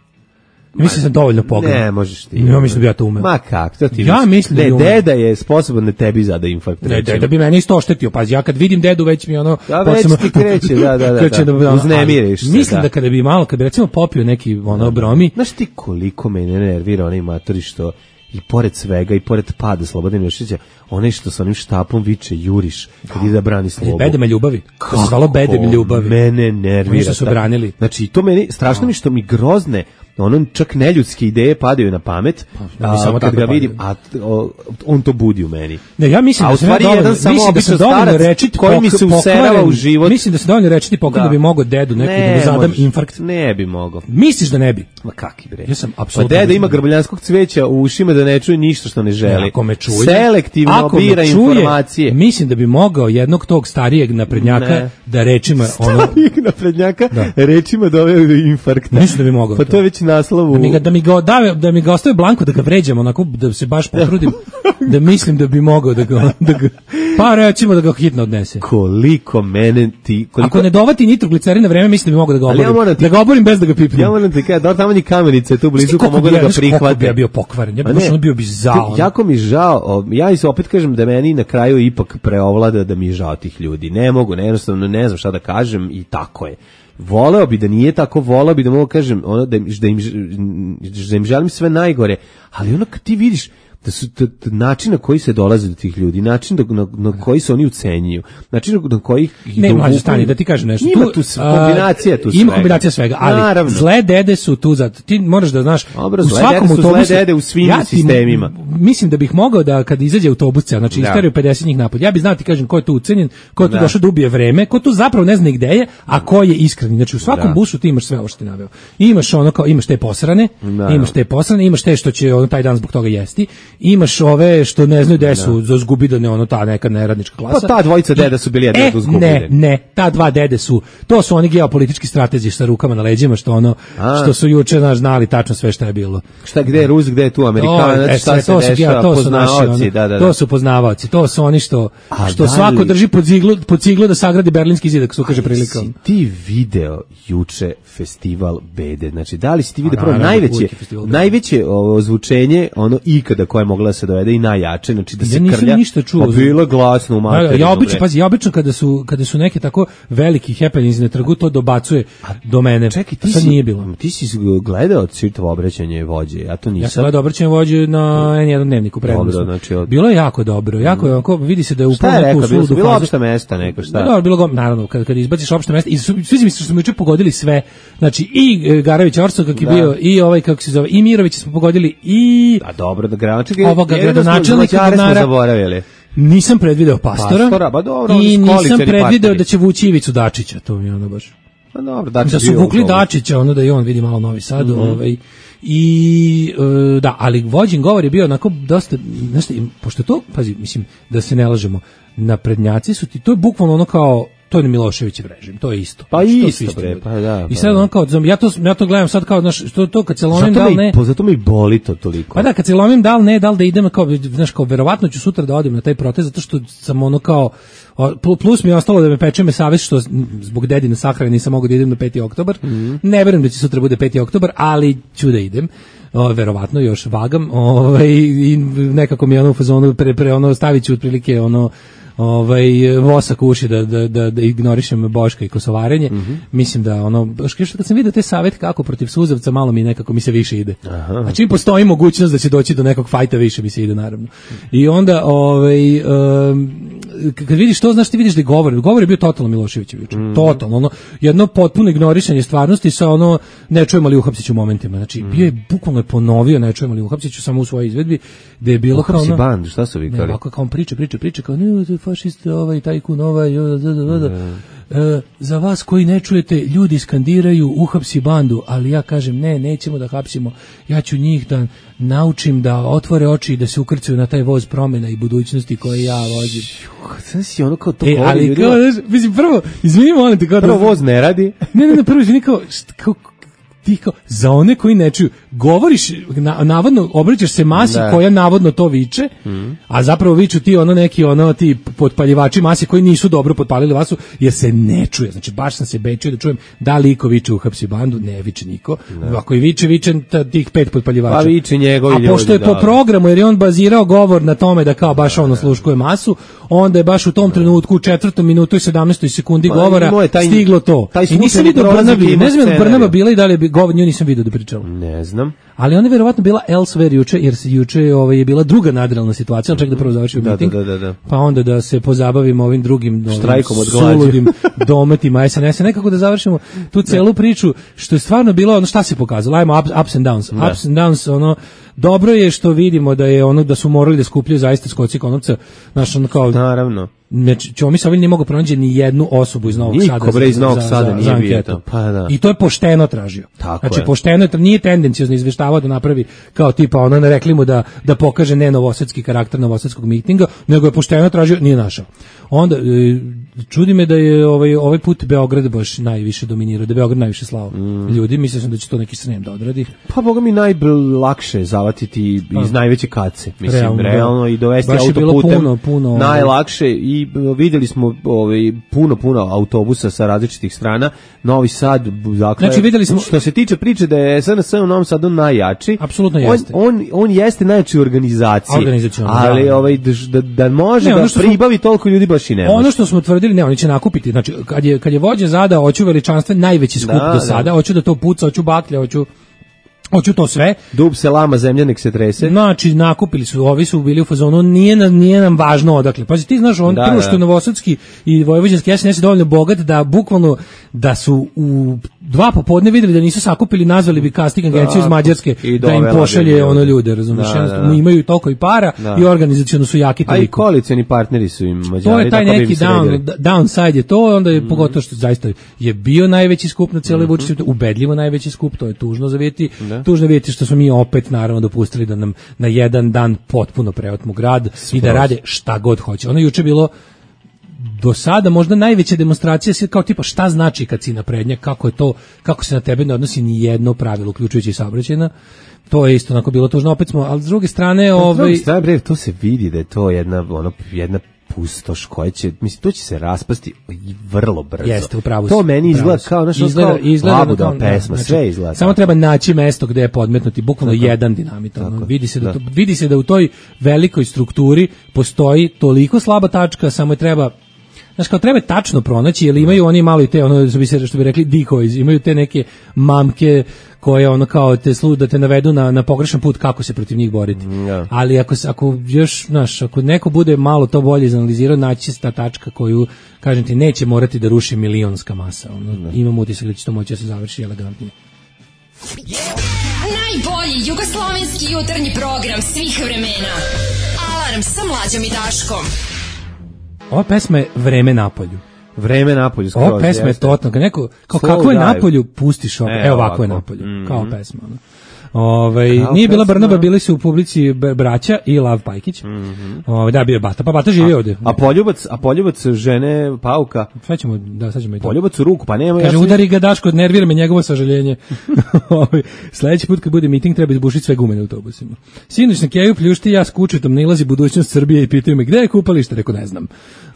Ja mislim da sam dovoljno pogodan. Ne, možeš ti. Ja mislim da ja to umem. Ma kako, to ti ja mislim da ne, umem. deda je sposoban da tebi zada infarkt. Ne, deda bi mene isto oštetio. Pazi, ja kad vidim dedu već mi ono... Ja već posebno, ti kreće, da, da, da. kreće da, da uznemiriš se. Mislim da. da kada bi malo, kada bi recimo popio neki ono bromi... Znaš ti koliko mene nervira onaj matori što i pored svega i pored pada Slobodana Miloševića, onaj što sa onim štapom viče juriš kad ide da brani slobodu. Bedema ljubavi. To se zvalo Bedem ljubavi. Mene nervira. Oni što su branili. Znači, to meni, strašno mi što mi grozne, ono čak neljudske ideje padaju na pamet, pa, a, samo kad ga padaju. vidim, a o, on to budi u meni. Ne, ja mislim a da u stvari dovoljno, jedan samo mislim da sam dovoljno starac rečiti koji mi se userava u život. Mislim da se dovoljno rečiti pokon da bi mogao dedu neki ne, da mu zadam možeš, infarkt. Ne bi mogao. Misliš da ne bi? Ma kaki bre. Ja sam pa apsolutno. deda ima grbljanskog cveća u ušima da ne čuje ništa što ne želi. Ne, ako me čuje, selektivno ako bira me čuje, informacije. Mislim da bi mogao jednog tog starijeg naprednjaka ne. da rečima ono starijeg naprednjaka da. rečima doveo do infarkta. Mislim da bi mogao. Pa to je već naslov. Da mi ga da mi ga da, da mi ga ostaje blanko da ga vređam onako da se baš potrudim da mislim da bi mogao da ga da ga pa recimo da ga hitno odnese. Koliko mene ti koliko ako ne dovati nitroglicerin na vreme mislim da bi mogao da ga oborim. Ja ti, da ga oborim bez da ga pipnem. Ja moram ti kažem da tamo ni kamenice tu blizu pa mogu da ga prihvate. Ja bio pokvaren. Ja bih bio bi zao. Jako mi žao. Ja i opet kažem da meni na kraju ipak preovlada da mi je žao tih ljudi. Ne mogu, ne, jednostavno ne znam šta da kažem i tako je. Voleo bi da nije tako, voleo bi da mogu kažem ono da, da, im, da im želim sve najgore, ali ono kad ti vidiš da su da, da način na koji se dolazi do tih ljudi, način do, na, na koji se oni ucenjuju, način na koji ih ne mlađe stani da ti kažem nešto. Ima tu, tu kombinacija tu svega. Ima kombinacija svega, ali naravno. Zle dede su tu za ti moraš da znaš Dobro, u svakom dede su autobusu zle dede u svim ja sistemima. Mislim da bih mogao da kad izađe autobus, znači isteraju pedeset njih napad. Ja bih znao ti kažem ko je tu ucenjen, ko je tu da. došao da ubije vreme, ko tu zapravo ne zna gde je, a ko je iskreni. Znači u svakom da. busu ti imaš sve ovo što ti naveo. Imaš ono kao imaš te posrane, da. imaš te posrane, imaš te što će on taj dan zbog toga jesti, imaš ove što ne znaju gde su za zgubidane ono ta neka neradnička klasa. Pa ta dvojica deda su bili jedno e, do zgubidane. Ne, ne, ta dva dede su, to su oni geopolitički stratezi sa rukama na leđima što ono A. što su juče naš znali tačno sve šta je bilo. Šta gde je Rus, gde je tu Amerikanac, e, šta se dešava, to su naši, ono, da, da, da. to su poznavaoci, to su oni što A što da svako drži pod ciglu, pod ciglu da sagradi berlinski zid, ako se ukaže prilika. Si ti video juče festival bede, znači da li si ti video prvo najveće najveće ozvučenje ono ikada koje je mogla da se dovede i najjače, znači da se ja krlja. Ništa čuo. Pa bilo glasno u materinu. Ja obično, pazi, ja obično kada su kada su neke tako veliki happenings na trgu to dobacuje do mene. Čekaj, ti sad si, nije bilo. Ti si gledao čitavo obraćanje vođe, ja to nisam. Ja sam gledao obraćanje vođe na en jedan dnevniku prednosno. Znači od... Bilo je jako dobro, jako je onako, vidi se da je upravo neku suludu. Bilo opšte mesta neko, šta? Dobro, bilo naravno, kad kad izbaciš opšte mesta i svi misle što smo juče pogodili sve. Znači i Garović Orso kako je bio i ovaj kako se zove i Mirović smo pogodili i a dobro da gradonačelnik ovoga gradonačelnika smo zaboravili. Nisam predvideo pastora, pastora ba dobro, i nisam predvideo da će vući Ivicu Dačića, to mi je ono baš. Pa dobro, Dačić da su vukli Dačića, ono da i on vidi malo Novi Sad, mm-hmm. ovaj i e, da, ali vođen govor je bio onako dosta, znaš, pošto to, pazi, mislim, da se ne lažemo, naprednjaci su ti, to je bukvalno ono kao to je Miloševićev režim, to je isto. Pa znači, isto, isto bre, pa da. I sad on kao, ja to, ja to gledam sad kao, znaš, što to kad se lomim da li ne. Po, zato mi boli to toliko. Pa da, kad se lomim da li ne, da li da idem kao, znaš, kao, verovatno ću sutra da odem na taj protest, zato što sam ono kao, plus mi je ostalo da me peče me savest što zbog dedine sahrane nisam mogao da idem na peti oktobar. Mm-hmm. Ne verujem da će sutra bude peti oktobar, ali ću da idem. O, verovatno još vagam, ovaj i nekako mi je ono u fazonu pre, pre ono staviću otprilike ono ovaj vosak u uši da, da, da, da ignorišem Boška i kosovarenje. Mm-hmm. Mislim da ono baš kad sam vidio taj savet kako protiv suzavca malo mi nekako mi se više ide. Aha. A čim postoji mogućnost da će doći do nekog fajta više mi se ide naravno. I onda ovaj um, kad vidiš to, znaš, ti vidiš da govor, govor je bio totalno Miloševićev juče. Mm. Totalno, ono, jedno potpuno ignorisanje stvarnosti sa ono, ne čujemo li uhapsit ću momentima. Znači, mm. bio je, bukvalno je ponovio, ne čujemo li uhapsit ću samo u svojoj izvedbi, da je bilo kao ono... band, šta su vikali? Ne, ovako kao on priča, priča, priča, kao, ne, fašist, ovaj, tajkun, ovaj, da, da, da, da. e, za vas koji ne čujete, ljudi skandiraju uhapsi bandu, ali ja kažem ne, nećemo da hapsimo, ja ću njih da naučim da otvore oči i da se ukrcaju na taj voz promena i budućnosti koje ja vozim. Sad si ono kao to e, ali ljudima. Kao, znaš, mislim, prvo, izvini, molim te, kao prvo da, voz ne radi. Ne, ne, ne, prvo izvini, kao, kao ti kao, za one koji ne čuju, govoriš, na, navodno, obraćaš se masi da. koja navodno to viče, mm. a zapravo viču ti ono neki, ono ti potpaljivači masi koji nisu dobro potpalili vasu, jer se ne čuje. Znači, baš sam se bečio da čujem da li iko viče uhapsi bandu, ne viče niko. Da. Ako i viče, viče tih pet potpaljivača. Pa viče njegovi ljudi. A pošto je po programu, jer je on bazirao govor na tome da kao baš ono sluškuje masu, onda je baš u tom trenutku u četvrtom minutu i sedamnaestoj sekundi pa, govora taj, stiglo to. I nisam vidio Brnabi, ne znam je Brnaba bila i da li je govor, nju nisam vidio da pričala. Ne znam. Ali ona je verovatno bila elsewhere juče, jer se juče ovaj, je bila druga nadrealna situacija, ali čak da prvo završimo da, miting, da, da, da. pa onda da se pozabavimo ovim drugim štrajkom od suludim dometima es en es, nekako da završimo tu celu priču, što je stvarno bilo, ono šta se pokazalo, ajmo ups, ups and downs, da. ups and downs, ono, dobro je što vidimo da je ono da su morali da skupljaju zaista Skoci Konopca, znaš, ono kao, naravno. Znači, Ćomi Savin nije mogao pronaći ni jednu osobu iz Novog Sada. Niko bre iz Novog Sada nije bio to. Pa da. I to je pošteno tražio. Tako znači, je. pošteno je, nije tendencijozno izveštavao da napravi kao tipa ono, ne rekli mu da, da pokaže ne novosadski karakter novosadskog mitinga, nego je pošteno tražio, nije našao. Onda, čudi me da je ovaj, ovaj put Beograd baš najviše dominirao, da je Beograd najviše slao mm. ljudi, mislio sam da će to neki Srem da odradi. Pa boga mi najlakše zavatiti pa. iz najveće kace, mislim, realno, realno i dovesti baš autoputem, puno, puno, najlakše i videli smo ovaj, puno, puno autobusa sa različitih strana, Novi Sad, dakle, znači, videli smo, što se tiče priče da je es en es u Novom Sadu najjači, apsolutno jeste. On, on, on jeste najjači u organizaciji, ali da. ovaj, da, da može ne, da pribavi smo, toliko ljudi baš i ne može. Ono što smo tvrdili, ne, oni će nakupiti, znači, kad je, kad je vođa zada, hoću veličanstven najveći skup da, do sada, da. hoću da to puca, hoću baklje, hoću Hoću to sve. Dub se lama, zemlja nek se trese. Znači, nakupili su, ovi su bili u fazonu, nije nam, nije nam važno odakle. Pazi, ti znaš, on da, prvo što je novosadski i vojvođanski es en es je dovoljno bogat da bukvalno, da su u dva popodne videli da nisu sakupili, nazvali bi casting agenciju iz Mađarske da im pošalje ono ljude, razumiješ? Da, da, da. Imaju toliko i para da. i organizaciono su jaki toliko. A i koalicioni partneri su im Mađari. To je taj neki down, downside je to, onda je mm. pogotovo što zaista je bio najveći skup na cijeloj mm-hmm. Vučiću, ubedljivo najveći skup, to je tužno za vidjeti. Da. Tužno vidjeti što smo mi opet naravno dopustili da nam na jedan dan potpuno preotmu grad Spros. i da rade šta god hoće. Ono juče bilo do sada možda najveća demonstracija sve kao tipa šta znači kad si naprednjak, kako je to, kako se na tebe ne odnosi ni jedno pravilo, uključujući i saobraćajna. To je isto onako bilo tužno, opet smo, ali s druge strane, ovaj, s druge strane, bre, to se vidi da je to jedna ono jedna pustoš koja će, mislim, to će se raspasti vrlo brzo. Jeste, upravo. To meni izgleda kao nešto izgleda, izgleda labuda kao, pesma, znači, sve izgleda. Samo treba naći mesto gde je podmetnuti bukvalno tako, jedan dinamit. Ono, vidi se da, da. To, vidi se da u toj velikoj strukturi postoji toliko slaba tačka, samo je treba, znaš, kao treba tačno pronaći, jer imaju oni malo i te, ono, što bi se, što bi rekli, decoys, imaju te neke mamke koje ono kao te slu, da te navedu na, na pogrešan put kako se protiv njih boriti. Yeah. Ali ako, ako još, znaš, ako neko bude malo to bolje izanalizirao, naći se ta tačka koju, kažem ti, neće morati da ruši milionska masa. Ono, yeah. Imam utisak da će to moći da se završi elegantnije. Najbolji jugoslovenski jutarnji program svih vremena. Alarm sa Mlađom i Daškom. Ova pesma je Vreme na polju. Vreme na polju. Ova pesma je totalno, neko, kao Slow kako je dive. Na polju, pustiš ovo, e, evo ovako, ovako je na polju, mm-hmm. kao pesma. Ono. Ove, nije bila Brnaba, bili su u publici Braća i Lav Pajkić. Mm-hmm. Ove, da, bio je Bata, pa Bata živi a, ovde. A poljubac, a poljubac žene Pauka. Sad ćemo, da, sad ćemo i to. Poljubac u ruku, pa nema. Kaže, ja sam... udari ga Daško, nervira me njegovo sažaljenje. Ove, sledeći put kad bude miting treba izbušiti sve gume na autobusima. Sinoć na Keju pljušti ja s kučetom nailazi budućnost Srbije i pitaju me gde je kupalište, reko ne znam.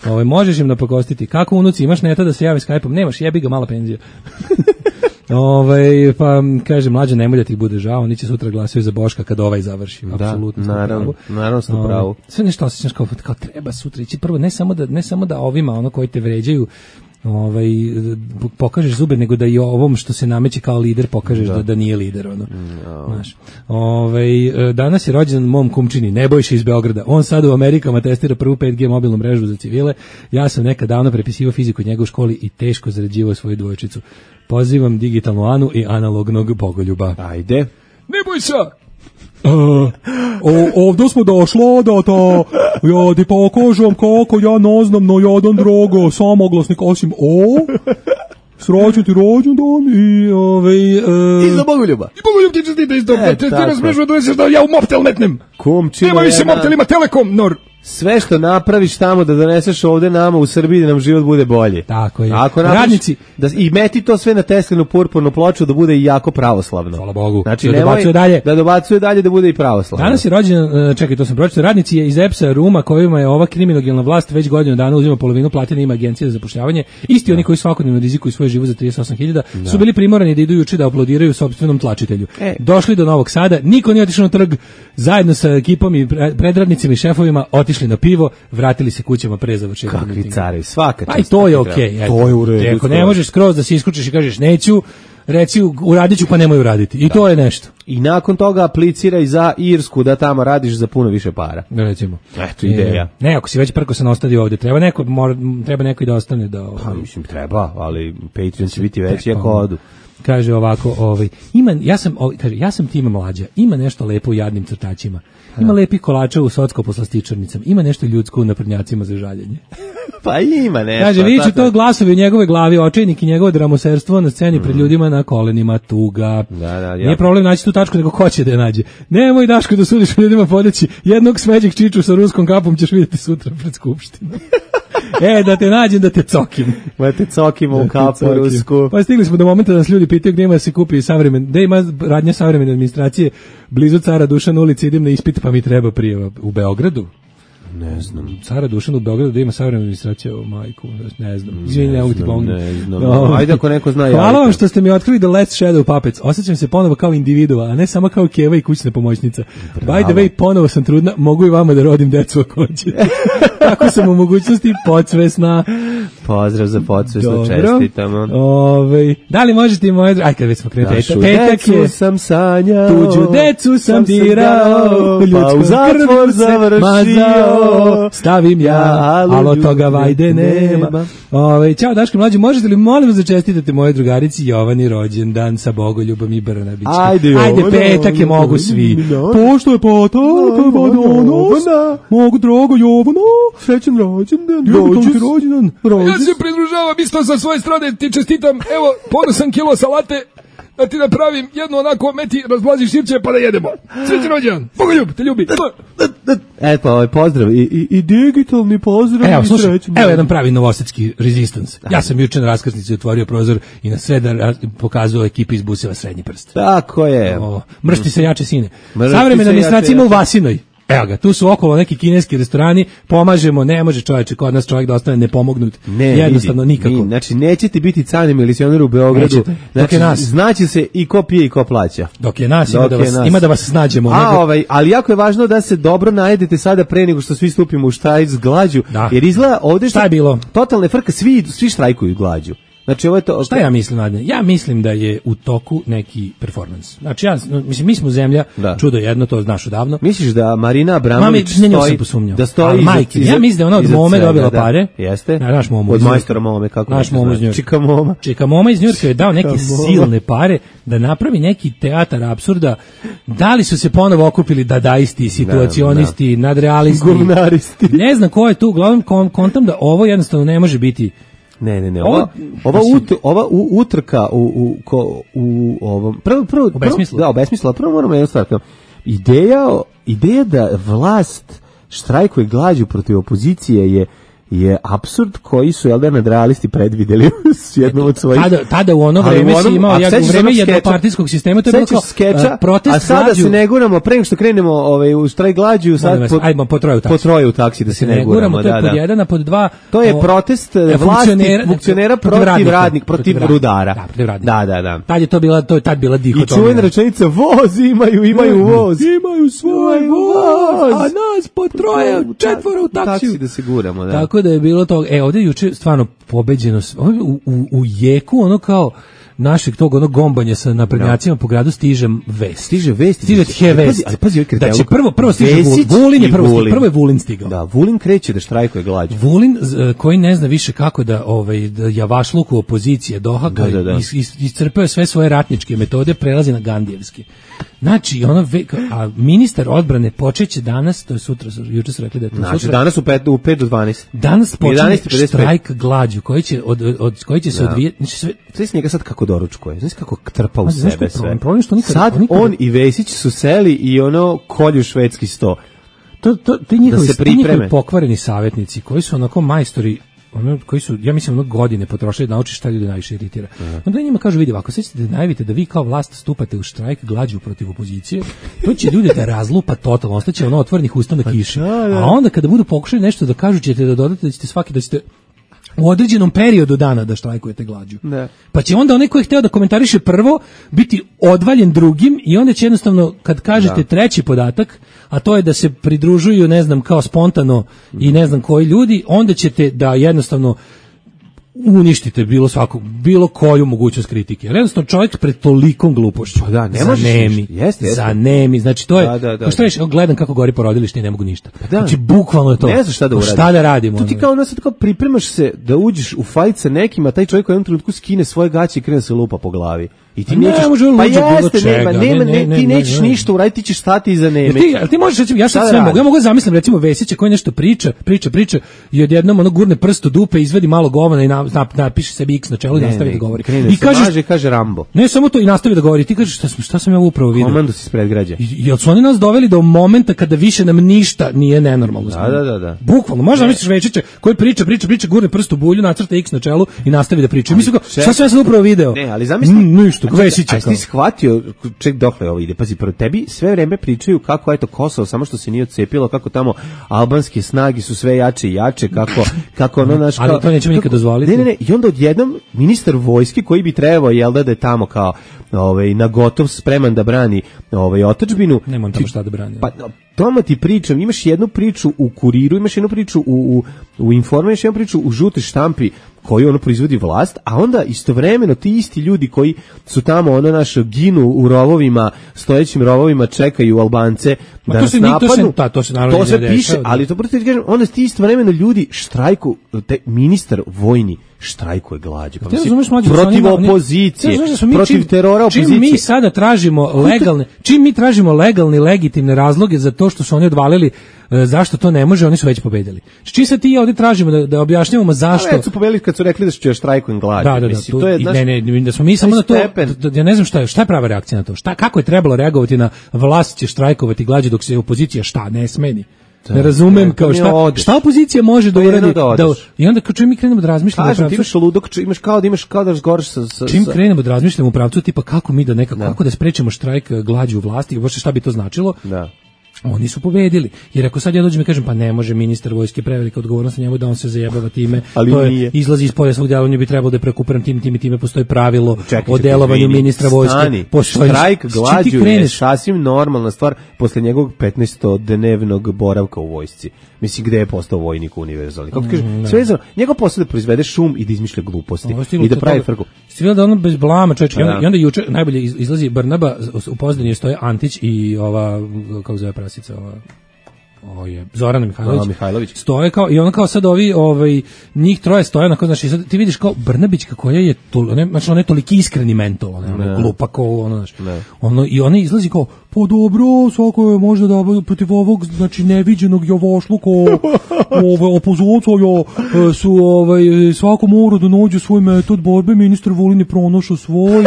Ove, možeš im napakostiti. Kako unuci, imaš neta da se javi Skype-om? Nemaš, jebi ga, mala penzija. Ovaj, pa kaže Mlađa, nemoj da ti bude žao, oni će sutra glasaju za Boška kad ovaj završi. Da, apsolutno. Naravno, naravno ste u pravu. Sve nešto osjećaš kao, kao treba sutra ići. Prvo ne samo da ne samo da ovima ono koji te vređaju ovaj pokažeš zube, nego da i ovom što se nameće kao lider pokažeš da, da, da nije lider ono. No. Znaš. Ovaj danas je rođendan mom kumčini Nebojša iz Beograda. On sad u Amerikama testira prvu pet G mobilnu mrežu za civile. Ja sam nekad davno prepisivao fiziku u njegovoj školi i teško zarađivao svoju dvojčicu. Pozivam digitalnu Anu i analognog bogoljuba. Ajde. Nebojša, Uh, o, ovdje smo došla da ta, ja ti pokažem kako ja ne znam no jedan drogo samoglasnik osim o, srećan ti rođendan i ovaj... Uh, I za Bogoljuba. I Bogoljub ti čestite isto, e, ti razmišljamo da doneseš da ja u Mobtel metnem. Kumčina nema više Mobtel, ima Telekom, nor. Sve što napraviš tamo da doneseš ovde nama u Srbiji da nam život bude bolje. Tako je. Ako radnici da i meti to sve na Teslinu purpurnu ploču da bude i jako pravoslavno. Hvala Bogu. Znači da nemoj dalje. da dobacuje dalje da bude i pravoslavno. Danas je rođen, čekaj, to sam pročitao, radnici je iz E P S-a Ruma kojima je ova kriminogena vlast već godinu dana uzima polovinu platine, ima agencija za zapošljavanje. Isti oni koji svakodnevno rizikuju svoj život za trideset osam hiljada su bili primorani da idu juče da aplodiraju sopstvenom tlačitelju. E. Došli do Novog Sada, niko nije otišao na trg, zajedno sa ekipom i predradnicima i šefovima otišli na pivo, vratili se kućama pre završetka. Kakvi carevi, svaka čast. Aj to je okej. Okay, to je u redu. Ako ne možeš skroz da se isključiš i kažeš neću, reci uradit ću pa nemoj uraditi. I da. To je nešto. I nakon toga apliciraj za Irsku da tamo radiš za puno više para. Recimo. Eto ideja. E, ne, ako si već prko se ostadi ovdje, treba neko, mora, treba neko i da ostane da... Pa mislim treba, ali Patreon će biti veći ako odu. Kaže ovako, ovaj, ima, ja sam, ovaj, kaže, ja sam Tima Mlađa, ima nešto lepo u jadnim crtačima, ima lepih kolača u socko-poslastičarnicama, ima nešto ljudsko u naprednjacima za žaljenje. Pa ima nešto. Kaže, vidiću to glasovi u njegove glavi, očajnik i njegovo dramoserstvo na sceni mm. pred ljudima na kolenima, tuga. Da, da, nije problem naći tu tačku, nego ko će da je nađe. Nemoj, Daško, da sudiš ljudima podeći jednog smeđeg čiču sa ruskom kapom ćeš vidjeti sutra pred skupštinom. E, da te nađem, da te cokim. Da te cokimo u kapu rusku. Pa stigli smo do momenta da nas ljudi pitaju gdje ima da se kupi savremen, gdje ima radnja savremene administracije, blizu Cara Dušana ulici, idem na ispit pa mi treba prijava u Beogradu. Ne znam. Cara Dušan u Beogradu da ima savremenu administraciju, o majku, ne znam. Izvini, ne mogu ti pomoći. Ne znam. No, ajde ako neko zna. Hvala vam što ste mi otkrili The Last Shadow Puppets. Osjećam se ponovo kao individua, a ne samo kao Keva i kućna pomoćnica. Bravo. By the way, ponovo sam trudna, mogu i vama da rodim decu ako hoćete. Tako sam u mogućnosti podsvesna. Pozdrav za podsvesno, čestitamo. Ove, da li možete i moje... Aj, kad već smo krenuli. Petak je, sam sanjao, tuđu decu sam dirao, pa u zatvor završio. Stavim ja, ali od toga vajde nema. Ove, ćao Daško Mlađe, možete li molim vas da čestitate moje drugarici Jovani rođendan sa Bogoljubom i Brnabićem? Ajde, Jovana, Ajde, petak je mogu svi. Pošto je petak, danas, mogu drago Jovana, srećan rođendan, dođi rođendan. Ja se pridružavam isto sa svoje strane, ti čestitam, evo, ponosan kilo salate, da ti napravim jednu onako meti, razblaziš sirće pa da jedemo. Srećan rođendan, Bogoljub, te ljubi. E pa ovaj pozdrav i, i, i digitalni pozdrav. Evo, slušaj, evo jedan pravi novosadski resistance. Ja sam juče na raskrsnici otvorio prozor i na sreda pokazao ekipi iz Buseva srednji prst. Tako je. O, mršti se jače sine. Savremena administracija ima u Vasinoj. Evo ga, tu su okolo neki kineski restorani, pomažemo, ne može čovječe, kod nas čovjek da ostane nepomognut, ne, jednostavno vidi, nikako. Mi, znači, nećete biti cani milicioner u Beogradu, znači, nas, znaće se i ko pije i ko plaća. Dok je nas, ima da, vas, nas. ima da vas snađemo. A, nego... ovaj, ali jako je važno da se dobro najedete sada pre nego što svi stupimo u štrajk s glađu, da. Jer izgleda ovdje što je bilo? Totalne frka, svi, svi štrajkuju glađu. Znači, ovo je to, šta ja mislim, Adne? Ja mislim da je u toku neki performans. Znači, ja, mislim, mi smo zemlja, da. Čudo jedno, to znaš odavno. Misliš da Marina Abramović stoji, da stoji iza, majke, iza, ja mislim da je ona od Mome dobila da, pare. Jeste? Na, naš Momo od majstora Mome, kako naš Momo iz Njurka. Čika Moma. Čika Moma iz Njurka je dao neke silne pare da napravi neki teatar apsurda. Da li su se ponovo okupili dadaisti, situacionisti, da, da. nadrealisti, gumnaristi. Ne znam ko je tu, uglavnom kontam da ovo jednostavno ne može biti. Ne, ne, ne. Ova, ova, ut, ova u, utrka u, u, ko, u ovom... Prvo, prvo, u besmislu. Da, u besmislu. Prvo moramo jednu stvar. Ideja, ideja da vlast štrajkuje glađu protiv opozicije je je apsurd koji su jel da nadrealisti predvideli s jednom od svojih. Tada, tada u ono vreme si imao, ja, u vreme jednopartijskog sistema, to je bilo kao skeča, protest a sada glađu. Se ne guramo, pre nego što krenemo ovaj, u štrajk glađu, sad po, ajmo, po troje u taksi. Po troje u taksi da se ne, ne guramo. To je pod jedan, a pod dva... To je protest vlasti, funkcionera protiv radnik, protiv rudara. Da, protiv Da, radnika. da, da. Tad je to bila, to je tad bila dihotomija. I čuvena rečenica, voz imaju, imaju voz. Imaju svoj voz, a nas po troje, četvoro u taksiju. Taksi da se guramo, da. Tako da je bilo to. E, ovdje juče stvarno pobeđeno, u, u, u jeku ono kao našeg tog onog gombanja sa naprednjacima no. po gradu stiže vest. Stiže vest. Stiže he vest. Ali pazi, ali pazi da će prvo, prvo stiže Vesić Vulin je prvo stigao. Prvo je Vulin stigao. Da, Vulin kreće da štrajkuje glađu. Vulin koji ne zna više kako da, ovaj, da javašluku opozicije dohaka, da, da, da. Is, is, iscrpeo sve svoje ratničke metode, prelazi na gandijevski. Znači, ono, a ministar odbrane počeće danas, to je sutra, juče su rekli da je to znači, sutra. danas u pet, u pet do dvanaest. Danas počinje štrajk glađu, koji će, od, od, koji će se da. odvijeti. Znači, sve... Sve njega sad kako doručkuje, znači kako trpa u a, sebe sve. Problem, problem što nikada, sad nikada... on i Vesić su seli i ono kolju švedski sto. To, to, ti njihovi, da se ti njihovi pokvareni savjetnici, koji su onako majstori, ono koji su, ja mislim, ono godine potrošili da nauči šta ljudi najviše iritira. Uh-huh. Onda njima kažu, vidi, ako sećate da najavite da vi kao vlast stupate u štrajk glađu protiv opozicije, to će ljude da razlupa totalno, ostaće ono otvorenih usta na kiši. A onda kada budu pokušali nešto da kažu, ćete da dodate da ćete svaki, da ćete u određenom periodu dana da štrajkujete glađu. Ne. Pa će onda onaj koji je hteo da komentariše prvo biti odvaljen drugim i onda će jednostavno, kad kažete da. treći podatak, a to je da se pridružuju, ne znam, kao spontano i ne znam koji ljudi, onda ćete da jednostavno uništite bilo svako, bilo koju mogućnost kritike. Jer jednostavno čovjek pred tolikom glupošću. Pa da, ne zanemi, jeste, jeste. zanemi. Znači to je, da, da, da. Šta reći, gledam kako gori porodilište i ne mogu ništa. Pa da. Znači bukvalno je to. Ne znaš šta da uradiš. Šta da radimo? Tu ti kao ono sad kao pripremaš se da uđeš u fajt sa nekim, a taj čovjek u jednom trenutku skine svoje gaće i krene se lupa po glavi. I ti ne, nećeš, pa jeste, čega, nema, nema, ne, ne, ne, ti ne, nećeš ne, ništa uraditi, ti ćeš stati iza neme. Ti, ti možeš reći, ja sad sve mogu, ja mogu zamislim recimo Vesića koji nešto priča, priča, priča i odjednom ono gurne prst u dupe, izvadi malo govana i na, na, napiše sebi X na čelu i nastavi da govori. I kaže, kaže Rambo. Ne samo to, i nastavi da govori. Ti kažeš šta sam, šta sam ja upravo vidio? Komandu si ispred građa. Jel su oni nas doveli do momenta kada više nam ništa nije nenormalno? Da, da, da, da. Bukvalno, možda misliš Večića koji priča, priča, priča, gurne prst u bulju, nacrta X na čelu i nastavi da priča. Mislim kao, šta sam ja sad upravo video? Ne, ali zamisli, mm, ništa, Vesića. A ti shvatio, ček dokle ovo ide. Pazi, prvo tebi sve vreme pričaju kako eto Kosovo samo što se nije odcepilo, kako tamo albanske snage su sve jače i jače, kako kako ono naš ali to nećemo nikad dozvoliti. Ne, ne, ne, i onda odjednom ministar vojske koji bi trebao jel da da je tamo kao ovaj na gotov spreman da brani ovaj otadžbinu. Nema on tamo šta da brani. Pa tamo ti pričam, imaš jednu priču u Kuriru, imaš jednu priču u u u Informer, imaš jednu priču u žutoj štampi koju ono proizvodi vlast, a onda istovremeno ti isti ljudi koji su tamo ono naš ginu u rovovima, stojećim rovovima, čekaju Albance ma da nas napadnu. To se, ta, to se, to se piše, dešava, ali to prosto ti kažem, onda ti istovremeno ljudi štrajku, te, ministar vojni štrajkuje glađu. Pa mislim, protiv opozicije, protiv čim, terora opozicije. Čim mi sada tražimo legalne, čim mi tražimo legalne, legitimne razloge za to što su oni odvalili e, zašto to ne može, oni su već pobedili. Čim sad ti ovdje tražimo da, da objašnjavamo zašto. A već su pobedili kad su rekli da će štrajkujem glađu. Da, da, da, mislim, tu, to je, naš, ne, ne, da smo mi samo na to, da, ja ne znam šta je, šta je prava reakcija na to, šta, kako je trebalo reagovati na vlast će štrajkovati glađu dok se opozicija šta, ne smeni. Ne razumem kao šta, šta opozicija može da uradi da, da i onda kao čim mi krenemo da razmišljamo kažem ti imaš ludok, imaš kao da imaš kao da razgovaraš sa, sa čim krenemo da razmišljamo u pravcu tipa kako mi da nekako da. kako da sprečimo štrajk glađu u vlasti, baš šta bi to značilo. Da. Oni su pobedili. Jer ako sad ja dođem i kažem pa ne može ministar vojske, prevelika odgovornost na njemu da on se zajebava time, ali to je, nije. Izlazi iz polja svog djelovanja, bi trebalo da je prekupiran tim, tim i time, postoji pravilo čekaj, o delovanju ministra vojske. Postoji štrajk glađu je sasvim normalna stvar posle njegovog petnaestodnevnog boravka u vojsci. Mislim, gde je postao vojnik univerzalni. Kako kaže, mm, sve je njegov posao da proizvede šum i da izmišlja gluposti i da pravi frku. Stvila da ono bez blama, čovječe. I onda, i onda juče najbolje izlazi Brnaba, u pozadini stoje Antić i ova, kako zove prasica, ova, ovo je Zorana Mihajlović. Aha, Mihajlović. Stoje kao, i ono kao sad ovi, ovaj, njih troje stoje, onako, znači, sad ti vidiš kao Brnabićka koja je, to, ne, znači, ona je toliki iskreni mentol, ona je glupa kao, ono, znači, ono, i ona izlazi kao, pa dobro, svako je možda da protiv ovog, znači, neviđenog javašluka, ove, opozicija, su, ovaj, svako mora da nađe svoj metod borbe, ministar Vulin je pronašao svoj,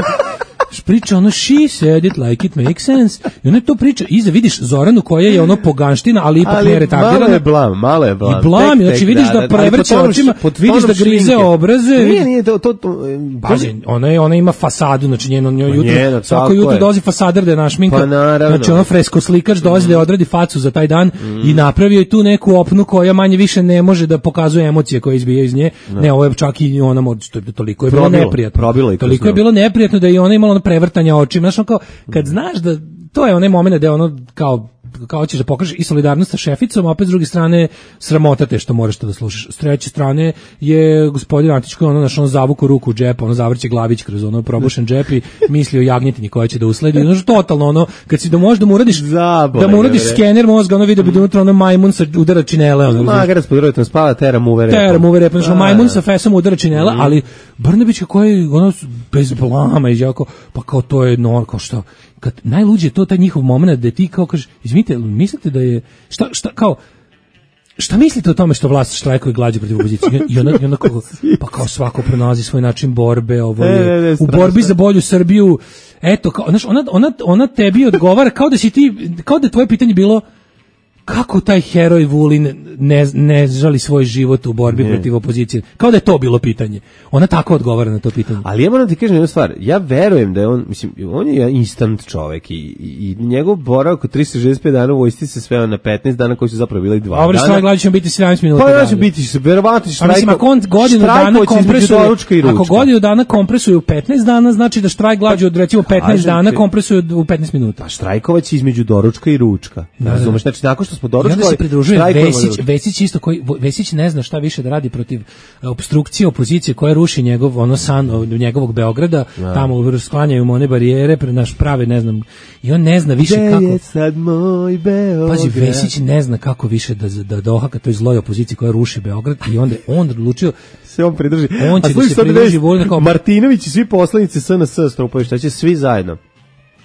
priča ono she said it like it makes sense i ona to priča iza vidiš Zoranu koja je ono poganština ali ipak ne retardirana malo je blam, malo je blam i blam, znači vidiš da, da prevrće očima vidiš da grize obraze nije, nije to, to, to pazi, ona, je, ona ima fasadu znači njeno, njeno jutro, njeno, svako jutro dolazi fasader da je našminka, pa znači ono fresko slikač dolazi mm. da odradi facu za taj dan mm. i napravio je tu neku opnu koja manje više ne može da pokazuje emocije koje izbijaju iz nje, no. ne ovo je čak i ona toliko je bilo neprijatno toliko je bilo neprijatno da je ona imala prevrtanja očima, znači kao kad znaš da to je onaj momenat da ono kao kao ćeš da pokažeš i solidarnost sa šeficom, a opet s druge strane sramota te što moraš to da slušaš. S treće strane je gospodin Antić koji ono naš on zavuku ruku u džep, ono zavrće glavić kroz ono probušen džep i misli o jagnjetini koja će da usledi. Ono totalno ono kad si da možeš da mu uradiš Zabole, da mu uradiš bre. Skener mozga, ono vidi da bi unutra ono majmun sa udara činele, ono. Magarac pod rotom spava, tera mu uvere. Tera mu uvere, znači majmun sa fesom udara činele, mm. ali Brnabić koji ono bez blama i jako pa kao to je no kao što kad najluđe je to taj njihov moment da ti kao kažeš, izvinite, mislite da je, šta, šta, kao, šta mislite o tome što vlast štrajkuje glađu protiv opozicije? I ona, i ona kao, pa kao svako pronalazi svoj način borbe, ovo je, ne, ne, ne, u borbi za bolju Srbiju, eto, kao, znaš, ona, ona, ona tebi odgovara kao da si ti, kao da je tvoje pitanje bilo, kako taj heroj Vulin ne, ne žali svoj život u borbi ne. protiv opozicije. Kao da je to bilo pitanje. Ona tako odgovara na to pitanje. Ali ja moram ti kažem jednu stvar. Ja verujem da je on, mislim, on je instant čovek i, i, i njegov boravak od trista šezdeset pet dana u vojsci se sveo na petnaest dana koji su zapravo bili dva Dobre, dana. Dobre, gledaj ćemo biti sedamnaest minuta. Pa ja ću biti se, verovatno štrajko. A mislim, ako on godinu dana kompresuje, ako godinu dana kompresuje u petnaest dana, znači da štrajk glađu od recimo petnaest dana kompresuje u petnaest minuta. Pa štrajkovac između doručka i ručka. Da, razumeš? Znači, nakon što smo doručkovali, i onda se pridružuje Vesić, Vesić isto koji Vesić ne zna šta više da radi protiv opstrukcije opozicije koja ruši njegov ono san njegovog Beograda, ja. Tamo sklanjaju mu one barijere, pre naš prave ne znam i on ne zna više Gde kako. Je sad moj Beograd? Pazi, Vesić ne zna kako više da da dohaka toj zloj opoziciji koja ruši Beograd i onda on odlučio se on pridruži. On će da se pridruži Vulinu. Martinović i svi poslanici S N S strupaju, šta će svi zajedno.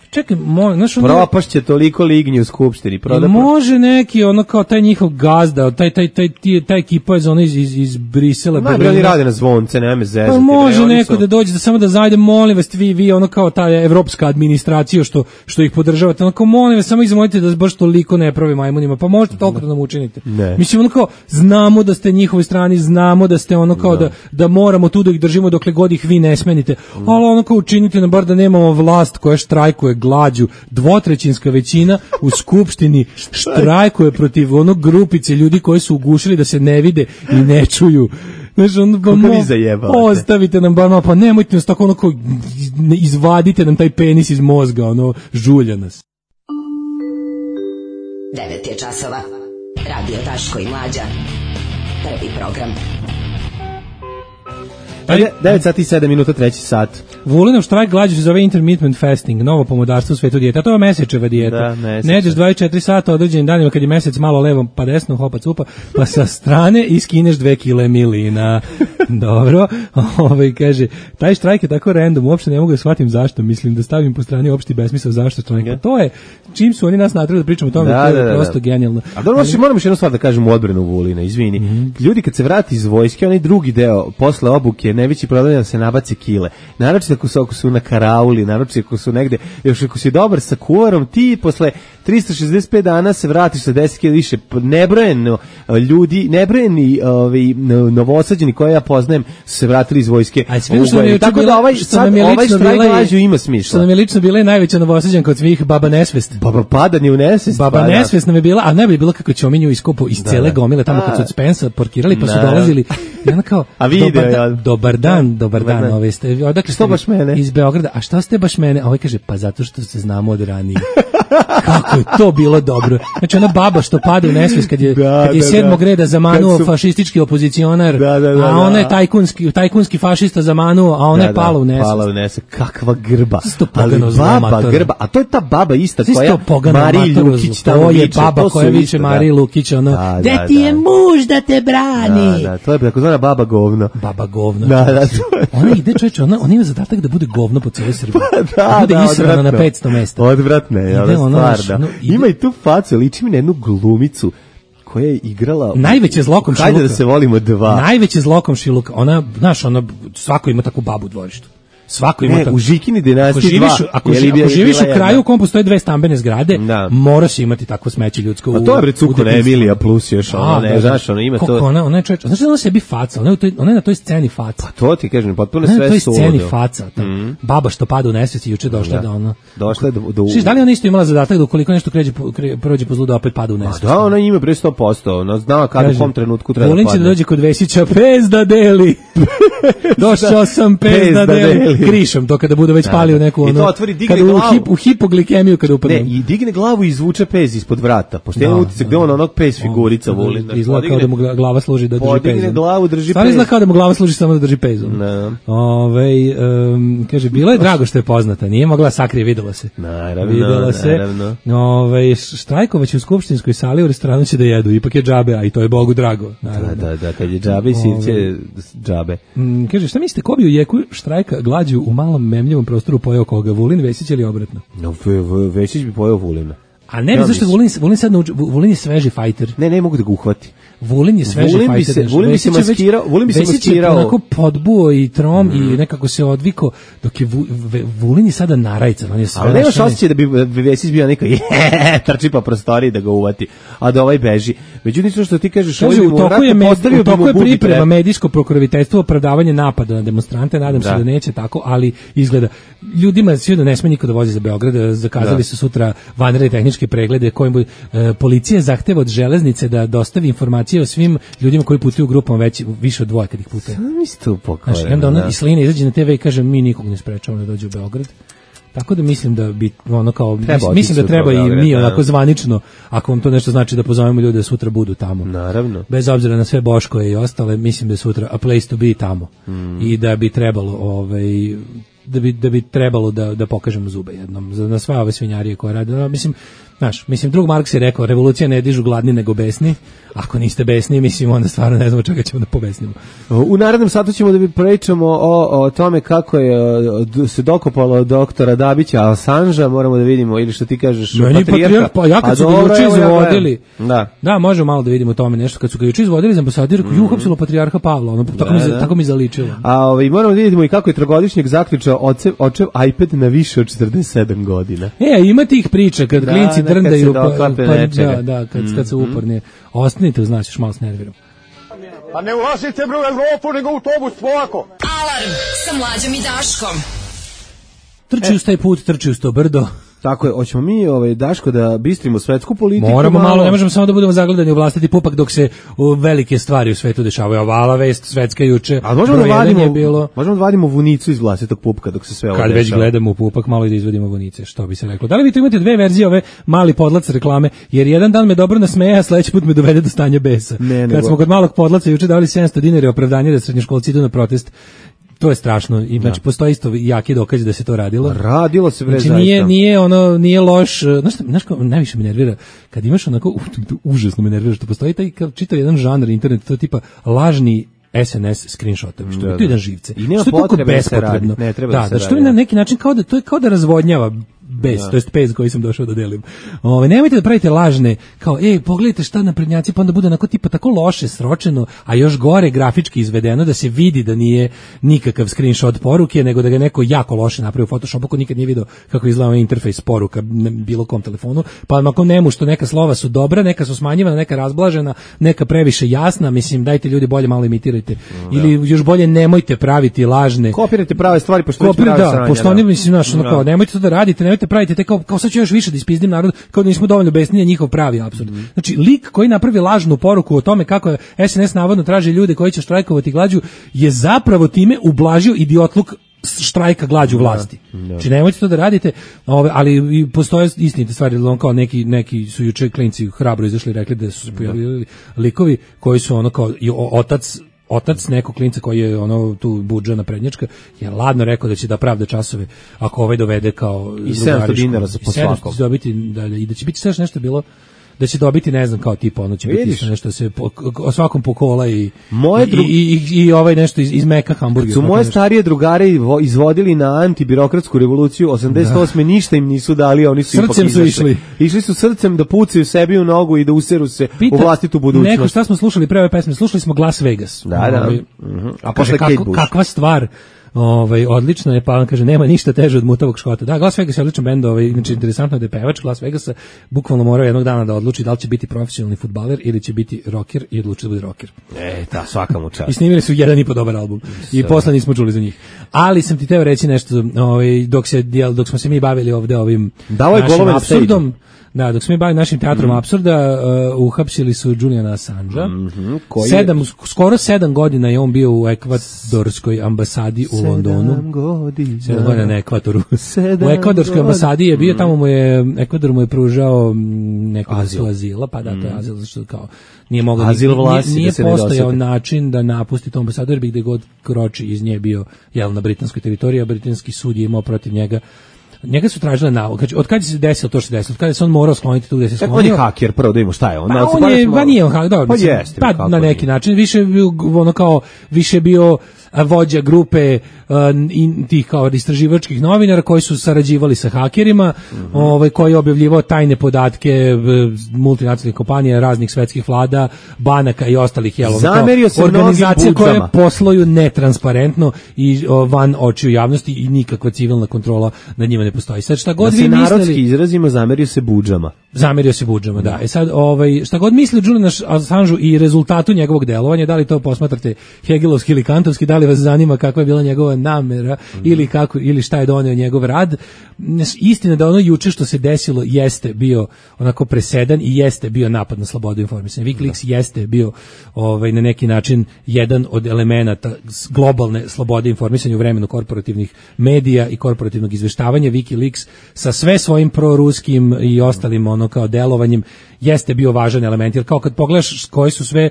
Čekaj, mo, znaš, ono, propašće toliko lignji u skupštini. Proda, može neki, ono kao taj njihov gazda, taj, taj, taj, taj, taj ekipa je ono iz, iz, iz Brisela. Ma, oni rade na zvonce, nema me zezati. Pa može bre, neko su... da dođe, da samo da zajde, molim vas, vi, vi ono kao ta evropska administracija što, što ih podržavate, ono kao molim vas, samo izmolite da baš toliko ne pravi majmunima, pa možete toliko da nam učinite. Ne. Mislim, ono kao, znamo da ste njihovoj strani, znamo da ste ono kao da, da moramo tu da ih držimo dokle god ih vi ne smenite, ali ono kao učinite nam bar da nemamo vlast koja štrajkuje glađu, dvotrećinska većina u skupštini štrajkuje protiv onog grupice ljudi koji su ugušili da se ne vide i ne čuju. Znaš, ono, ba, mo, ostavite nam bar malo, pa nemojte nas tako ono kao, izvadite nam taj penis iz mozga, ono, žulja nas. devet je časova. Radio Daško i Mlađa. Prvi program. devet sati i sedam minuta, treći sat. Vulinov štrajk glađu se zove intermittent fasting, novo pomodarstvo u svetu dijeta. To je mesečeva dijeta. Da, mesečeva. Ne jedeš dvadeset četiri sata određenim danima kad je mesec malo levom pa desno, hopa cupa, pa sa strane iskineš dve kile milina. Dobro. Ovaj kaže, taj štrajk je tako random, uopšte ne mogu da shvatim zašto. Mislim da stavim po strani opšti besmisao zašto štrajka. Yeah. To je, čim su oni nas natrali da pričamo o tome, da, to je da, prosto da. genijalno. A dobro, Ali... moram još jednu stvar da kažem u odbranu Vulina, izvini. Mm-hmm. Ljudi kad se vrati iz vojske, onaj drugi deo posle obuke, najveći problem da se nabace kile. Naročito ako su, ako su na karauli, naročito ako su negde, još ako si dobar sa kuvarom, ti posle trista šezdeset pet dana se vratiš sa deset kila više. Nebrojeno ljudi, nebrojeni ovaj, novosađeni koje ja poznajem su se vratili iz vojske. Aj, tako da ovaj, sad, ovaj štrajk glađu ima smisla. Što nam je lično bila i najveća novosađanka od svih, Baba Nesvest. Baba Padanje u Nesvest. Baba pa, Nesvest nam je bila, a najbolje je bilo kako Ćominju iskopu iz da, cele gomile tamo kad su od Spensa parkirali pa su dolazili. I ona kao, a video, dobar, ja. dobar dan, dobar dan, ove ste, odakle ste baš mene? Iz Beograda, a šta ste baš mene? A ovaj kaže, pa zato što se znamo od ranije. Kako je to bilo dobro. Znači ona baba što pada u nesvijest kad je, da, kad je da, sedmog da. reda zamanuo su... fašistički opozicionar, da, da, da, a ona je tajkunski, tajkunski fašista zamanuo, a ona da, je pala u nesvijest. Pala u nesvijest. Kakva grba. Ali baba grba, a to je ta baba ista koja Mariji Lukić tamo viče. To je baba koja viče Mariji Lukić, ono, da, da, da ti je muž da te brani. Da, da, to je takozvana baba govno. Baba govno. Da, da, ona ide, čoveče, ona, ona ima zadatak da bude govno po cijeloj Srbiji. Da, bude da, israna na petsto mesta. Odvratne, je, ona stvar, da. Ima i tu facu, liči mi na jednu glumicu koja je igrala... Najveće zlokom Šiluka. Hajde da se volimo dva. Najveće zlokom Šiluka. Ona, znaš, ona, svako ima takvu babu u dvorištu. Svako ima ne, tako. U Žikini dinastiji dva. Ako, živi, ako živiš u kraju u kom postoje dve stambene zgrade, da. Moraš imati takvo smeće ljudsko. A to je bre Cukona Emilija plus još, ono, ne, znaš, ona ima to. Ona, ona je čovjek, znaš da ona sebi faca, ona je, toj, ona je na toj sceni faca. Pa to ti kažem, potpuno sve suludo. Ona je na toj sceni faca, ta mm. baba što pada u nesvijest i juče došla da, da ona. Došla je do... do... Šiš, da li ona isto imala zadatak da ukoliko nešto kređe, kre, prođe po zlu da opet pada u nesvijest? Da, ona ima bre sto posto, ona zna kada u kom trenutku treba da padne. Volin će da dođe kod Vesića, pez da deli. Došao sam pez da deli. Krišom, to kada bude već palio neku ono. Otvori, kada u, hip, u hipoglikemiju kada upadne. Ne, i digne glavu i izvuče pez ispod vrata. Pošto je utisak gde on onog pez figurica voli. Izgleda kao da mu glava služi da drži pez. Podigne glavu, drži pez. Stvarno izgleda kao da mu glava služi samo da drži pez. Ove, um, kaže, bilo je drago što je poznata. Nije mogla sakrije, videla se. Naravno, videla se. naravno. Ove, štrajkovaće u skupštinskoj sali u restoranu će da jedu. Ipak je džabe, a i to je Bogu drago. Naravno. Da, da, da, kad je džabe, sirće džabe. Um, kaže, šta mislite, ko bi u jeku štrajka glađu u malom memljivom prostoru pojeo koga? Vulin, Vesić ili obratno? No, v, v, Vesić bi pojeo Vulina. A ne bi zašto Vulin, Vulin sad nauči, Vulin je sveži fajter. Ne, ne mogu da ga uhvati. Vulin je sveži Vulin fajter. Bi se, Vulin bi se maskirao, Vulin bi se maskirao. Onako podbuo i trom mm. i nekako se odviko, dok je Vu, v, Vulin je sada narajcan, on je sve. Ali nemaš osjećaj da bi Vesić bio neko je, trči po prostoriji da ga uvati, a da ovaj beži. Međutim, što, što ti kažeš, Kaže, ovaj u toku je, med, u toku je priprema treba. medijsko pokroviteljstvo, opravdavanje napada na demonstrante, nadam da. se da neće tako, ali izgleda. Ljudima svi da ne sme niko da vozi za Beograd, zakazali da. su sutra vanredne tehničke preglede kojim e, policija zahteva od železnice da dostavi informacije o svim ljudima koji putuju u grupama već više od dvoje kad ih putuje. Sam isto pokojeno. Znači, onda ona Islina izađe na te ve i kaže mi nikog ne sprečavamo da dođe u Beograd. Tako da mislim da bi ono kao mislim, mislim da treba i mi onako zvanično, ako vam to nešto znači, da pozovemo ljude da sutra budu tamo. Naravno. Bez obzira na sve Boškoje i ostale, mislim da je sutra a place to be tamo. Mm. I da bi trebalo ovaj da bi da bi trebalo da da pokažemo zube jednom za na sve ove svinjarije koje rade. No, mislim, znaš, mislim drug Marks je rekao revolucija ne dižu gladni nego besni. Ako niste besni, mislim onda stvarno ne znamo čega ćemo da pobesnimo. U narednom satu ćemo da bi pričamo o, o tome kako je se dokopalo doktora Dabića Assange, moramo da vidimo ili što ti kažeš no, patrijarha. Pa ja kad su ga juče izvodili. Da. Da, možemo malo da vidimo o tome nešto kad su ga juče izvodili za ambasadir, mm. ju uhapsilo patrijarha Pavla, ono tako da, mi da. tako mi zaličilo. A ovaj moramo da vidimo i kako je trogodišnjak zaključao očev očev iPad na više od četrdeset sedam godina. E, ima tih priča kad da, klinci drndaju pa, pa da, da, kad mm. kad se uporni. Ostanite, znači, još malo s nervirom. A ne ulazite bre u Evropu, nego u autobus polako. Alarm sa Mlađom i Daškom. Trči e. uz taj put, trči uz to brdo. Tako je, hoćemo mi ovaj Daško da bistrimo svetsku politiku. Moramo malo, malo ne možemo samo da budemo zagledani u vlastiti pupak dok se o, velike stvari u svetu dešavaju. Ovala vest svetska juče. A možemo da vadimo, bilo... možemo da vadimo vunicu iz vlastitog pupka dok se sve ovo dešava. Kad već gledamo u pupak, malo i da izvadimo vunice, što bi se reklo. Da li vi tu imate dve verzije ove mali podlac reklame? Jer jedan dan me dobro nasmeja, a sledeći put me dovede do stanja besa. Ne, Kad nego... smo kod malog podlaca juče davali sedamsto dinara opravdanje da srednjoškolci idu na protest. To je strašno. I znači da. Postoji isto jaki dokaz da se to radilo. Radilo se bre znači, zaista. Nije nije ono nije loš, znaš šta, znaš kako najviše me nervira kad imaš onako uh, užasno me nervira što postoji taj kao čitav jedan žanr internet, to je tipa lažni es en es screenshotovi, što je to jedan živce. I nema potrebe da se radi. Ne treba da, da se da što na neki način kao da to je kao da razvodnjava bez, to jest pez koji sam došao da delim. Ove, nemojte da pravite lažne, kao, ej, pogledajte šta naprednjaci, pa onda bude onako tipa tako loše sročeno, a još gore grafički izvedeno, da se vidi da nije nikakav screenshot poruke, nego da ga neko jako loše napravi u Photoshopu, ko nikad nije video kako izgleda interfejs poruka na bilo kom telefonu, pa ako nemu što neka slova su dobra, neka su smanjivana, neka razblažena, neka previše jasna, mislim, dajte ljudi bolje malo imitirajte. Da. Ili još bolje nemojte praviti lažne. Kopirajte prave stvari, pošto Kopir, da, sranja, pošto oni, mislim, znaš, ono kao, nemojte to da radite, nemojte pravite te kao, kao sad ću još više da ispizdim narod, kao da nismo dovoljno besni na njihov pravi apsurd. Mm. Znači, lik koji napravi lažnu poruku o tome kako je es en es navodno traži ljude koji će štrajkovati glađu, je zapravo time ublažio idiotluk štrajka glađu vlasti. Da, da. Znači, nemojte to da radite, ove, ali i postoje istinite stvari, on kao neki, neki su juče klinci hrabro izašli i rekli da su se pojavili likovi koji su ono kao i otac otac nekog klinca koji je ono tu budžana prednjačka je ladno rekao da će da pravda časove ako ovaj dovede kao i sedamsto dinara za po svakom dobiti da, i da će biti sve nešto bilo da će dobiti ne znam kao tipa ono će Vidiš? biti nešto se po, o svakom pokola i moje dru... i, i, i ovaj nešto iz, iz meka hamburgera. Su moje starije drugare izvodili na antibirokratsku revoluciju osamdeset osme Da. Ništa im nisu dali, oni su srcem su išli. Išli su srcem da pucaju sebi u nogu i da useru se Pita, u vlastitu budućnost. Neko šta smo slušali pre ove pesme? Slušali smo Las Vegas. Da, da. Ovaj, uh-huh. A posle kako, kakva stvar. Ovaj odlično je, pa on kaže nema ništa teže od mutavog škota. Da, Las Vegas je odličan bend, ovaj znači interesantno da je pevač Las Vegasa bukvalno morao jednog dana da odluči da li će biti profesionalni fudbaler ili će biti rocker i odlučio da bude rocker. E, da, svaka mu čast. I snimili su jedan i po dobar album. I posle nismo čuli za njih. Ali sam ti teo reći nešto, ovaj dok se dok smo se mi bavili ovde ovim našim apsurdom. Da, dok smo mi bavili našim teatrom mm. apsurda, uh, uhapsili su Juliana Assangea. Mm-hmm. Sedam, je... skoro sedam godina je on bio u ekvadorskoj ambasadi u Londonu. Sedam godina. Sedam godina na Ekvadoru. U ekvadorskoj ambasadi je bio, tamo mu je, Ekvador mu je pružao neku vrstu azila, pa da, to je azil, zašto kao nije mogao, azil vlasi, nije, nije postojao način da napusti tu ambasadu, jer bi gde god kroči iz nje bio, jel, na britanskoj teritoriji, a britanski sud je imao protiv njega njega su tražili nalog. Znači, od kada se desilo to što se desilo, od kada se on morao skloniti tu gde se sklonio. On je haker, prvo da imamo šta je on. Pa on je, pa nije on haker, dobro. Pa jeste. Pa na neki način, više je bio, ono kao, više je bio vođa grupe uh, in, tih kao istraživačkih novinara koji su sarađivali sa hakerima, mm-hmm. ovaj, koji je objavljivao tajne podatke multinacionalnih kompanija, raznih svetskih vlada, banaka i ostalih jel, zamerio se organizacija koje posluju netransparentno i o, van očiju javnosti i nikakva civilna kontrola nad njima ne postoji. Sad šta god da vi se mislili, narodski izrazimo, zamerio se budžama. Zamerio se budžama, da. E sad, ovaj, šta god misli Julian Assangeu i rezultatu njegovog delovanja, da li to posmatrate hegelovski ili kantovski, da li vas zanima kakva je bila njegova namera mm. ili kako ili šta je doneo njegov rad. Istina da ono juče što se desilo jeste bio onako presedan i jeste bio napad na slobodu informisanja. WikiLeaks da. jeste bio ovaj na neki način jedan od elemenata globalne slobode informisanja u vremenu korporativnih medija i korporativnog izveštavanja. WikiLeaks sa sve svojim proruskim i ostalim ono kao delovanjem jeste bio važan element, jer kao kad pogledaš koji su sve,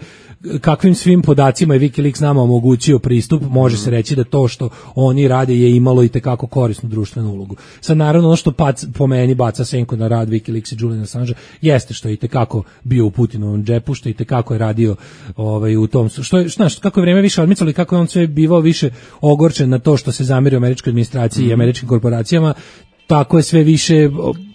kakvim svim podacima je WikiLeaks nama omogućio pristup, može se reći da to što oni rade je imalo i tekako korisnu društvenu ulogu. Sad naravno ono što pac, po meni baca senku na rad WikiLeaks i Julian Assange jeste što je i tekako bio u Putinovom džepu, što je i tekako je radio ovaj, u tom, što je, znaš, kako je vreme više odmicalo i kako je on sve bivao više ogorčen na to što se zamerio američkoj administraciji mm. i američkim korporacijama, tako je sve više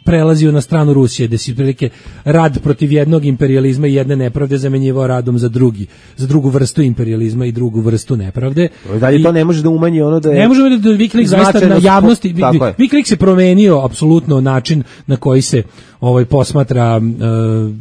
prelazio na stranu Rusije, da si prilike rad protiv jednog imperijalizma i jedne nepravde zamenjivao radom za drugi, za drugu vrstu imperijalizma i drugu vrstu nepravde. Da li to ne može da umanji ono da je... Ne može da WikiLeaks zaista na javnosti... WikiLeaks je promenio apsolutno način na koji se ovaj posmatra... Uh,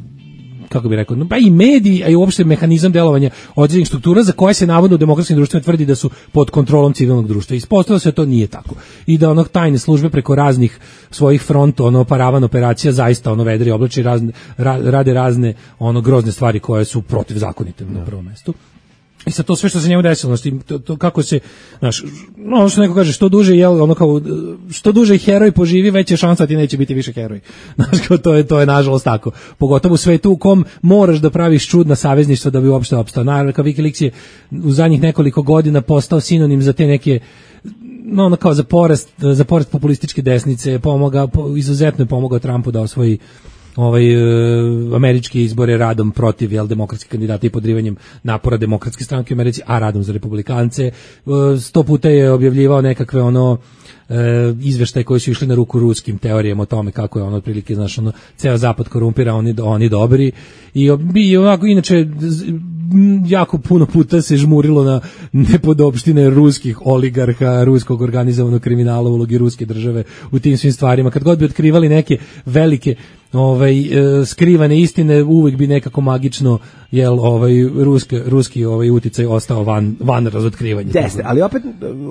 kako bi rekao, pa i mediji, a i uopšte mehanizam delovanja određenih struktura za koje se navodno u demokratskim društvima tvrdi da su pod kontrolom civilnog društva. Ispostavilo se da to nije tako. I da ono tajne službe preko raznih svojih fronta, ono paravan operacija zaista ono vedri oblači razne, ra, rade razne ono grozne stvari koje su protivzakonite na prvom mestu. I sa to sve što se njemu desilo, znači, to, to kako se, znaš, ono što neko kaže, što duže jel, ono kao, što duže heroj poživi, veća je šansa da ti neće biti više heroj. Znaš, kao to je, to je nažalost tako. Pogotovo u svetu u kom moraš da praviš čudna savezništva da bi uopšte opstao. Naravno, kao WikiLeaks je u zadnjih nekoliko godina postao sinonim za te neke, no, ono kao za porast, za porast populističke desnice, pomoga, po, izuzetno je pomogao Trumpu da osvoji ovaj e, američke izbore radom protiv jel demokratskih kandidata i podrivanjem napora demokratske stranke u Americi, a radom za republikance. E, sto puta je objavljivao nekakve ono e, izveštaje koji su išli na ruku ruskim teorijama o tome kako je ono otprilike, znaš, ono, ceo zapad korumpira, oni, oni dobri. I, i onako, inače, jako puno puta se žmurilo na nepodopštine ruskih oligarha, ruskog organizovanog kriminala, ulogi ruske države u tim svim stvarima. Kad god bi otkrivali neke velike ovaj e, skrivane istine, uvek bi nekako magično jel ovaj ruski ruski ovaj uticaj ostao van van razotkrivanja. Jeste, ali opet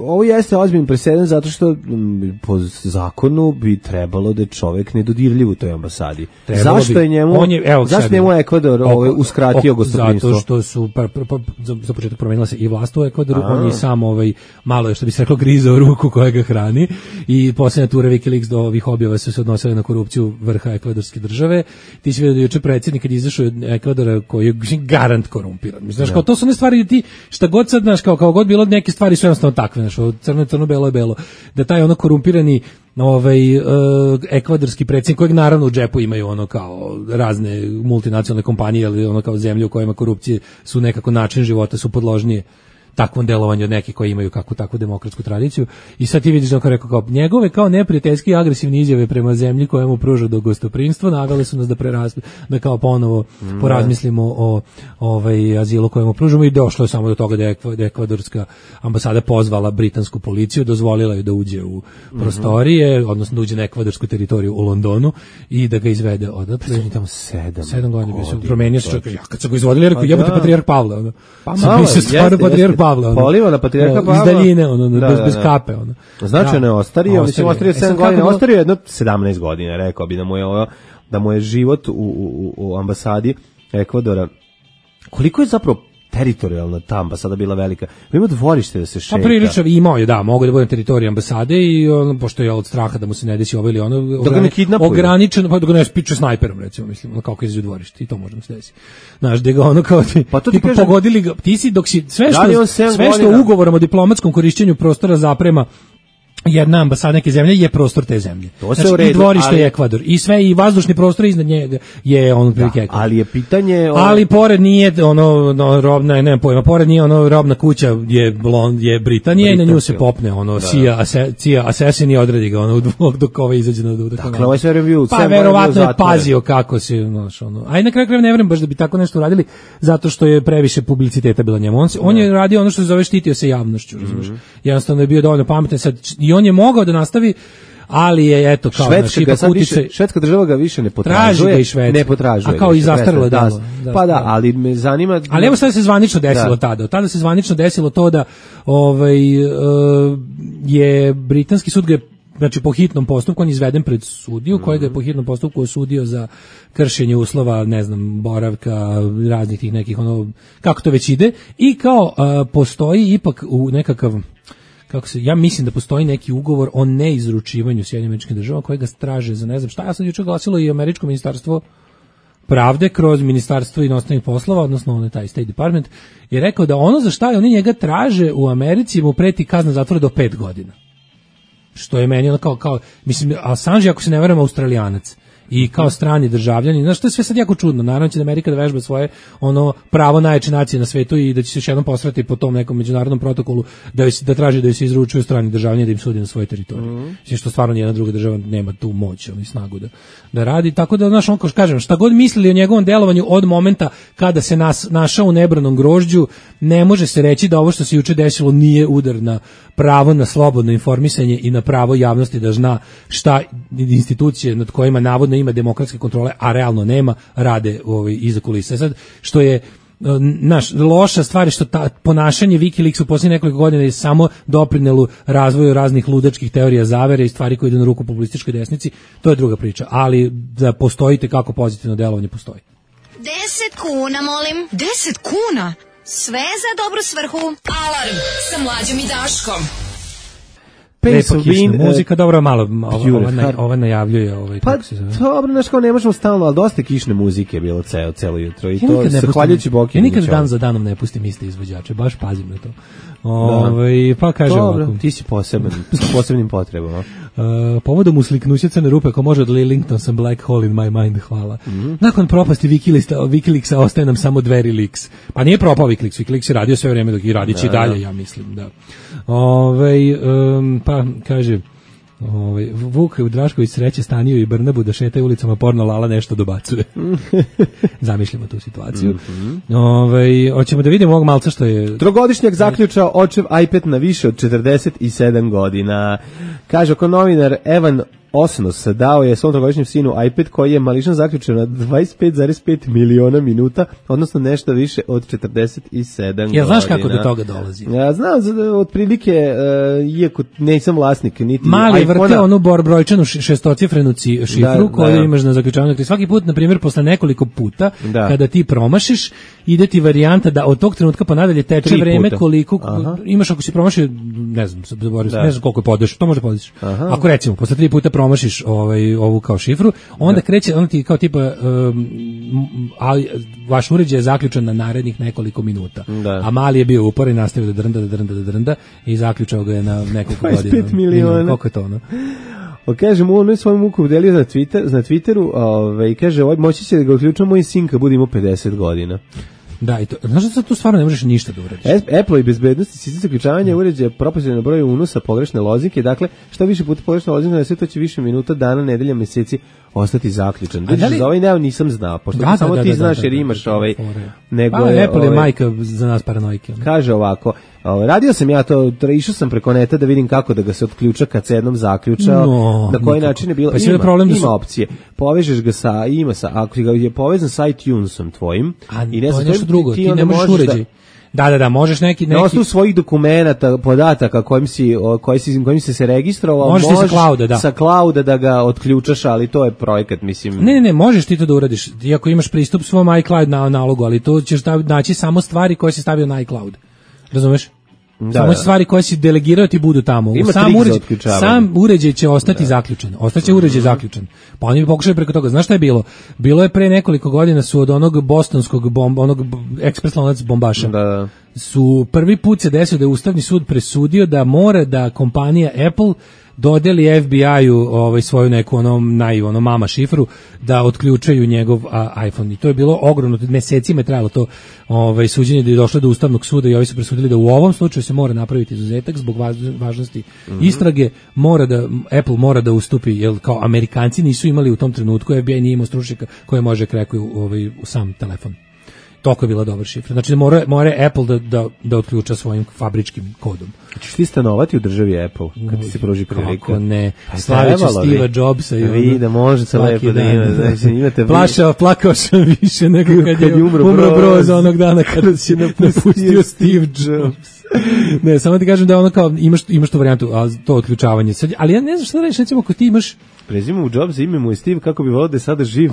ovo jeste ozbiljan presedan zato što m, po zakonu bi trebalo da je čovjek nedodirljiv u toj ambasadi. Trebalo zašto bi, je njemu on je, evo, zašto njemu Ekvador ovaj uskratio gostoprimstvo? Zato što su pa, pa, pa, za, za početak promenila se i vlast u Ekvadoru, a. on je sam ovaj malo je što bi se reklo grizao ruku koja ga hrani i posljednja tura WikiLeaks do ovih objava su se odnosile na korupciju vrha ekvadorske države. Ti si vidio da juče predsjednik kad izašao od Ekvadora koji je garant korumpiran. Znaš, kao to su one stvari da ti šta god sad, znaš, kao, kao god bilo neke stvari su jednostavno takve, znaš, crno je crno, belo je belo. Da taj ono korumpirani ovaj uh, ekvadorski predsjednik kojeg naravno u džepu imaju ono kao razne multinacionalne kompanije ili ono kao zemlje u kojima korupcije su nekako način života su podložnije takvom delovanju od nekih koji imaju kakvu takvu demokratsku tradiciju. I sad ti vidiš da kao rekao kao njegove kao neprijateljski i agresivne izjave prema zemlji koja mu pruža do gostoprimstva navele su nas da prerasli, da kao ponovo mm, porazmislimo o ovaj azilu kojemu pružamo i došlo je samo do toga da je ekvadorska ambasada pozvala britansku policiju, dozvolila je da uđe u prostorije, mm-hmm. odnosno da uđe na ekvadorsku teritoriju u Londonu i da ga izvede odatle. Pa tamo sedam. Sedam godina bio promenio se čovjek. Ja kad se ga izvodili, rekao jebote patrijarh Pavle, ono. Pa malo, se stvarno patrijarh Pavle, ono. Poliva na patrijarha Pavla. Iz daljine, ono, da, bez, da, bez da. kape, ono. Značajno je ostario, mislim, ostario sedam godina, ostario jedno sedamnaest godina, rekao bi da mu je ovo, da mu je život u, u, u ambasadi Ekvadora. Koliko je zapravo teritorijalna ta ambasada bila velika? Ima dvorište da se šeta. Pa prilično imao je, da, mogu da budem teritorij ambasade i on, pošto je od straha da mu se ne desi ovo ili ono, da ga ne kidnapuju. Ograničeno, pa da ga ne spiče snajperom, recimo, mislim, ono kako izađe u dvorište i to možda se desi. Znaš, da ga ono kao ti, pa to ti tipa kažem, pogodili ga, ti si dok si, sve što, da sve što ugovorom o diplomatskom korišćenju prostora zaprema jedna ambasada neke zemlje je prostor te zemlje. To se znači, u redu, i dvorište ali... je Ekvador. I sve, i vazdušni prostor iznad njega je on prilike Ekvador. Ali je pitanje... O... Ali pored nije ono, no, robna, nemam pojma, pored nije ono robna kuća je, blond, je Britanija i na nju se popne ono, da. Cija, ase, cija Assassin i odradi ga ono, dok, dok ovaj izađe na dok. Dakle, ovaj sve review... Pa verovatno je pazio kako se, znaš, ono. A i na kraju krajeva ne verujem baš da bi tako nešto uradili, zato što je previše publiciteta bilo njemu. On, se, on je radio ono što se zove štitio se javnošću, razumiješ. Mm-hmm. Jednostavno je bio dovoljno pametan sad i on je mogao da nastavi, ali je eto kao Švedska, naš, ga više, švedska država ga više ne potražuje, traži ga i Švedska. Ne potražuje. A kao i zastarilo da, da. Pa da, ali me zanima. Ali evo sad se zvanično desilo da. tada. Tada se zvanično desilo to da ovaj uh, je britanski sud ga znači po hitnom postupku on izveden pred sudiju, mm-hmm. kojega je po hitnom postupku osudio za kršenje uslova, ne znam, boravka, raznih tih nekih ono kako to već ide i kao uh, postoji ipak u nekakav kako se, ja mislim da postoji neki ugovor o neizručivanju Sjedinjenih Američkih Država koji ga traže za ne znam šta, ja sam juče glasilo i američko ministarstvo pravde kroz ministarstvo inostranih poslova, odnosno on je taj State Department, je rekao da ono za šta oni njega traže u Americi mu preti kazna zatvora do pet godina. Što je meni ono kao, kao mislim, Assange, ako se ne verujem, Australijanac i kao strani državljani, znaš, to je sve sad jako čudno, naravno će da Amerika da vežba svoje ono pravo najjače nacije na svetu i da će se još jednom posrati po tom nekom međunarodnom protokolu da, da traži da se izručuju strani državljani da im sudi na svojoj teritoriji. Mm. Znači što stvarno nijedna druga država nema tu moć i snagu da, da radi, tako da, znaš, on kao kažem, šta god mislili o njegovom delovanju od momenta kada se nas našao u nebranom grožđu, ne može se reći da ovo što se juče desilo nije udar na pravo na slobodno informisanje i na pravo javnosti da zna šta institucije nad kojima navodno ima demokratske kontrole, a realno nema, rade ovaj, iza kulisa. Sad, što je naš loša stvar je što ta ponašanje WikiLeaks u posljednjih nekoliko godina je samo doprinelo razvoju raznih ludačkih teorija zavere i stvari koje idu na ruku populističkoj desnici, to je druga priča, ali da postojite kako pozitivno delovanje postoji. Deset kuna, molim. Deset kuna? Sve za dobru svrhu. Alarm sa Mlađom i Daškom. Lepa kišna muzika, dobro, malo ova, ova, ova najavljuje ovaj, pa, kako se zove. dobro, znaš kao ne možemo stalno, ali dosta kišne muzike je bilo ceo, celo jutro i ja to zahvaljujući Boki. Ja nikad dan za danom ne pustim iste izvođače, baš pazim na to. Ove, pa kaže dobro, ovako. Ti si poseban, sa posebnim potrebama. Uh, povodom usliknuća crne rupe ko može od Lillington sam Black Hole in my mind, hvala. Mm-hmm. Nakon propasti Wikileaksa, Wikileaksa ostaje nam samo Dveri Leaks. Pa nije propao Wikileaks, Wikileaks je radio sve vreme dok i radit će i dalje, ja mislim, da. Ove, um, pa kaže Ovaj Vuk Drašković sreće Staniju i Brnabu da šetaju ulicama, porno Lala nešto dobacuje. Zamišljamo tu situaciju. Mm-hmm. Ovaj hoćemo da vidimo ovog malca što je trogodišnjak zaključao očev iPad na više od četrdeset sedam godina. Kaže oko novinar Evan Osnos dao je svom trogodišnjem sinu iPad koji je mališan zaključen na dvadeset pet zarez pet miliona minuta, odnosno nešto više od četrdeset sedam godina. Ja znaš kako do toga dolazi? Ja znam, otprilike, uh, iako nisam vlasnik niti mali iPhone-a. vrte onu bor brojčanu šestocifrenu šifru da, koju da. imaš na zaključavanju. Svaki put, na primjer, posle nekoliko puta, da. kada ti promašiš, ide ti varijanta da od tog trenutka pa nadalje teče Tri vreme puta. koliko Aha. imaš ako si promašio, ne znam, da. ne znam koliko je podeš, to može podeš. Ako recimo, posle tri puta promašiš ovaj, ovu kao šifru, onda da. kreće, onda ti kao tipa, um, ali vaš uređaj je zaključan na narednih nekoliko minuta. Da. A mali je bio uporan i nastavio da drnda, da drnda, da drnda i zaključao ga je na nekoliko godina. dvadeset pet miliona. Koliko je to ono? O, kaže mu, on je svoju muku udelio na, Twitter, na Twitteru ove, i kaže, ovaj, moći će da ga uključamo moj sin kad budemo pedeset godina. Da, i to, znaš da tu stvarno ne možeš ništa da uradiš. Apple i bezbednosti sistem zaključavanja uređaja proporcionalno na broju unosa pogrešne lozinke, dakle, šta više puta pogrešna lozinka, sve to će više minuta, dana, nedelja, meseci ostati zaključan. Da li... Za ovaj neo nisam znao, pošto da, samo da, ti da, znaš da, jer imaš da, da, ovaj... Nego pa, je, Apple je ovaj, majka za nas paranojke. Kaže ovako, ovaj, radio sam ja to, išao sam preko neta da vidim kako da ga se otključa kad se jednom zaključao, no, na koji nikako. način je bilo, pa ima, problem da ima su... opcije. Povežeš ga sa, ima sa, ako ga je povezan sa iTunesom tvojim, a i ne to je nešto ti, drugo, ti, ti ne možeš uređaj. Da, Da, da, da, možeš neki... neki... Na osnovu svojih dokumenata, podataka kojim si, koji si, kojim si se registrovao, možeš, možeš sa clouda, da. sa clouda da ga otključaš, ali to je projekat, mislim... Ne, ne, ne, možeš ti to da uradiš, iako imaš pristup svom iCloud na nalogu, ali to ćeš naći samo stvari koje si stavio na iCloud. Razumeš? Da, samo da. stvari koje si delegirao ti budu tamo. Ima sam, uređaj, sam uređaj će ostati da. zaključen. Ostaće uređaj mm-hmm. zaključen. Pa oni bi pokušali preko toga. Znaš šta je bilo? Bilo je pre nekoliko godina su od onog bostonskog bomba, onog ekspres lonac bombaša. Da, da. su prvi put se desio da je Ustavni sud presudio da mora da kompanija Apple dodeli F B I-u ovaj, svoju neku ono, naj, ono mama šifru da otključaju njegov a, iPhone. I to je bilo ogromno, mesecima je trajalo to ovaj, suđenje da je došlo do Ustavnog suda i ovi su presudili da u ovom slučaju se mora napraviti izuzetak zbog važnosti mm-hmm. istrage, mora da, Apple mora da ustupi, jer kao Amerikanci nisu imali u tom trenutku, F B I nije imao stručnjaka koje može krekati ovaj, u sam telefon. Toliko je bila dobra šifra. Znači, mora, mora Apple da, da, da otključa svojim fabričkim kodom. Ćeš ti stanovati u državi Apple, kad ti se proži prilika? Kako ne. Slavit će Steve Jobsa. Vi da možete lepo da imate. Znači, imate Plašao, plakao sam više nego kad, kad je umro, umro Broz onog dana kada si napustio Steve Jobs. Ne, samo ti kažem da ono kao, imaš, imaš tu varijantu, a to otključavanje. Sad, ali ja ne znam šta da reći, recimo, ako ti imaš... Prezime u Jobsa, ime mu je Steve, kako bi volao da je sada živ.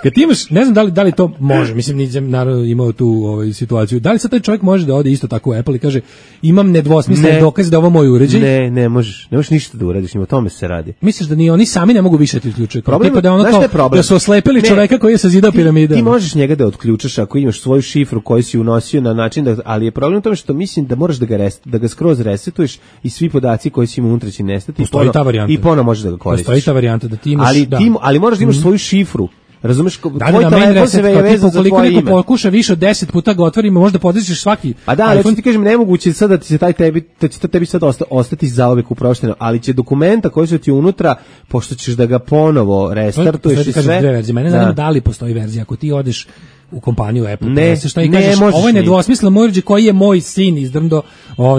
Kad ti imaš, ne znam da li, da li to može, mislim nisam naravno imao tu ovaj, situaciju, da li sad taj čovjek može da ode isto tako u Apple i kaže imam nedvosmislen dokaz da ovo moj uređaj? Ne, ne možeš, ne možeš ništa da uradiš, o tome se radi. Misliš da ni oni sami ne mogu više ti uključiti? Problem, tipa da, ono kao, da su oslepili ne, čoveka koji je sazidao piramide. Ti možeš njega da otključaš ako imaš svoju šifru koju si unosio na način, da, ali je problem u tome što mislim da moraš da ga, rest, da ga skroz resetuješ i svi podaci koji si imao unutra će nestati i ponovo, i ponovo možeš da ga koristiš. Postoji ta varijanta da ti imaš... Ali, da. ti, ali moraš da imaš mm. svoju šifru. Razumeš, da, tvoj telefon se je vezan za tvoje ime. Koliko pokuša više od deset puta ga otvorimo, možda podrećeš svaki. A da, ali ti kažem, nemoguće sad da ti se taj tebi, da će to tebi sad osta, ostati zauvek uprošteno, ali će dokumenta koji su ti unutra, pošto ćeš da ga ponovo restartuješ i sve. Dve verzije. Mene zanima da li postoji verzija, ako ti odeš u kompaniju Apple, ne, šta i kažeš, ovo je nedvosmislen moj uređaj koji je moj sin izdrndo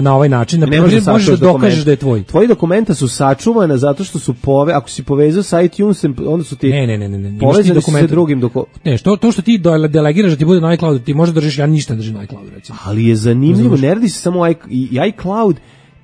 na ovaj način, na primjer, možeš da dokažeš da je tvoj. Tvoji dokumenta su sačuvana zato što su pove, ako si povezao sa iTunesem, onda su ti ne, ne, ne, ne, ne. povezani sa drugim dokumentom. Ne, što, to što ti delegiraš da ti bude na iCloud, ti možeš držiš, ja ništa držim na iCloud, recimo. Ali je zanimljivo, ne radi se samo iCloud,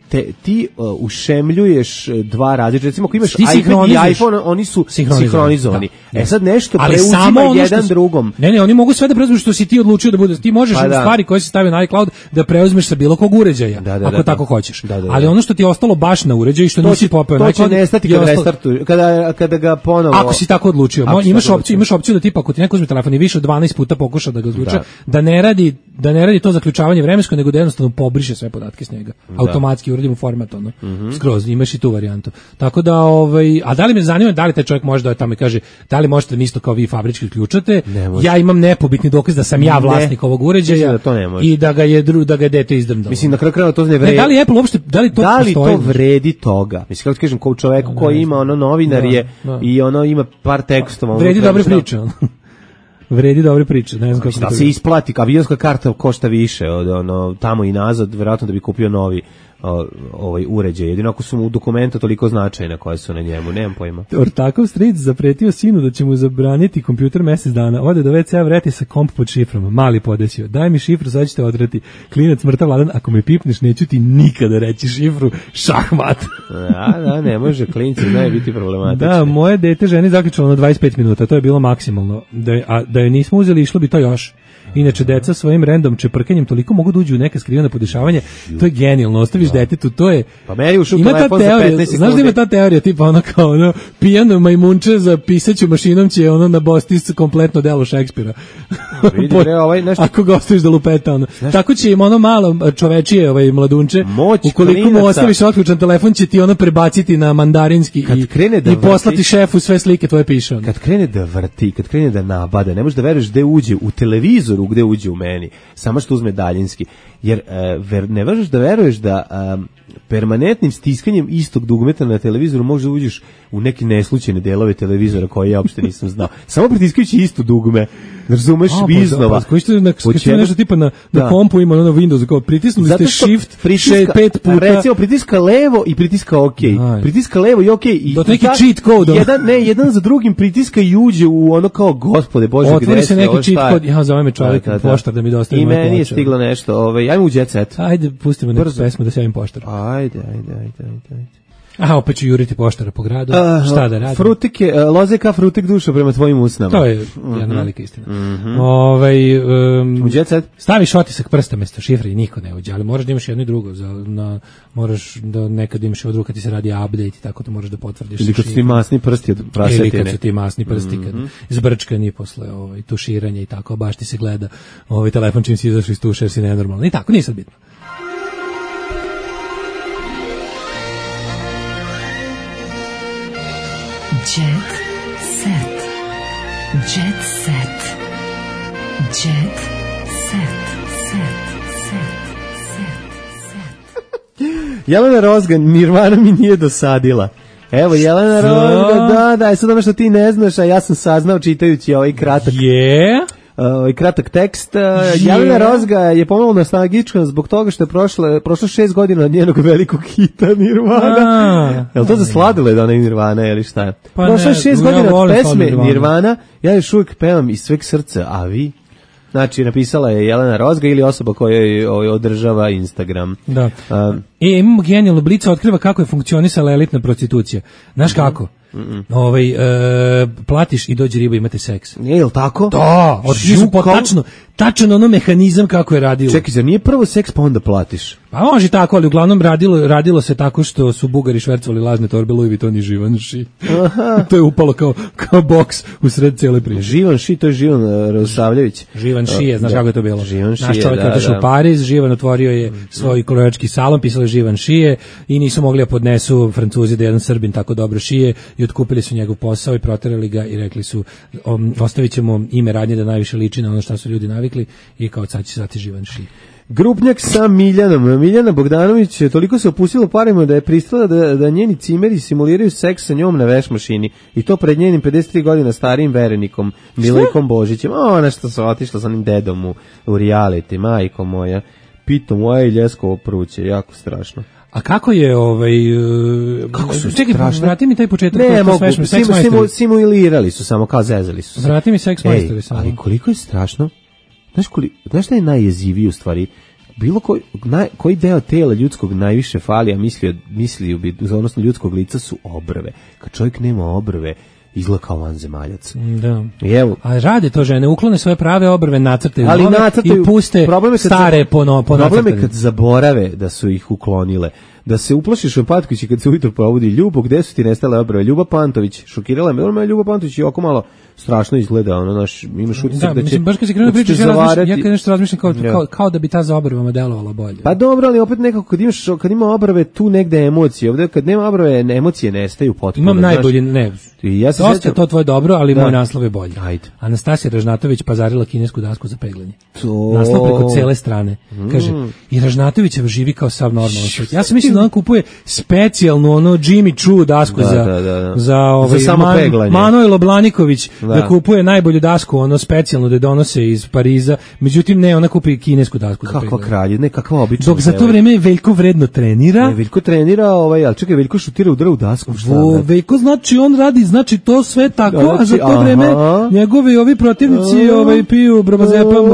te, ti uh, ušemljuješ dva različita, recimo ako imaš iPad i iPhone, oni su sinhronizovani. Da, e sad nešto ali preuzima jedan drugom. Ne, ne, oni mogu sve da preuzmeš što si ti odlučio da bude. Ti možeš pa da. stvari koje se stave na iCloud da preuzmeš sa bilo kog uređaja, da, da, ako da, tako da. hoćeš. Da, da, da. Ali ono što ti je ostalo baš na uređaju što to nisi popeo na iCloud, to će nestati kad restartuješ, kada, kada ga ponovo... Ako si tako odlučio, Mo, imaš opciju, imaš opciju da tipa ako ti neko uzme telefon i više od dvanaest puta pokuša da ga odluča, da. da ne radi, da ne radi to zaključavanje vremensko, nego da jednostavno pobriše sve podatke s njega. Automatski uredi mu format ono. Mm-hmm. Skroz, imaš i tu varijantu. Tako da, ovaj, a da li me zanima da li taj čovjek može da tamo i kaže, da li možete mi isto kao vi fabrički ključate, ja imam nepobitni dokaz da sam ja vlasnik ne. ovog uređaja da i da ga je dru, da ga je dete izdrmdalo. Mislim, na kraju krajeva to ne vredi. Ne, da li Apple uopšte, da li to da li postoji? to vredi toga? Mislim, kako ti kažem, kao čoveku koji ima ono novinar je da, da. i ono ima par tekstova. Vredi dobre priče, ono. Vredi dobre priče, ne znam kako da se isplati, avionska karta košta više od ono tamo i nazad, verovatno da bi kupio novi o, ovaj uređaj. Jedino ako su mu dokumenta toliko značajna koja su na njemu, nemam pojma. Ortakov stric zapretio sinu da će mu zabraniti kompjuter mesec dana. Ode do ve ce a, vrati sa komp pod šifrom. Mali podesio. Daj mi šifru, sad ćete odrati. Klinac mrtav ladan, ako me pipneš, neću ti nikada reći šifru. Šahmat. Da, da, ne može, klinci znaju biti problematični. Da, moje dete ženi zaključalo na dvadeset pet minuta, to je bilo maksimalno. Da, a da je nismo uzeli, išlo bi to još. Inače, deca svojim random čeprkanjem toliko mogu da uđu u neka skrivena podešavanja, to je genijalno, ostaviš da. detetu, to je... Pa meni ušao ima telefon ta teorija, za petnaest znaš da ima ta teorija, tipa ono kao ono, pijano majmunče za pisaću mašinom će ono na bostis kompletno delo Šekspira. Vidi, bre, ovaj, nešto... Ako ga ostaviš da lupeta, ono. Znaš... Tako će im ono malo čovečije, ovaj mladunče, moć ukoliko klinaca. mu ostaviš otključan telefon, će ti ono prebaciti na mandarinski i, da i poslati vrti, šefu sve slike tvoje piše. Kad krene da vrti, kad krene da nabada, ne možeš da veruješ gde uđe u televizoru, gde uđe u meni, samo što uzme daljinski, jer uh, ver, ne možeš da veruješ da um, permanentnim stiskanjem istog dugmeta na televizoru možeš da uđeš u neke neslučajne delove televizora koje ja uopšte nisam znao. Samo pritiskajući isto dugme, razumeš, iznova. Pa, koji ste na, koji nešto tipa na, na kompu ima ono na Windowsu, kao pritisnuli ste shift pritiska, pet puta. Recimo, pritiska levo i pritiska ok. Aj. Pritiska levo i ok. I, do neki cheat code. Jedan, ne, jedan za drugim pritiska i uđe u ono kao, gospode, Bože, gde otvori se neki cheat code, ja zove me čovjek, poštar da mi dostavi. I meni je stiglo nešto, ovaj, ajmo u Jet Set. Ajde, pustimo neku pesmu da se javim poštar. Ajde, ajde, ajde, ajde. Aha, opet ću juriti poštara po gradu, Uh, šta da radim? Frutike, uh, loze ka frutik duša prema tvojim usnama. To je jedna mm-hmm. velika istina. Mm-hmm. Ovaj um, Uđecet? Staviš otisak prsta mesto šifre i niko ne uđe, ali moraš da imaš jedno i drugo, za, na, moraš da nekad imaš od ruka ti se radi update i tako to možeš da potvrdiš. Ili kad su ti masni prsti od prasetine. Ili kad su ti masni prsti, kad mm-hmm. zbrčkani posle ovaj, tuširanja i tako, baš ti se gleda ovaj telefon čim si izašao iz tuša jer si nenormalno. I tako, nije sad bitno. Jet set. Jet set. Jet set. Set. Set. Set. Set. Jelena Rozga, Nirvana mi nije dosadila. Evo, Jelena Rozga, da, da, sad ono što ti ne znaš, a ja sam saznao čitajući ovaj kratak... Yeah. Ovaj kratak tekst. Yeah. Jelena Rozga je pomalo nostalgična zbog toga što je prošlo, prošlo šest godina od njenog velikog hita Nirvana. Je li to za sladile da ona je Nirvana ili šta je? Pa prošlo je šest godina ja od pesme Nirvana. Nirvana, ja još uvijek pevam iz sveg srca, a vi? Znači, napisala je Jelena Rozga ili osoba koja je održava Instagram. Da. Um, e, imamo genijalno, Blica otkriva kako je funkcionisala elitna prostitucija. Znaš kako? Mm-mm. Ovaj, e, platiš i dođe riba, imate seks. Je, je li tako? Da, otkriva su po tačno, tačno ono mehanizam kako je radilo. Čekaj, zar nije prvo seks pa onda platiš? Pa može tako, ali uglavnom radilo, radilo se tako što su Bugari švercovali lažne torbe Louis Vuitton i Givenchy. To je upalo kao, kao boks u sred cijele priče. Givenchy, to je Živan uh, Radosavljević. Givenchy je, znaš da. kako je to bilo? Givenchy, naš čovjek da, je otišao da. u Pariz, Živan otvorio je svoj kolorički salon, pisalo je Givenchy i nisu mogli da podnesu Francuzi da jedan Srbin tako dobro šije i otkupili su njegov posao i proterali ga i rekli su um, ostavit ćemo ime radnje da najviše liči na ono što su ljudi navikli i kao sad će zvati Givenchy. Grupnjak sa Miljanom. Miljana Bogdanović toliko se opustila parima da je pristala da, da njeni cimeri simuliraju seks sa njom na veš mašini i to pred njenim pedeset tri godina starijim verenikom Milejkom Božićem. A ona što se otišla sa onim dedom u, u reality, majko moja. Pito moja i ljeskovo pruće, jako strašno. A kako je ovaj uh, kako su čekaj, strašne? vrati mi taj početak. Ne, mogu, simu, simu, simu, simulirali su samo, kao zezali su se. Vrati mi Sex Majstori samo. Ali koliko je strašno? Znaš, koliko, znaš šta je najjeziviji u stvari? Bilo koji, naj, koji deo tela ljudskog najviše fali, a mislio, mislio bi, odnosno ljudskog lica su obrve. Kad čovjek nema obrve, izgleda kao vanzemaljac. Da. I evo. A rade to žene, uklone svoje prave obrve, nacrtaju ali nove nacrtaju, i puste stare po, no, po problem je kad zaborave da su ih uklonile. Da se uplašiš Patković kad se ujutro probudi. Ljubo, gde su ti nestale obrve? Ljuba Pantović, šokirala me. Ona Ljuba Pantović je oko malo strašno izgleda, ono naš, imaš utisak da, da će... Mislim, baš kad se krenuo pričaš, ja, razmišljam, ja kad nešto razmišljam kao, ja. kao, kao da bi ta za obrvama delovala bolje. Pa dobro, ali opet nekako kad imaš, kad ima obrve, tu negde emocije. Ovde kad nema obrve, emocije nestaju potpuno. Imam najbolji, ne, i ja se dosta sjećam... to tvoje dobro, ali da. Moj naslov je bolji. Ajde. Anastasija Ražnatović pazarila kinesku dasku za peglanje. To... Naslov preko cele strane. Mm. Kaže, i Ražnatovićev živi kao sav normalan svet. Ja sam mislio da on kupuje specijalnu ono Jimmy Choo dasku da, za, da, da, da. za, ovaj, za samo Man, peglanje. Manojlo Blaniković da. da kupuje najbolju dasku, ono specijalno da donose iz Pariza. Međutim, ne, ona kupi kinesku dasku za kakva peglanje. kralje, ne, kakva obična. Dok za to vreme Veljko vredno trenira. Ne, Veljko trenira, ovaj, ali čekaj, Veljko šutira udara u dasku. Šta, Vo, Veljko znači on radi, znači to sve tako, znači, a za to aha. vreme njegovi ovi protivnici aha. ovaj piju brobazepam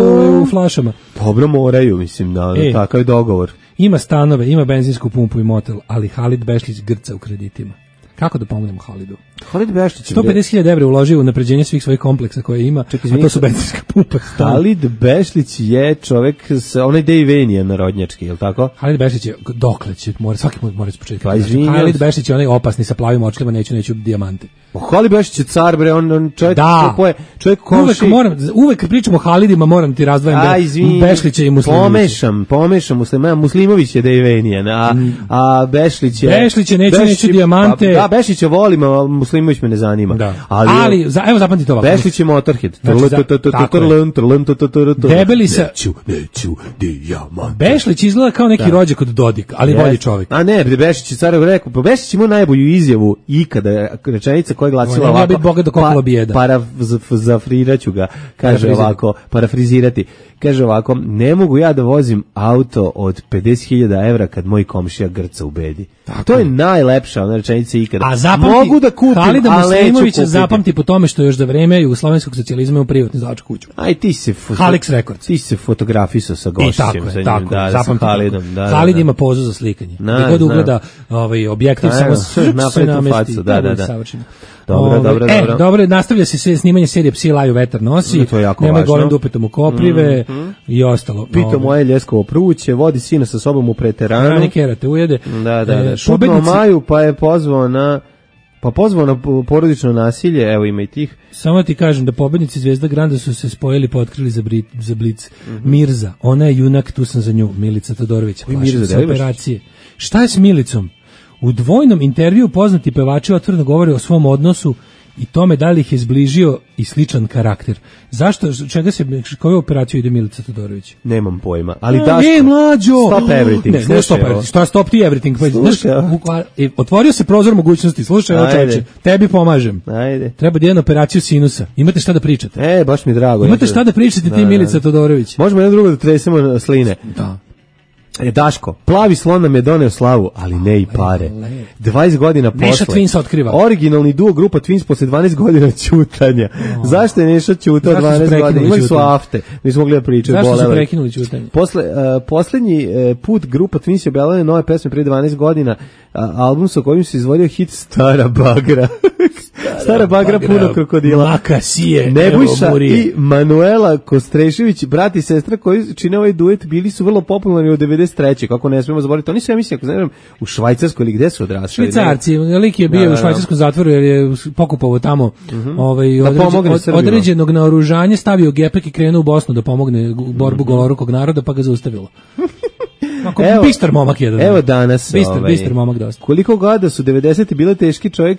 u flašama. Dobro moraju, mislim, da, E. takav je dogovor. Ima stanove, ima benzinsku pumpu i motel, ali Halid Bešlić grca u kreditima. Kako da pomognemo Halidu? Halid Bešlić sto pedeset hiljada evra uložio u napređenje svih svojih kompleksa koje ima, Čekaj, a to su benzinska pumpa. Halid Bešlić je čovek sa onaj Dejvenija narodnjački, je li tako? Halid Bešlić je, dokle će, mora, svaki put mora s početka. Pa, izvinjam. Halid Bešlić je onaj opasni sa plavim očima, neću, neću dijamante. O, Halid Bešlić je car, bre, on, on čovjek da. koji čovjek uvek moram, uvek kad pričamo o Halidima moram ti razdvojim da Bešlića i Muslimovića. Pomešam, pomešam, Muslima, Muslimović je Dejvenijan, a, a Bešlić je... Bešlić je, neću, Bešlić, neću dijamante. Pa, da, Bešlić je volim, a Muslimović me ne zanima. Da. Ali, ali za, evo zapamtite ovako. Bešlić je Motorhead. Debeli sa... Neću, neću dijamante. Bešlić izgleda kao neki rođak od Dodik, ali bolji čovjek. A ne, Bešić je car rekao, pa Bešić ima najbolju izjavu ikada, rečenica koja je glasila ovako. Ja Boga do kokula bijeda. Parafraziraću ga, kaže ovako, parafrizirati. Kaže ovako, ne mogu ja da vozim auto od pedeset hiljada evra kad moj komšija grca u bedi. Tako. To je najlepša ona rečenica ikada. A zapamti, mogu da kupim Halida ali neću Muslimovića kupiti. zapamti po tome što još za vreme jugoslovenskog socijalizma u privatnu izdavačku kuću. Aj ti se fo- Halix Records. Ti se fotografisao sa I gošćem tako je, sa njim, tako da, je, sa zapamti Halidom, tako. da, da, Halid da. ima pozu za slikanje. Na, Gde god znam. ugleda ovaj objektiv, Da, samo evo, sve napravi tu namesti. facu, da, da, da. Savršeno. Dobro, Ovaj, dobro, e, dobro. dobro, nastavlja se sve snimanje serije Psi laju vetar nosi. To je jako Nemoj važno. golim dupetom u koprive Mhm. i ostalo. Pito Ovaj, moje ljeskovo pruće, vodi sina sa sobom u preteranu. Rani kera te ujede. Da, da, da. E, Šutno pobednici- Maju, pa je pozvao na pa pozvao na porodično nasilje, evo ima i tih. Samo ti kažem da pobednici Zvezda Granda su se spojili pa otkrili za, bri, za Blic. Mirza, ona je junak, tu sam za nju, Milica Todorović. Oj, plaši Mirza, se da li baš? operacije. Šta je s Milicom? U dvojnom intervju poznati pevači otvoreno govore o svom odnosu i tome da li ih je zbližio i sličan karakter. Zašto, čega se, koju operaciju ide Milica Todorović? Nemam pojma, ali A, Daško. E, mlađo! Stop everything. Ne, ne Slušaj stop ovo. everything. Šta stop ti everything? Pa, znaš, Slušaj ovo. u- a, e, otvorio se prozor mogućnosti. Slušaj, ovo Ajde. čoveče, tebi pomažem. Ajde. Treba da jedan operaciju sinusa. Imate šta da pričate? E, baš mi je drago. Imate Ja- šta da pričate Da, ti, da. Milica Todorović? Možemo jedno drugo da tresemo sline. Da. E, Daško, plavi slon nam je doneo slavu, ali ne i pare. dvadeset godina posle. Neša Twins otkriva. Originalni duo grupa Twins posle dvanaest godina ćutanja. Zašto je Neša ćutao Zašto su dvanaest prekinuli godina? Imali su ćutanje? afte. Mi smo mogli da pričaju. Zašto su bolelo ih. prekinuli ćutanje? Posle, uh, poslednji uh, put grupa Twins je objavila nove pesme prije dvanaest godina, a, album sa kojim se izvodio hit Stara bagra. Stara bagra, bagra, puno krokodila. Makasije, Nebojša evo burije. i Manuela Kostrešević, brat i sestra koji čine ovaj duet, bili su vrlo popularni od devedeset treće kako ne smemo zaboraviti. Oni su, ja mislim, ako znam, u Švajcarskoj ili gde su odrastali? Švicarci, lik je bio Da, da, u da. švajcarskom zatvoru jer je pokupovao tamo ovaj, Da određen- pomogne od- Srbima. određenog naoružanja, stavio gepek i krenuo u Bosnu da pomogne u borbu golorukog naroda, pa ga zaustavilo. Ako Evo- bistar momak jedan. Evo danas. Bistar, ovaj, bistar momak dosta. Koliko god da su devedesete bile teški, čovjek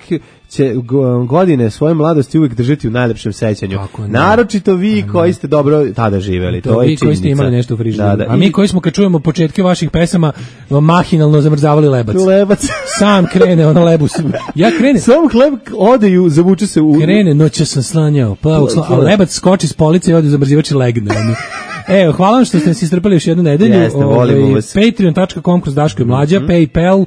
će go- godine svoje mladosti uvijek držati u najlepšem sećanju. Kako ne? Naročito vi koji ste dobro tada živeli. To, To je vi koji ste činjenica. imali nešto u frižideru. Da, da. A mi I- koji smo kad čujemo početke vaših pesama mahinalno zamrzavali lebac. Lebac. Sam krene ono lebus. Ja krene, Sam hleb ode i zavuče se u... krene, noće sam slanjao, pa usla, a lebac skoči s police i ode u zamrzivač i legne. ono. Evo, hvala vam što ste nas istrpali još jednu nedelju. Jeste, volimo Ovaj, vas. patreon tačka com kroz Daško i Mlađa, PayPal, uh,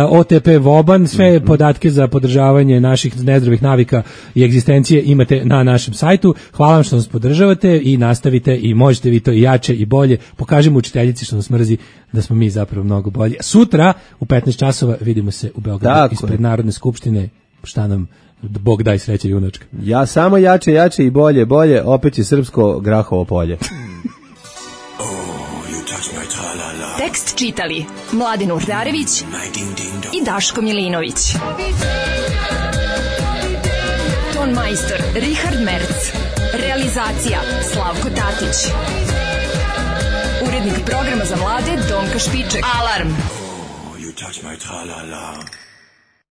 O T P Voban, sve podatke za podržavanje naših nezdravih navika i egzistencije imate na našem sajtu. Hvala vam što nas podržavate i nastavite i možete vi to i jače i bolje. Pokažemo učiteljici što nas mrzi da smo mi zapravo mnogo bolji. Sutra u petnaest časova vidimo se u Beogradu Tako ispred je. Narodne skupštine. Šta nam Bog daj sreće junačka. Ja samo jače, jače i bolje, bolje, opet je srpsko grahovo polje. Tekst čitali Mladin Urdarević i Daško Milinović. Ton majstor Richard Merc. Realizacija Slavko Tatić. Urednik programa za mlade Donka Špiček. Alarm! You touch my tra-la-la.